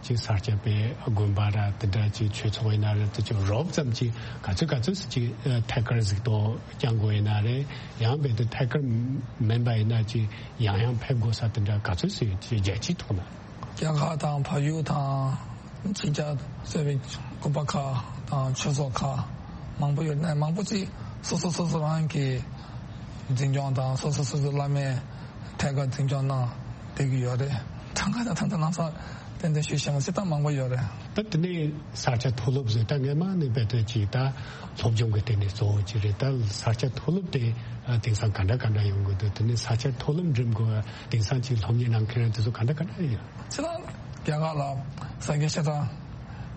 ཅིག་ས་སྐྱ་པའི་དགོན་པ་ར་དེ་འདྲ་ཅིག་ཆོས་ཚོགས་ཡིན་ན་རེད། དེ་ཅིག་རོབ་ཙམ་ཅིག་ག་ཚོད་ག་ཚོད་སུ་ཅིག་ཐད་ཀར་གཟིགས་རྟོག་བསྐྱང་དགོས་ཡིན་ན་རེད། ཡང་རྦད་དེ་ཐད་ཀར་མིན་པ་ཡིན་ན་ཅིག་ཡང་ཡང་ཕེབས་དགོས་ས་དེ་འདྲ་ག་ཚོད་སུ་ཡོད་ཅིག་རྒྱལ་སྤྱིའི་ཐོག་ན། རྒྱ་གར་དང་བལ་ཡུལ་དང་ཕྱི་རྒྱལ་གསོ་བའི་དགོན་པ་ཁག་དང་ཆོས་ཚོགས་ཁག་མང་པོ་ཡོད་ནས། མང་པོ་ཅིག་སོ་སོ་སོ་སོ་རང་གི་འཛིན་སྐྱོང་དང་སོ་སོ་སོ་སོའི་བླ་མའི་ཐད་ཀར་འཛིན་སྐྱོང་གནང་བསྡད་ཀྱི་ཡོད་རེད། གྲངས་ཀ་དང་ད་ལྟ་ལམ་སང་ཏན་ཏན་ཞུས་བཞག་ན་སྤྱིར་བཏང་མང་པོ་ཡོད་རེད། ད་དེ་ནས་ས་སྐྱ་མཐོ་སློབ་ཟེར། ད་སྔས་མ་ནས་རྦད་དེ་ཅིག་ད་སློབ་སྦྱོང་གི་སྟེང་ནས་གཙོ་བོ་ཅིག་རེད། ད་ས་སྐྱ་མཐོ་སློབ་དེ་དེང་སང་ག་འདྲ་ག་འདྲ་ཡོང་གི་འདུག་དེ་ནས་ས་སྐྱ་མཐོ་སློབ་འགྲིམ་དགོས་དེང་སང་ཅིག་སློབ་གཉེར་གནང་མཁན་དེ་ཚོ་ག་འདྲ་ག་འདྲ་ཡོད། ཁྱེད་རང་རྒྱ་གར་ལ་ས་སྐྱའི་བཤད་གྲྭ་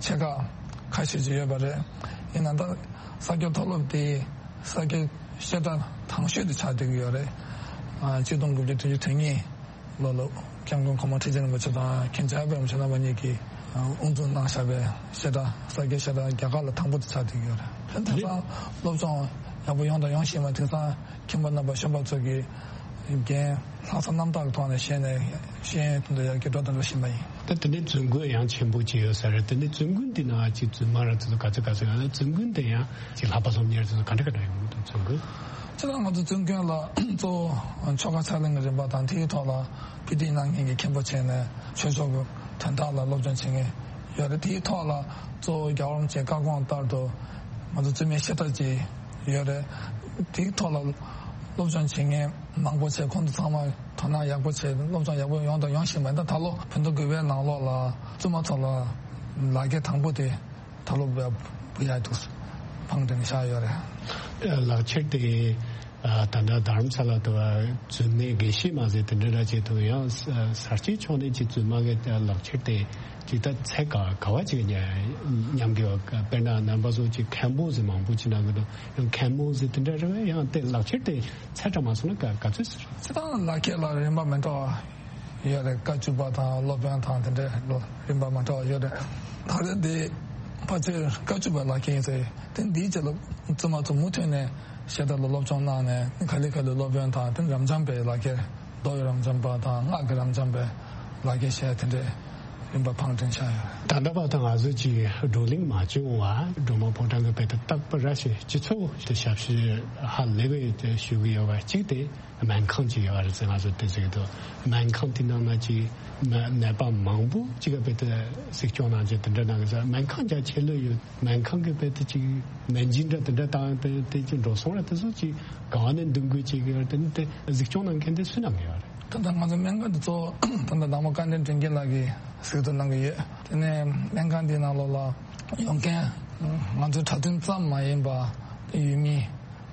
ཆེ་ཁག་ཁ་ཤས་ཅིག་ཡོད་པ་རེད། ཡིན་ན་ད་ས་སྐྱ་མཐོ་སློབ་དེ་ས་སྐྱའི་བཤད་གྲྭ་དང་ཤོས་དེ་ཆགས་བསྡད་ཀྱི་ཡོད་རེད། ཨ་གཅིག་སྟོང་དགུ་བརྒྱ་བདུན་ཅུ་དོན་གཉིས་ལོ་ལ་སྐྱབས་མགོན་གོང་མ་ཁྲི་ཆེན་རིན་པོ་ཆེ་དང་མཁན་ཆེན་ཨ་པད་རིན་པོ་ཆེ་རྣམ་པ་གཉིས་ཀྱིས་དབུ་འཛུགས་གནང་བཞག་པའི་བཤད་གྲྭ། ས་སྐྱའི་བཤད་གྲྭ་རྒྱ་གར་ལ་དང་པོ་དེ་ཆགས་བསྡད་ཀྱི་ཡོད་རེད། དེ་ད་ལྟ་སློབ་སྦྱོང་ཡག་པོ་ཡོང་དང་ཡོང་བཞིན་པ། དེང་སང་མཁན་པོ་རྣམ་པ་གཞོན་པ་ཚོ་གིས་འགན་ལྷག་བསམ་རྣམ་དག་གི་ཐོག་ནས་བཞེས་ནས་ཤེས་ཡོན་དེ་ཚོ་ཡར་རྒྱས་འགྲོ་དང་འགྲོ་བཞིན་པ་ཡིན། ད་དེ་ནས་འཛུལ་མགོན་ཡང་ཆེན་པོ་ཅིག་ཡོད་ས་རེད། དེ་ནས་འཛུལ་མགོན་དེ་ནང་ཅིག་རྫུན་མ་ར་དེ་ཚོ་ག་ཚོད་ག་ཚོད་ཡོད་ན། འཛུལ་མགོན་དེ་ཡང་ཅིག་ལྷག་པ་སློབ་གཉེར་དེ་ཚོ་ག་འདྲ་ག་འདྲ་ཡོང་གི་འདུག་འཛུལ་མགོན། ཁྱེད་རང་ང་ཚོ་འཛུལ་མགོན་ལ་གཙོ་བོ་ཆོ་ག་ཕྱག་ལེན་གྱི་རིམ་པ་དང་། དེའི་ཐོག་ལ་ཕྱི་དྲིལ་གནང་མཁན་གྱི་མཁན་པོ་བྱས་ནས་ཆོས་ཕྱོགས་ཀྱི་དོན་དག་ལ་སློབ་སྦྱོང་བྱེད་མཁན་ཡོད་རེད། དེའི་ཐོག་ལ་གཙོ་བོ་རྒྱལ་བ་རིན་པོ་ཆེའི་བཀའ་དགོངས་ལྟར་དུ་ང་ཚོ་བཙུན་མའི་བཤད་གྲྭ་ཅིག་ཡོད་རེད། དེའི་ཐོག་ལ་སློབ་སྦྱོང་བྱེད་མཁན་མང་པོ་བྱས། ཁོང་ཚོ་ཚང་མ་དོ་སྣང་ཡག་པོ་བྱས། སློབ་སྦྱོང་ཡག་པོ་ཡོང་དང་ཡོང་བཞིན་པ། ད་ད་ལོ་བོད་ཟླ་དགུ་པའི་ནང་ལོགས་ལ་བཙུན་མ་ཚོ་ལ་ལག་འཁྱེར་དང་པོ་དེ་ད་ལོ་བ་བུ་ཡ་འདུག་ཕངས་དྲན་བཞག་ཡོད་རེད། ལག་འཁྱེར་དེ་ཨ་ད་ལྟ་དྷ་རམ་ས་ལ་དུ་བ་རྫུན་མའི་དགེ་བཤེས་མ་ཟེར་དེ་འདྲ་ར་བྱེད་ཐུབ། ཡང་ས་སྐྱའི་ཕྱོགས་ནས་ཅིག་རྫུན་མ་གི་ལག་འཁྱེར་དེ་ཅིག་ད་ཚད་ག་ག་བ་ཅིག་ཉམས་ཀྱི་ཡོད། དཔེར་ན་རྣམ་པ་ཚོ་ཅིག་མཁན་པོ་ཟེར་མང་པོ་ཅིག་གནང་གི་འདུག་ཡང་མཁན་མོ་ཟེར་དེ་འདྲ་རེད་པས། ཡང་དེ་ལག་འཁྱེར་དེ་ཚད་གྲངས་མ་སོང་ན་ག་ག་ཚོད་ཟེར། སྤྱིར་བཏང་ལག་འཁྱེར་ལ་རིན་པ་མི་འདྲ་བ་ཡོད་རེད། བཀའ་བཅུ་པ་དང་སློབ་དཔོན་དང་དེ་འདྲའི་ལོ་རིན་པ་མི་འདྲ་བ་ཡོད་རེད། ད་རེས་འདི་ཕལ་ཆེར་བཀའ་བཅུ་པའི་ལག་འཁྱེར་ཡིན་ཟེར། དེ་འདིའི་རྗེས་ལ་བཙུན་མ་ཚོ་མུ་མཐུད་ནས་བཤད་གྲྭ་ལ་སློབ་སྦྱོང་གནང་ནས། ག་ལེ་ག་ལེ་སློབ་དཔོན་དང་དེ་རབ་འབྱམས་པའི་ལག་འཁྱེར། མདོ་ཡི་རབ་འབྱམས་པ་དང་སྔགས་ཀྱི་རབ་འབྱམས་པའི་ལག་འཁྱེར་བཞེས། དེ་འདྲའི་རིམ་པ་ཕངས་དྲན་བཞག་ཡོད། ད་ལྟ་བར་དུ་ང་ཚོ་གཅིག་བགྲོ་གླེང་མ་བྱུང་བ། སྒྲོལ་མ་ཕོ་བྲང་གི་དཔེ་དེ་རྟག་པར་ར་ཞིག་སྤྱི་ཚོགས་དེ་ཞབས་ཕྱི་ཧ་ལས་པའི་དེ་ཞུ་གི་ཡོད་པ། གཅིག་དེ་སྨན་ཁང་ཅིག་ཡོད་རེད་ཟེར་ང་ཚོ་དེ་ཟེར་གི་འདུག་སྨན་ཁང་དེ་ནང་ན་ཅིག་ནད་པ་མང་པོ་ཅིག་ག་དཔེ་དེ་གཟིགས་སྐྱོང་གནང་ཅིག་དེ་འདྲ་གནང་གི་ཟེར། སྨན་ཁང་རྒྱ་ཆེ་ལོས་ཡོད། སྨན་ཁང་གི་དཔེ་དེ་ཅིག་སྨན་སྦྱིན་འདྲ་དེ་འདྲ་བཏང་དེ་དེ་ཅིག་འགྲོ་སོང་ར་དེ་ཚོ་ཅིག་ག་བ་ནས་འདུག་དགོས་ཅིག་ཡོད་དེ་ནི་དེ་གཟིགས་སྐྱོང་གནང་མཁན་དེ་སུ་ནམ་ཡོད་རེད། ད་ལྟ་ང་ཚོ་སྨན་ཁང་འདི་གཙོ་བོ་ད་ལྟ་ནང་པ་བཀའ་དྲིན་དྲིན་རྒྱལ་ལགས་ཀྱིས་གཟིགས་རྟོག་གནང་གི་ཡོད། དེ་ནས་སྨན་ཁང་འདིའི་ནང་ལོགས་ལ་ཡོང་མཁན་ང་ཚོའི་གྲྭ་བཙུན་ཙམ་མ་ཡིན་པ། དེ་ཡུལ་མི་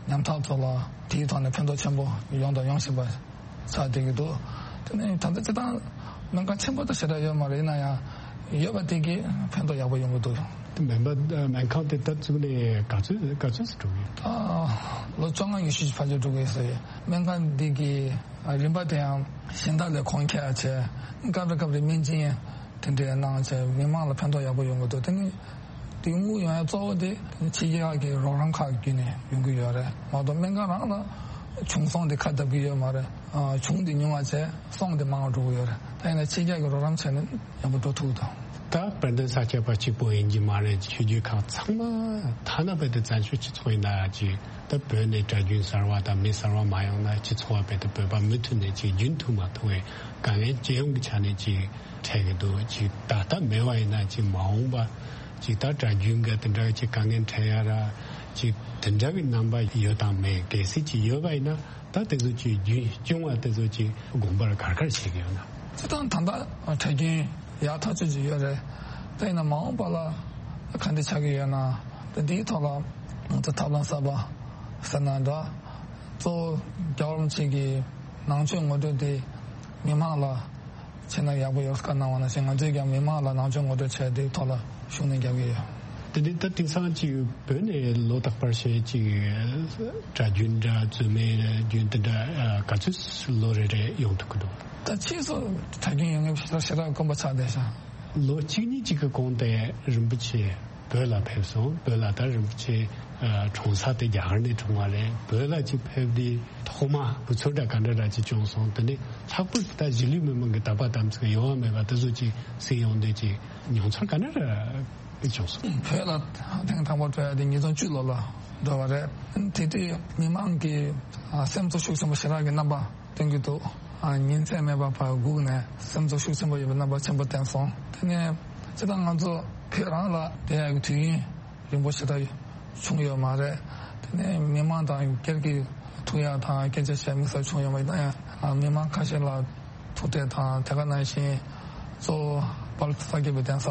ཉམ་ཐག་ཚོ་ལ་དེའི་ཐོག་ནས་ཕན་ཐོགས་ཆེན་པོ་ཡོང་དང་ཡོང་བཞིན་པ་ཆགས་བསྡད་ཀྱི་འདུག་དེ་ནས་ད་ལྟ་སྤྱིར་བཏང་སྨན་ཁང་ཆེན་པོ་དང་ཞེ་དྲག་ཡོད་མ་རེད། ཡིན་ན་ཡང་ཡོད་པ་དེ་གིས་ཕན་ཐོགས་ཡག་པོ་ཡོང་གི་འདུག་དེ་སྨན་པ་སྨན་ཁང་དེ་ད་བཙུགས་ནས་ག་ཚོད་ག་ཚོད་ཙམ་འགྲོ་གི་ཡོད། ཨ། ལོ་བཅོ་ལྔ་ཉི་ཤུ་ཅིག་ཕལ་ཆེར་འགྲོ་གི་ཡོད་ས་རེད། སྨན་ཁང་འདི་གི་རིམ་པ་དེ་ཡང་གཞན་དག་ལས་གོང་ཁེ་ཡ་བྱས། སྐབས་རེ་སྐབས་རེ་སྨན་སྦྱིན་དེ་འདྲའི་གནང་བྱས། མི་མང་ལ་ཕན་ཐོགས་ཡག་པོ་ཡོང་གི་འདུག་དེ་ནི་དེ་དངུལ་ཡོང་ཡ་གཙོ་བོ་དེ་ཕྱི་རྒྱལ་གྱི་རོགས་རམ་ཁག་བརྒྱུད་ནས་ཡོང་གི་ཡོད་རེད་མ་གཏོགས། སྨན་ཁང་རང་ལ་བྱུང་སོང་དེ་ཁ་བརྡབ་ཀྱི་ཡོད་མ་རེད། ཨ། བྱུང་དེ་ཉུང་བ་བྱས། སོང་དེ་མང་བ་འགྲོ་གི་ཡོད་རེད། ད་ཡིན་ན་ཕྱི་རྒྱལ་གྱི་རོགས་རམ་བྱས་ནས་ཡག་པོ་འགྲོ་ཐུབ་ཀྱི་འདུག་ད་ ད་དཔལ་ལྡན་ས་སྐྱ་པ་གཅིག་པོ་ཡིན་གྱི་མ་རེད། ཆོས་བརྒྱུད་ཁག་ཚང་མ་ཐ་ན་བོད་དེ་བཙན་བྱོལ་སྤྱི་ཚོགས་ཡིན་ན་ཅིག་ད་བོད་ནས་གྲྭ་རྒྱུན་གསར་བ་དང་མི་གསར་བ་མ་ཡོང་ན་སྤྱི་ཚོགས་བ་བོད་དེ་བོད་པ་མུ་མཐུད་ནས་ཅིག་རྒྱུན་མཐུད་མ་ཐུབ་པའི་དཀའ་ངལ་སྤྱི་ཡོངས་ཀྱི་ཆ་ནས་ཅིག་འཕྲད་ཀྱི་འདུག་ཅིག་ད་ལྟ་མེད་པ་ཡིན་ན་ཅིག་མ་འོངས་པ་ཅིག་ད་གྲྭ་རྒྱུན་གྱི་དེ་འདྲ་ཅིག་དཀའ་ངལ་འཕྲད་ཡ་ར་ཅིག་དེ་འདྲ་གི་རྣམ་པ་ཡོད་དང་མེད། གལ་སྲིད་ཅིག་ཡོད་པ་ཡིན་ན། ད་དེ་ཚོ་ཅིག་རྒྱུན་སྐྱོང་བ་དེ་ཚོ་ཅིག་དགོངས་པར་ག་རེ་ག་རེ་བྱེད་ཀྱི་ཡོད་ན། སྤྱིར་བཏང་ད་ལྟ་གྲྭ་རྒྱུན་ཡག་ཐག་ཆོད་ཅིག་ཡོད་རེད། ད་ཡིན་ན་མ་འོངས་པ་ལ་ག་འདྲ་ཆགས་ཀྱི་ཡོད་ན། ད་འདིའི་ཐོག་ལ་ང་ཚོ་ཐབས་ལམ་གསར་པ་ཟེར་ན་འདྲ། གཙོ་བོ་རྒྱལ་བ་རིན་པོ་ཆེ་གི་ནང་ཆོས་ངོ་སྤྲོད་དེ་མི་མང་ལ་བྱས་ན་ཡག་པོ་ཡོད་བཀའ་གནང་བ་ནང་བཞིན། ང་ཚོས་ཀྱང་མི་མང་ལ་ནང་ཆོས་ངོ་སྤྲོད་བྱས་དེའི་ཐོག་ལ་ཤུགས་སྣོན་རྒྱག་གི་ཡོད། དེ་ནི་ད་དེང་སང་ཅིག་བོད་ནས་ལོ་རྟག་པར་བྱས་ཅིག་གྲྭ་རྒྱུན་འདྲ་རྩོད་མེད་རྒྱུན་དེ་འདྲ་ག་ཚོད་ལོ་རེ་རེ་ཡོང་ཐུབ་ཀྱི་འདུག་ད་ཕྱིས་སུ་གྲྭ་རྒྱུན་ཡོང་མཁན་ཞེ་དྲག་ཞེ་དྲག་དཀོན་པོ་ཆགས་བསྡད་ཤག་ལོ་གཅིག་གཉིས་ཅིག་གི་གོང་དེ་རིན་པོ་ཆེ་བོད་ལ་ཕེབས་སོང་། བོད་ལ་ད་རིན་པོ་ཆེ་ཨ་གྲོངས་ས་དེ་རྒྱ་གར་ནས་གྲོངས་པ་རེད། བོད་ལ་ཅིག་ཕེབས་དུས་ཐོག་མ་དུས་ཚོད་འདྲ་ག་འདྲ་འདྲ་ཅིག་བྱུང་སོང་། དེ་ནས་ལྷག་པར་དུ་ད་གཞིས་ལུས་མི་མང་གི་དད་པ་དམ་ཚིག་ཡོད་མེད་པ་དེ་ཚོ་ཅིག་གསན་ཡོང་དུས་ཅིག་མྱོང་ཚོར་ག་འདྲ་འདྲ་བྱུང་སོང་། བོད་ལ་ཐེངས་དང་པོ་འགྲོ་ཡ་དེ་ཉིས་སྟོང་བཅུ་ལོ་ལ་འགྲོ་བ་རེད། དེ་དུས་མི་མང་གི་ཨ་སེམས་གཙོ་ཤུགས་ཆེན་པོ་ཞེ་དྲག་གི་རྣམ་པ་སྟོན་གྱི་འདུག་ཨ་ཉིན་མཚན་མེད་པར་ཕར་སྒུག་ནས་སེམས་གཙོ་ཤུགས་ཆེན་པོ་ཡོད་པའི་རྣམ་པ་ཆེན་པོ་བསྟན་སོང་། དེ་ནས་སྤྱིར་བཏང་ང་ཚོ་བོད་རང་ལ་བསྡད་ཡག་གི་དུས་ཡུན་རིང་པོ་ཞེ་དྲག་བྱུང་ཡོད་མ་རེད། དེ་ནས་མི་མང་དང་སྒེར་གྱི་ཐུག་ཡག་དང་སྐད་ཆ་བཤད་དམིགས་བསལ་བྱུང་ཡོད་མ་རེད། ཡིན་ན་ཡང་མི་མང་ཁ་ཤས་ལ་ཐུག་འཕྲད་དང་། དེ་ག་ནང་བཞིན་གཙོ་བོ་དཔལ་ས་སྐྱ་པའི་གདན་ས་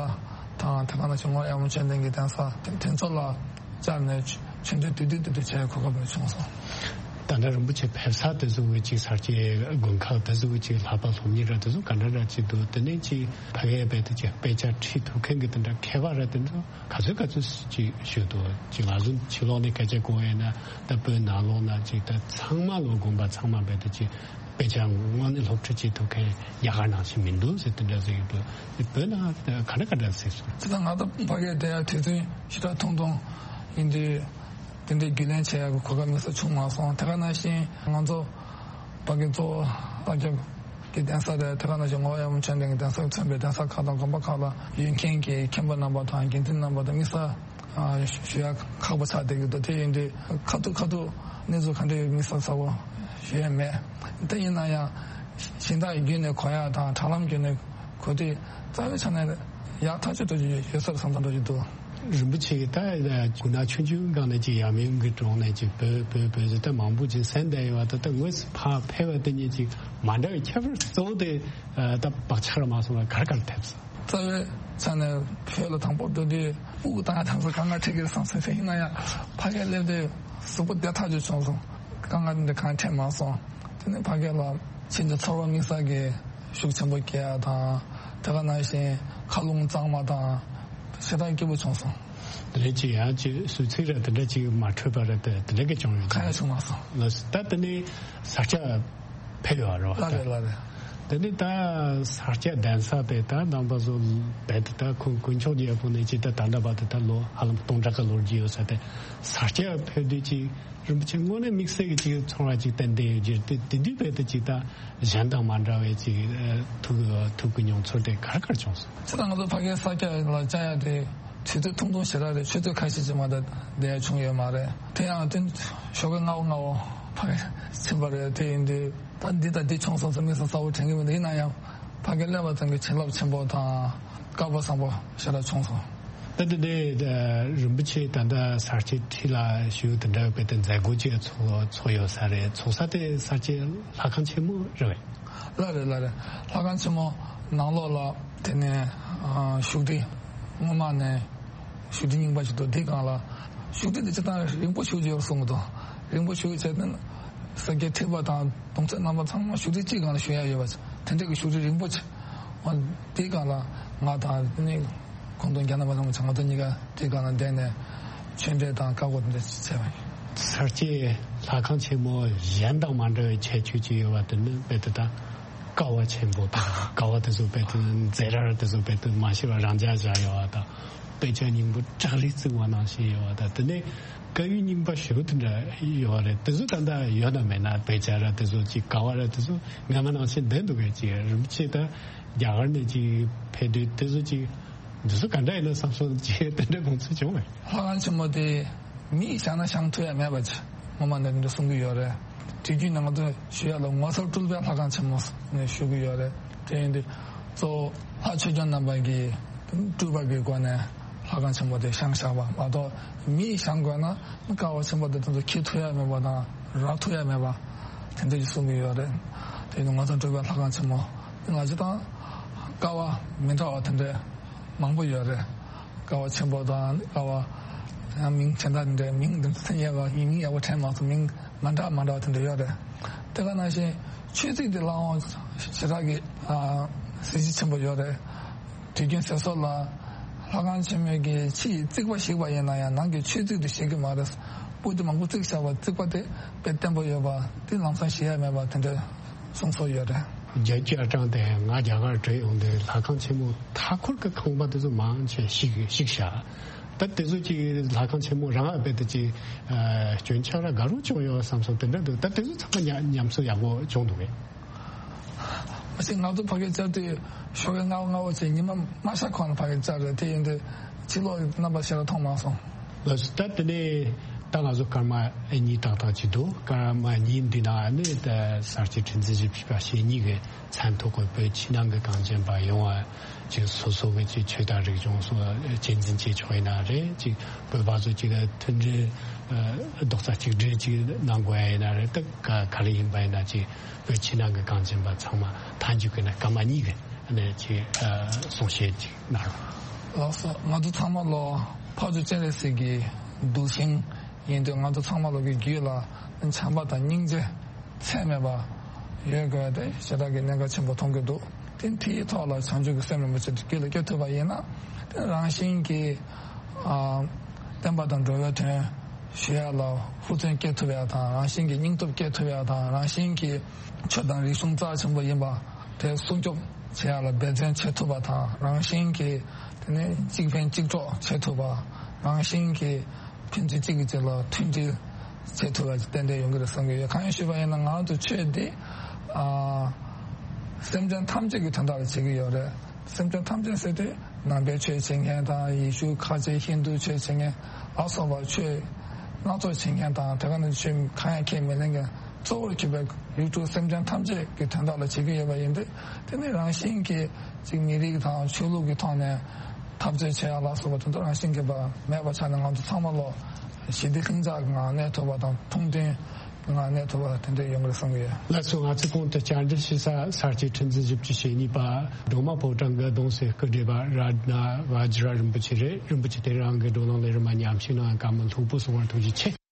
དང་། དེ་ག་ནང་བཞིན་ངོར་གཡང་མོ་ཆོས་ལྡན་གྱི་གདན་ས་དེ་དེ་ཚོ་ལ་བཅར་ནས་ཆོ་འཕྲད་བསྡུས་བསྡུས་བསྡུས་བསྡུས་བྱས་གོ་སྐབས་རེ་བྱུང་སོང་། ད་ལྟ་རིན་པོ་ཆེ་ཕེབས་ས་དེ་ཚོ་གི་ཅིག་ས་སྐྱའི་དགོན་ཁག་དེ་ཚོ་གི་ཅིག་ལྷག་པ་སློབ་གཉེར་ར་དེ་ཚོ་ག་འདྲ་འདྲ་ཅིག་འདུག་དེ་ནས་ཅིག་ཕ་གིའི་རྦད་དེ་ཅིག་དཔེ་ཆ་ཁྲིད་ཐུབ་མཁན་གྱི་དེ་འདྲ་མཁས་པ་ར་དེ་ཚོ་ག་ཚོད་ག་ཚོད་ཅིག་ཞུ་འདུག་ཅིག་ང་ཚོ་ཕྱི་ལོགས་ནས་སྐད་ཆ་གོ་ཡས་ན་ད་བོད་ནང་ལོགས་ན་ཅིག་ད་ཚང་མ་ལོ་དགོན་པ་ཚང་མ་རྦད་དེ་ཅིག་དཔེ་ཆ་དངོས་གནས་སློབ་ཁྲིད་བྱེད་ཐུབ་མཁན་རྒྱ་གར་ནང་བཞིན་མི་འདུག་ཟེར་དེ་འདྲ་ཟེར་གྱི་འདུག་བོད་ནང་ག་འདྲ་ག་འདྲ་ཟེར་སོང་། ཅི་ད་ང་ད་ཕ་གིར་བསྡད་ཡ་དུས་ཚོད་ཞེ་དྲག་ཐུང་ཐུང་ཡིན་དུས། དེ་འདྲའི་རྒྱུས་ལོན་བྱེད་ཡག་གི་གོ་སྐབས་དམིགས་བསལ་བྱུང་མ་སོང་། དེ་ག་ནང་བཞིན་ང་ཚོ་ཕ་གི་གཙོ་བོ་ས་སྐྱ་གི་གདན་ས་རེད། དེ་ག་ནང་བཞིན་ངོར་གཡང་མོ་ཆོས་ལྡན་གྱི་གདན་ས་མཚོན་པའི་གདན་ས་ཁག་དང་དགོན་པ་ཁག་ལ་ཡོད་མཁན་གྱི་མཁན་པོ་རྣམ་པ་དང་དགེ་འདུན་རྣམ་པ་དང་དམིགས་བསལ་ཨ་ཞུ་ཡག་ཁག་པོ་ཆགས་བསྡད་ཀྱི་འདུག་དེ་ཡིན་དུས་ཁ་ཐུག་ཁ་ཐུག་གནས་ཚུལ་ག་འདྲ་ཡོད་དམིགས་བསལ་གསལ་པོ་ཞུ་ཡས་མེད། དེ་ཡིན་ན་ཡང་གཞན་དག་གི་བརྒྱུད་ནས་གོ་ཡག་དང་དྲ་ལམ་བརྒྱུད་ནས་གོ་དུས་རྩ་བའི་ཆ་ནས་ཡག་ཐག་ཆོད་འགྲོ་རྒྱུ་ཡོད་ས་རེད་བསམ་བསམ་འགྲོ་རྒྱུ་འདུག་རིན་པོ་ཆེ་གིས་ད་དགུན་ནག་ཆུང་ཆུང་སྒང་ནས་ཅིག་ཡབ་ཡུམ་གྱི་དྲུང་ནས་ཅིག་བོད་བོད་བོད་ཟེར་ད་མང་པོ་ཅིག་གསན་བསྡད་ཡོད་པ། ད་ལྟ་དངོས་སུ་ཕར་ཕེབས་པ་དེ་ཉིད་ཅིག་མ་འདྲ་བའི་ཁྱད་པར་གཙོ་བོ་དེ་ད་བག་ཆགས་ར་མ་སོང་བ་ག་རེ་ག་རེ་ཐེབས་སོང་། རྩ་བའི་ཆ་ནས་བོད་ལ་དང་པོ་འགྲོ་དུས་སྤུ་གུ་བཏང་ཡ་དང་ས་དཀའ་ངལ་འཕྲད་ཀྱི་རེད་བསམ་སོང་། ཡིན་ན་ཡང་ཕ་གིར་སླེབས་དུས་གཟུགས་པོ་བདེ་ཐག་ཆོད་བྱུང་སོང་། དཀའ་ངལ་འདི་གང་འཕྲད་མ་སོང་། དེ་ནས་ཕ་གི་ལ་ཕྱིན་ཏེ་ཚོར་བ་དམིགས་བསལ་གྱི་ཤུགས་ཆེན་པོ་སྐྱེ་ཡ་དང་། དེ་ག་ནང་བཞིན་མཁའ་རླུང་གཙང་མ་དང་ཞེ་དྲག་སྐྱིད་པོ་བྱུང་སོང་། དེ་ནས་ཅིག་ཡང་ཅིག་གཟུགས་ཚིག་ར་དེ་འདྲ་ཅིག་མ་འཕྲོད་པ་ར་དེ་དེ་འདྲ་གི་བྱུང་ཡོད། གང་ཡང་བྱུང་མ་སོང་། ལགས་སོ། ད་དེ་ནས་ས་སྐྱ་ཕེབས་ཡོད་རེད་བ། ལགས་རེད་ལགས་རེད། དེ་ནས་ད་ས་སྐྱ་གདན་ས་དེ་ད་ནང་པ་ཚོ་རྦད་དེ་ད་ཁོང་དཀོན་མཆོག་རྒྱལ་པོ་ནས་ཅིག་ད་ད་ལྟ་བར་དུ་ད་ལོ་ཧ་ལམ་སྟོང་ཕྲག་ག་ལོར་གྱི་ཡོད་ས་དེ་ས་སྐྱ་ཕེབས་དུས་ཅིག་རིན་པོ་ཆེ་དངོས་གནས་དམིགས་བསལ་གྱི་ཅིག་ཚོར་བ་ཅིག་ཏན་ཏན་ཡོད་ཀྱི་རེད། དེ་དེ་དུས་རྦད་དེ་ཅིག་ད་གཞན་དང་མ་འདྲ་བའི་ཅིག་ཐུག་ཐུག་གི་མྱོང་ཚོར་དེ་ག་རེ་ག་རེ་བྱུང་སོང་། ཅི་ད་ང་ཚོ་ཕ་གིའི་ས་སྐྱ་ལ་བཅར་ཡ་དེ་དུས་ཚོད་ཐུང་ཐུང་ཞེ་དྲག་རེད། ཆུ་ཚོད་ཁ་ཤས་ཅིག་མ་གཏོགས་བསྡད་ཡ་བྱུང་ཡོད་མ་རེད། དེ་ཡང་དེ་ཞོགས་ཀས་སྔ་བོ་སྔ་བོ་ཕ་གི་ཕྱིན་པ་རེད། དེ་ཡིན་དུས་ད་འདི་དང་འདི་བྱུང་སོང་ཟེར་དམིགས་བསལ་གསལ་པོ་དྲན་གྱི་མི་འདུག་ཡིན་ན་ཡང་ཕ་གིར་སླེབས་པ་ཙམ་གྱིས་བྱིན་རླབས་ཆེན་པོ་དང་དཀར་པོ་བཟང་པོ་ཞེ་དྲག་བྱུང་སོང་། ད་དེ་ནས་རིན་པོ་ཆེ་ད་ལྟ་ས་སྐྱའི་འཁྲིས་ལ་བཞུགས་དེ་འདྲ་བའི་དེ་མཛད་སྒོ་ཅིག་ཚོགས་ཚོགས་ཡོད་ས་རེད། ཚོགས་ས་དེ་ས་སྐྱའི་ལྷ་ཁང་ཆེན་མོ་རེད་བས། ལགས་རེད་ལགས་རེད། ལྷ་ཁང་ཆེན་མོ་ནང་ལོགས་ལ་དེ་ནས་ཨ་བཞུགས་ཁྲི་སྔོན་མ་ནས་བཞུགས་ཁྲི་རྙིང་པ་ཞིག་འདུག་འདི་སྒང་ལ་བཞུགས་ཁྲི་འདི་སྤྱིར་བཏང་རིང་པོ་བཞུགས་ཀྱི་ཡོད་གསུང་གི་འདུག་རིང་པོ་བཞུགས་བྱས་ནས་ས་སྐྱའི་ཁྲི་པ་དང་གདུང་སྲས་རྣམ་པ་ཚང་མ་བཞུགས་ཁྲི་གཅིག་སྒང་ལ་བཞུགས་ཡ་ཡོད་པ། དེ་འདྲ་གི་བཞུགས་ཁྲི་རིང་པོ་ཆེ་འདི་སྒང་ལ་ང་དང་དེ་ནས་ཁོང་ཚོ་རྒྱ་ནག་པ་ཚང་མ་ཚང་མ་དང་གཉིས་ཀ་དེ་སྒང་ལ་བསྡད་ནས་ཆོས་འབྲེལ་དང་བཀའ་བསྒོ་དེ་འདྲ་བྱས་པ་ཡིན། ས་སྐྱའི་ལྷ་ཁང་ཆེན་མོ་གཞན་དང་མ་འདྲ་བའི་ཁྱད་ཆོས་ཅིག་ཡོད་པ་དེ་ནི་རྦད་དེ་ད་ཀ་བ་ཆེན་པོ་དང་ཀ་བ་དེ་ཚོ་རྦད་དེ་མཛེས་རར་དེ་ཚོ་རྦད་དེ་མ་ཤེས་པ་རང་འཇགས་བཞག་ཡོད་པ་དང་། དཔེ་ཆ་རྙིང་པ་བྲག་རི་བརྩིགས་པ་ནང་བཞིན་ཡོད་པ་དང་། དེ་ནས་དཀར་ཡོལ་རྙིང་པ་ཞེ་པོ་དེ་འདྲ་ཡོད་པ་རེད། དེ་ཚོ་ད་ལྟ་ཡོད་ན་མེད་ན་དཔེ་ཆ་ར་དེ་ཚོ་ཅིག་ཀ་བ་ར་དེ་ཚོ་སྔ་མ་ནང་བཞིན་བསྡད་འདུག་གས། ཅིག་རིན་པོ་ཆེ་ད་རྒྱ་གར་ནས་ཅིག་ཕེབས་དུས་དེ་ཚོ་ཅིག་ འདི་ཚོ་ག་འདྲ་ཡིན་ན་བསམ་སོང་ཅེས་དེ་འདྲའི་དགོངས་ཚུལ་བྱུང་བས། ལྷ་ཁང་ཆེན་མོ་དེ་མིས་བཞེངས་ན་བཞེངས་ཐུབ་ཡ་མེད་པ་ཅིག་ངོ་མ་ནས་འདི་འདྲ་གསུང་གི་ཡོད་རེད། དུས་རྒྱུན་ནས་ང་ཚོ་ཞུ་ཡ་ལ་ངོ་མཚར་སྤྲུལ་པའི་ལྷ་ཁང་ཆེན་མོ་ནས་ཞུ་གི་ཡོད་རེད། དེ་ཡིན་དུས་གཙོ་བོ་ལྷ་ཆོས་སྐྱོང་རྣམ་པ་གིས་སྤྲུལ་པ་གི་སྒོ་ནས་ལྷ་ཁང་ཆེན་མོ་དེ་བཞེངས་བཞག་པ་མ་གཏོགས། མིས་བཞེངས་དགོས་ན་ཀ་བ་ཆེན་པོ་དེ་དེ་ཚོ་འཁྱེར་ཐུབ་ཡ་མེད་པ་དང་རག་ཐུབ་ཡ་མེད་པ་དེ་འདྲ་ཞིག་གསུང་གི་ཡོད་རེད། དེ་ཡིན་དུས་ངོ་མཚར་སྤྲུལ་པའི་ལྷ་ཁང་ཆེན་མོ་དེ་ང་ཚོ་དང་ཀ་བ་མི་འདྲ་བ་དེ་འདྲ་མང་པོ་ཡོད་རེད། ཀ་བ་ཆེན་པོ་དང་ཀ་བ་ཡང་མིང་གཞན་དག་འདྲ་མིང་འདི་ཚོ་ཡག་པ་མིང་ཡག་པོ་དྲན་མ་སོང་། མིང་མ་འདྲ་མ་འདྲ་བ་དེ་འདྲ་ཡོད་རེད། དེ་ག་ནང་བཞིན་ཆོས་རྩིག་དེ་ལའང་ཞེ་དྲག་གི་ཨ་གཟི་བརྗིད་ཆེན་པོ་ཡོད་རེད། དུས་རྒྱུན་ཟེར་སྲོལ་ལ་ལྷ་ཁང་ཆེན་མོའི་གི་ཕྱི་ཡི་རྩིག་པ་བཤིག་པ་ཡིན་ན་ཡང་ནང་གི་ཆོས་རྩིག་དེ་བཤིག་གི་མ་རེད། སྤུ་དེ་མང་པོ་བརྩིགས་བཞག་པ་རྩིག་པ་དེ་དཔེ་བརྟན་པོ་ཡོད་པ་དེ་ལམ་སང་ཞིག་ཡ་མེད་པ་དེ་འདྲ་གསུང་སྲོལ་ཡོད་རེད། རྒྱལ་གཅེས་ཨ་ཀྲང་དེ་ང་རྒྱ་གར་བྲོས་ཡོང་དུས་ལྷ་ཁང་ཆེན་མོ་མཐའ་འཁོར་གྱི་ཁང་པ་དེ་ཚོ་མང་ཆེ་བཤིག་བཤིག་བཞག་ད་དེ་ཚོ་ཅིག་ལྷ་ཁང་ཆེན་མོ་རང་ཨ་བེ་དེ་ཅིག་ཨ་སྐྱོན་ཆག་ར་དགའ་རོགས་བྱུང་ཡོད་བསམ་སོང་། དེ་འདྲ་འདུག་ད་དེ་ཚོ་ཚང་མ་ཉམས་ཉམས་གསོ་ཡག་པོ་བྱུང་འདུག་གས། མ་གཞི་ང་ཚོ་ཕ་གིར་བཅར་དུས་ཞོགས་ཀའི་སྔ་པོ་སྔ་པོ་བྱས་ཉི་མ་མ་ཤར་གོང་ལ་ཕ་གིར་བཅར་རེད། དེ་ཡིན་དུས་ཕྱི་ལོགས་ཀྱི་རྣམ་པ་ཞེ་དྲག་མཐོང་མ་སོང་། ལགས་སོ། ད་དེ་ནས་ད་ང་ཚོ་སྐར་མ་གཉིས་ཏག་ཏག་ཅིག་འདུག་སྐར་མ་གཉིས་འདི་ནང་ནས་ད་གསར་སྤྱོད་ཁྲི་འཛིན་བཞི་བཅུ་ཞེ་གཉིས་ཀྱི་མཚན་ཐོགས་པའི་བོད་ཕྱི་ནང་གི་གངས་ཅན་པ་ཡོངས་ལ་ཅིག་སོ་སོ་གི་ཅིག་ཆོས་དང་རིག་གཞུང་སོགས་གཅེས་འཛིན་བྱེད་ཆོག་ཡིན་ན་རེད། ཅིག་བོད་པ་ཚོ་ཅིག་མཐུན་སྒྲིལ་རྡོག་རྩ་གཅིག་སྒྲིལ་ཅིག་གནང་དགོས་ཡ་ཡིན་ན་རེད། ད་ག་ག་རེ་ཡིན་པ་ཡིན་ན་ཅིག་བོད་ཕྱི་ནང་གི་གངས་ཅན་པ་ཚང་མ་མཐའ་མཇུག་གི་ན་སྐར་མ་གཉིས་ཀྱི་ཨ་ནི་ཅིག་ཨ་གསུང་བཤད་ཅིག་གནང་རོགས། ལགས་སོ། ང་ཚོ་ཚང་མ་ལོ་འཕགས་མཆོག་སྤྱན་རས་གཟིགས་ཀྱི་གདུལ་ཞིང་ཡིན་དུས་ང་ཚོ་ཚང་མ་ལོ་གི་རྒྱུད་ལ་བྱམས་པ་དང་སྙིང་རྗེ་ཚད་མེད་པ་ཡོད་དགོས་ཏེ་ཞེ་དྲག་གི་གནད་འགག་ཆེན་པོ་མཐོང་གི་འདུག་དེ་དེའི་ཐོག་ལ་བྱང་ཆུབ་ཀྱི་སེམས་རིན་པོ་ཆེ་རྒྱུད་ལ་སྐྱེ་ཐུབ་པ་ཡིན་ན་དེ་རང་བཞིན་གྱིས་ཨ་བསྟན་པ་དང་འགྲོ་བའི་དོན་ཞུ་ཡ་ལ་ཧུར་བརྩོན་སྐྱེ་ཐུབ་ཡ་དང་། རང་བཞིན་གྱིས་སྙིང་སྟོབས་སྐྱེ་ཐུབ་ཡ་དང་། རང་བཞིན་གྱིས་ཆོས་དང་རིག་གཞུང་རྩ་ཆེན་པོ་ཡིན་པ་དེ་སྲུང་སྐྱོབ་བྱེད་ཡ་ལ་འབད་བརྩོན་བྱེད་ཐུབ་པ་དང་། རང་བཞིན་གྱིས་དེ་ནས་གཅིག་ཕན་གཅིག་གྲོགས་བྱེད་ཐུབ་པ། རང་བཞིན་གྱིས་ཕན་ཚུན་གཅིག་གིས་གཅིག་ལ་མཐུན་སྒྲིལ་བྱེད་ཐུབ་པ་ཏན་ཏན་ཡོང་གི་རེད་བསམ་གྱི་ཡོད། གང་ཡིན་ཞུས་པ་ཡིན་ན་ང་ཚོ་ཆོས་འདི་ཨ་སེམས་ཅན་ཐམས་ཅད་ཀྱི་དོན་དག་ལ་བྱེད་ཀྱི་ཡོད་རེད། སེམས་ཅན་ཐམས་ཅད་ཟེར་དུས་ནང་པའི་ཆོས་བྱེད་མཁན་དང་། ཡེ་ཤུ་ཁ་ཆེ་ཧིན་དུ་ཆོས་བྱེད་མཁན་ལ་སོགས་པ་ཆོས་སྣ་ཚོགས་བྱེད་མཁན་དང་། དེ་ག་ནང་བཞིན་ཆོས་གང་ཡང་ཁས་མི་ལེན་མཁན། གཙོ་བོར་གྱུར་པའི་ཡུལ་དྲུག་སེམས་ཅན་ཐམས་ཅད་ཀྱི་དོན་དག་ལ་བྱེད་ཀྱི་ཡོད་པ་ཡིན་དུས། དེ་ནི་རང་བཞིན་གྱིས་ཅིག་མི་རིགས་དང་ཆོས་ལུགས་ཀྱི་ཐོག་ནས་འཐབ་རྩོད་བྱེད་ཡ་ལ་སོགས་པ་དེ་ཚོ་རང་བཞིན་གྱིས་མེད་པ་ཆགས་ནས། ང་ཚོ་ཚང་མ་ལོ་ཞི་བདེ་ལྷིང་འཇགས་ངང་གནས་ཐུབ་པ་དང་། ཐུགས་མཐུན་ངང་གནས་ཐུབ་པ་དེ་འདྲ་ཡོང་གི་རེད་བསམ་གྱི་ཡོད། ལགས་སོ། ང་ཚོས་གོང་དུ་བཅར་འདྲི་ཞུ་ས་གསར་སྤྱོད་ཁྲི་འཛིན་བཞི་བཅུ་ཞེ་གཉིས་པ་སྒྲོལ་མ་ཕོ་བྲང་གི་གདུང་སྲས་སྐུ་བགྲེས་པ་རཏྣ་བཛྲ་རིན་པོ་ཆེ་རེད། རིན་པོ་ཆེ་དེ་རང་གི་བགྲོ་གླེང་ལས་རིམ་མ་ཉམས་ཞིབ་གནང་བཀའ་མོལ་ལྷུག་པོ་གསུང་བར་ཐུགས་རྗེ་ཆེ།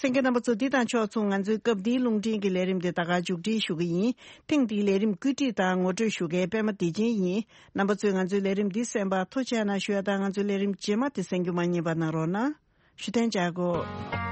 གསན་མཁན་རྣམ་པ་ཚོ། འདི་དང་ཕྱོགས་མཚུངས་ང་ཚོའི་སྐབས་འདིའི་རླུང་འཕྲིན་གྱི་ལས་རིམ་དེ་ད་ག་མཇུག་སྒྲིལ་ཞུ་གི་ཡིན། ཐེངས་འདིའི་ལས་རིམ་བཀོད་སྒྲིག་དང་ངོ་སྤྲོད་ཞུ་མཁན་པད་མ་བདེ་ཆེན་ཡིན། རྣམ་པ་ཚོས་ང་ཚོའི་ལས་རིམ་འདི་གསན་པར་ཐུགས་རྗེ་གནང་ཞུ་ཡ་དང་། ང་ཚོའི་ལས་རིམ་རྗེས་མ་དེ་གསན་རྒྱུ་མ་བསྙེལ་བ་གནང་རོགས་གནང་། ཞུ་དན་ཅཱ་གོ།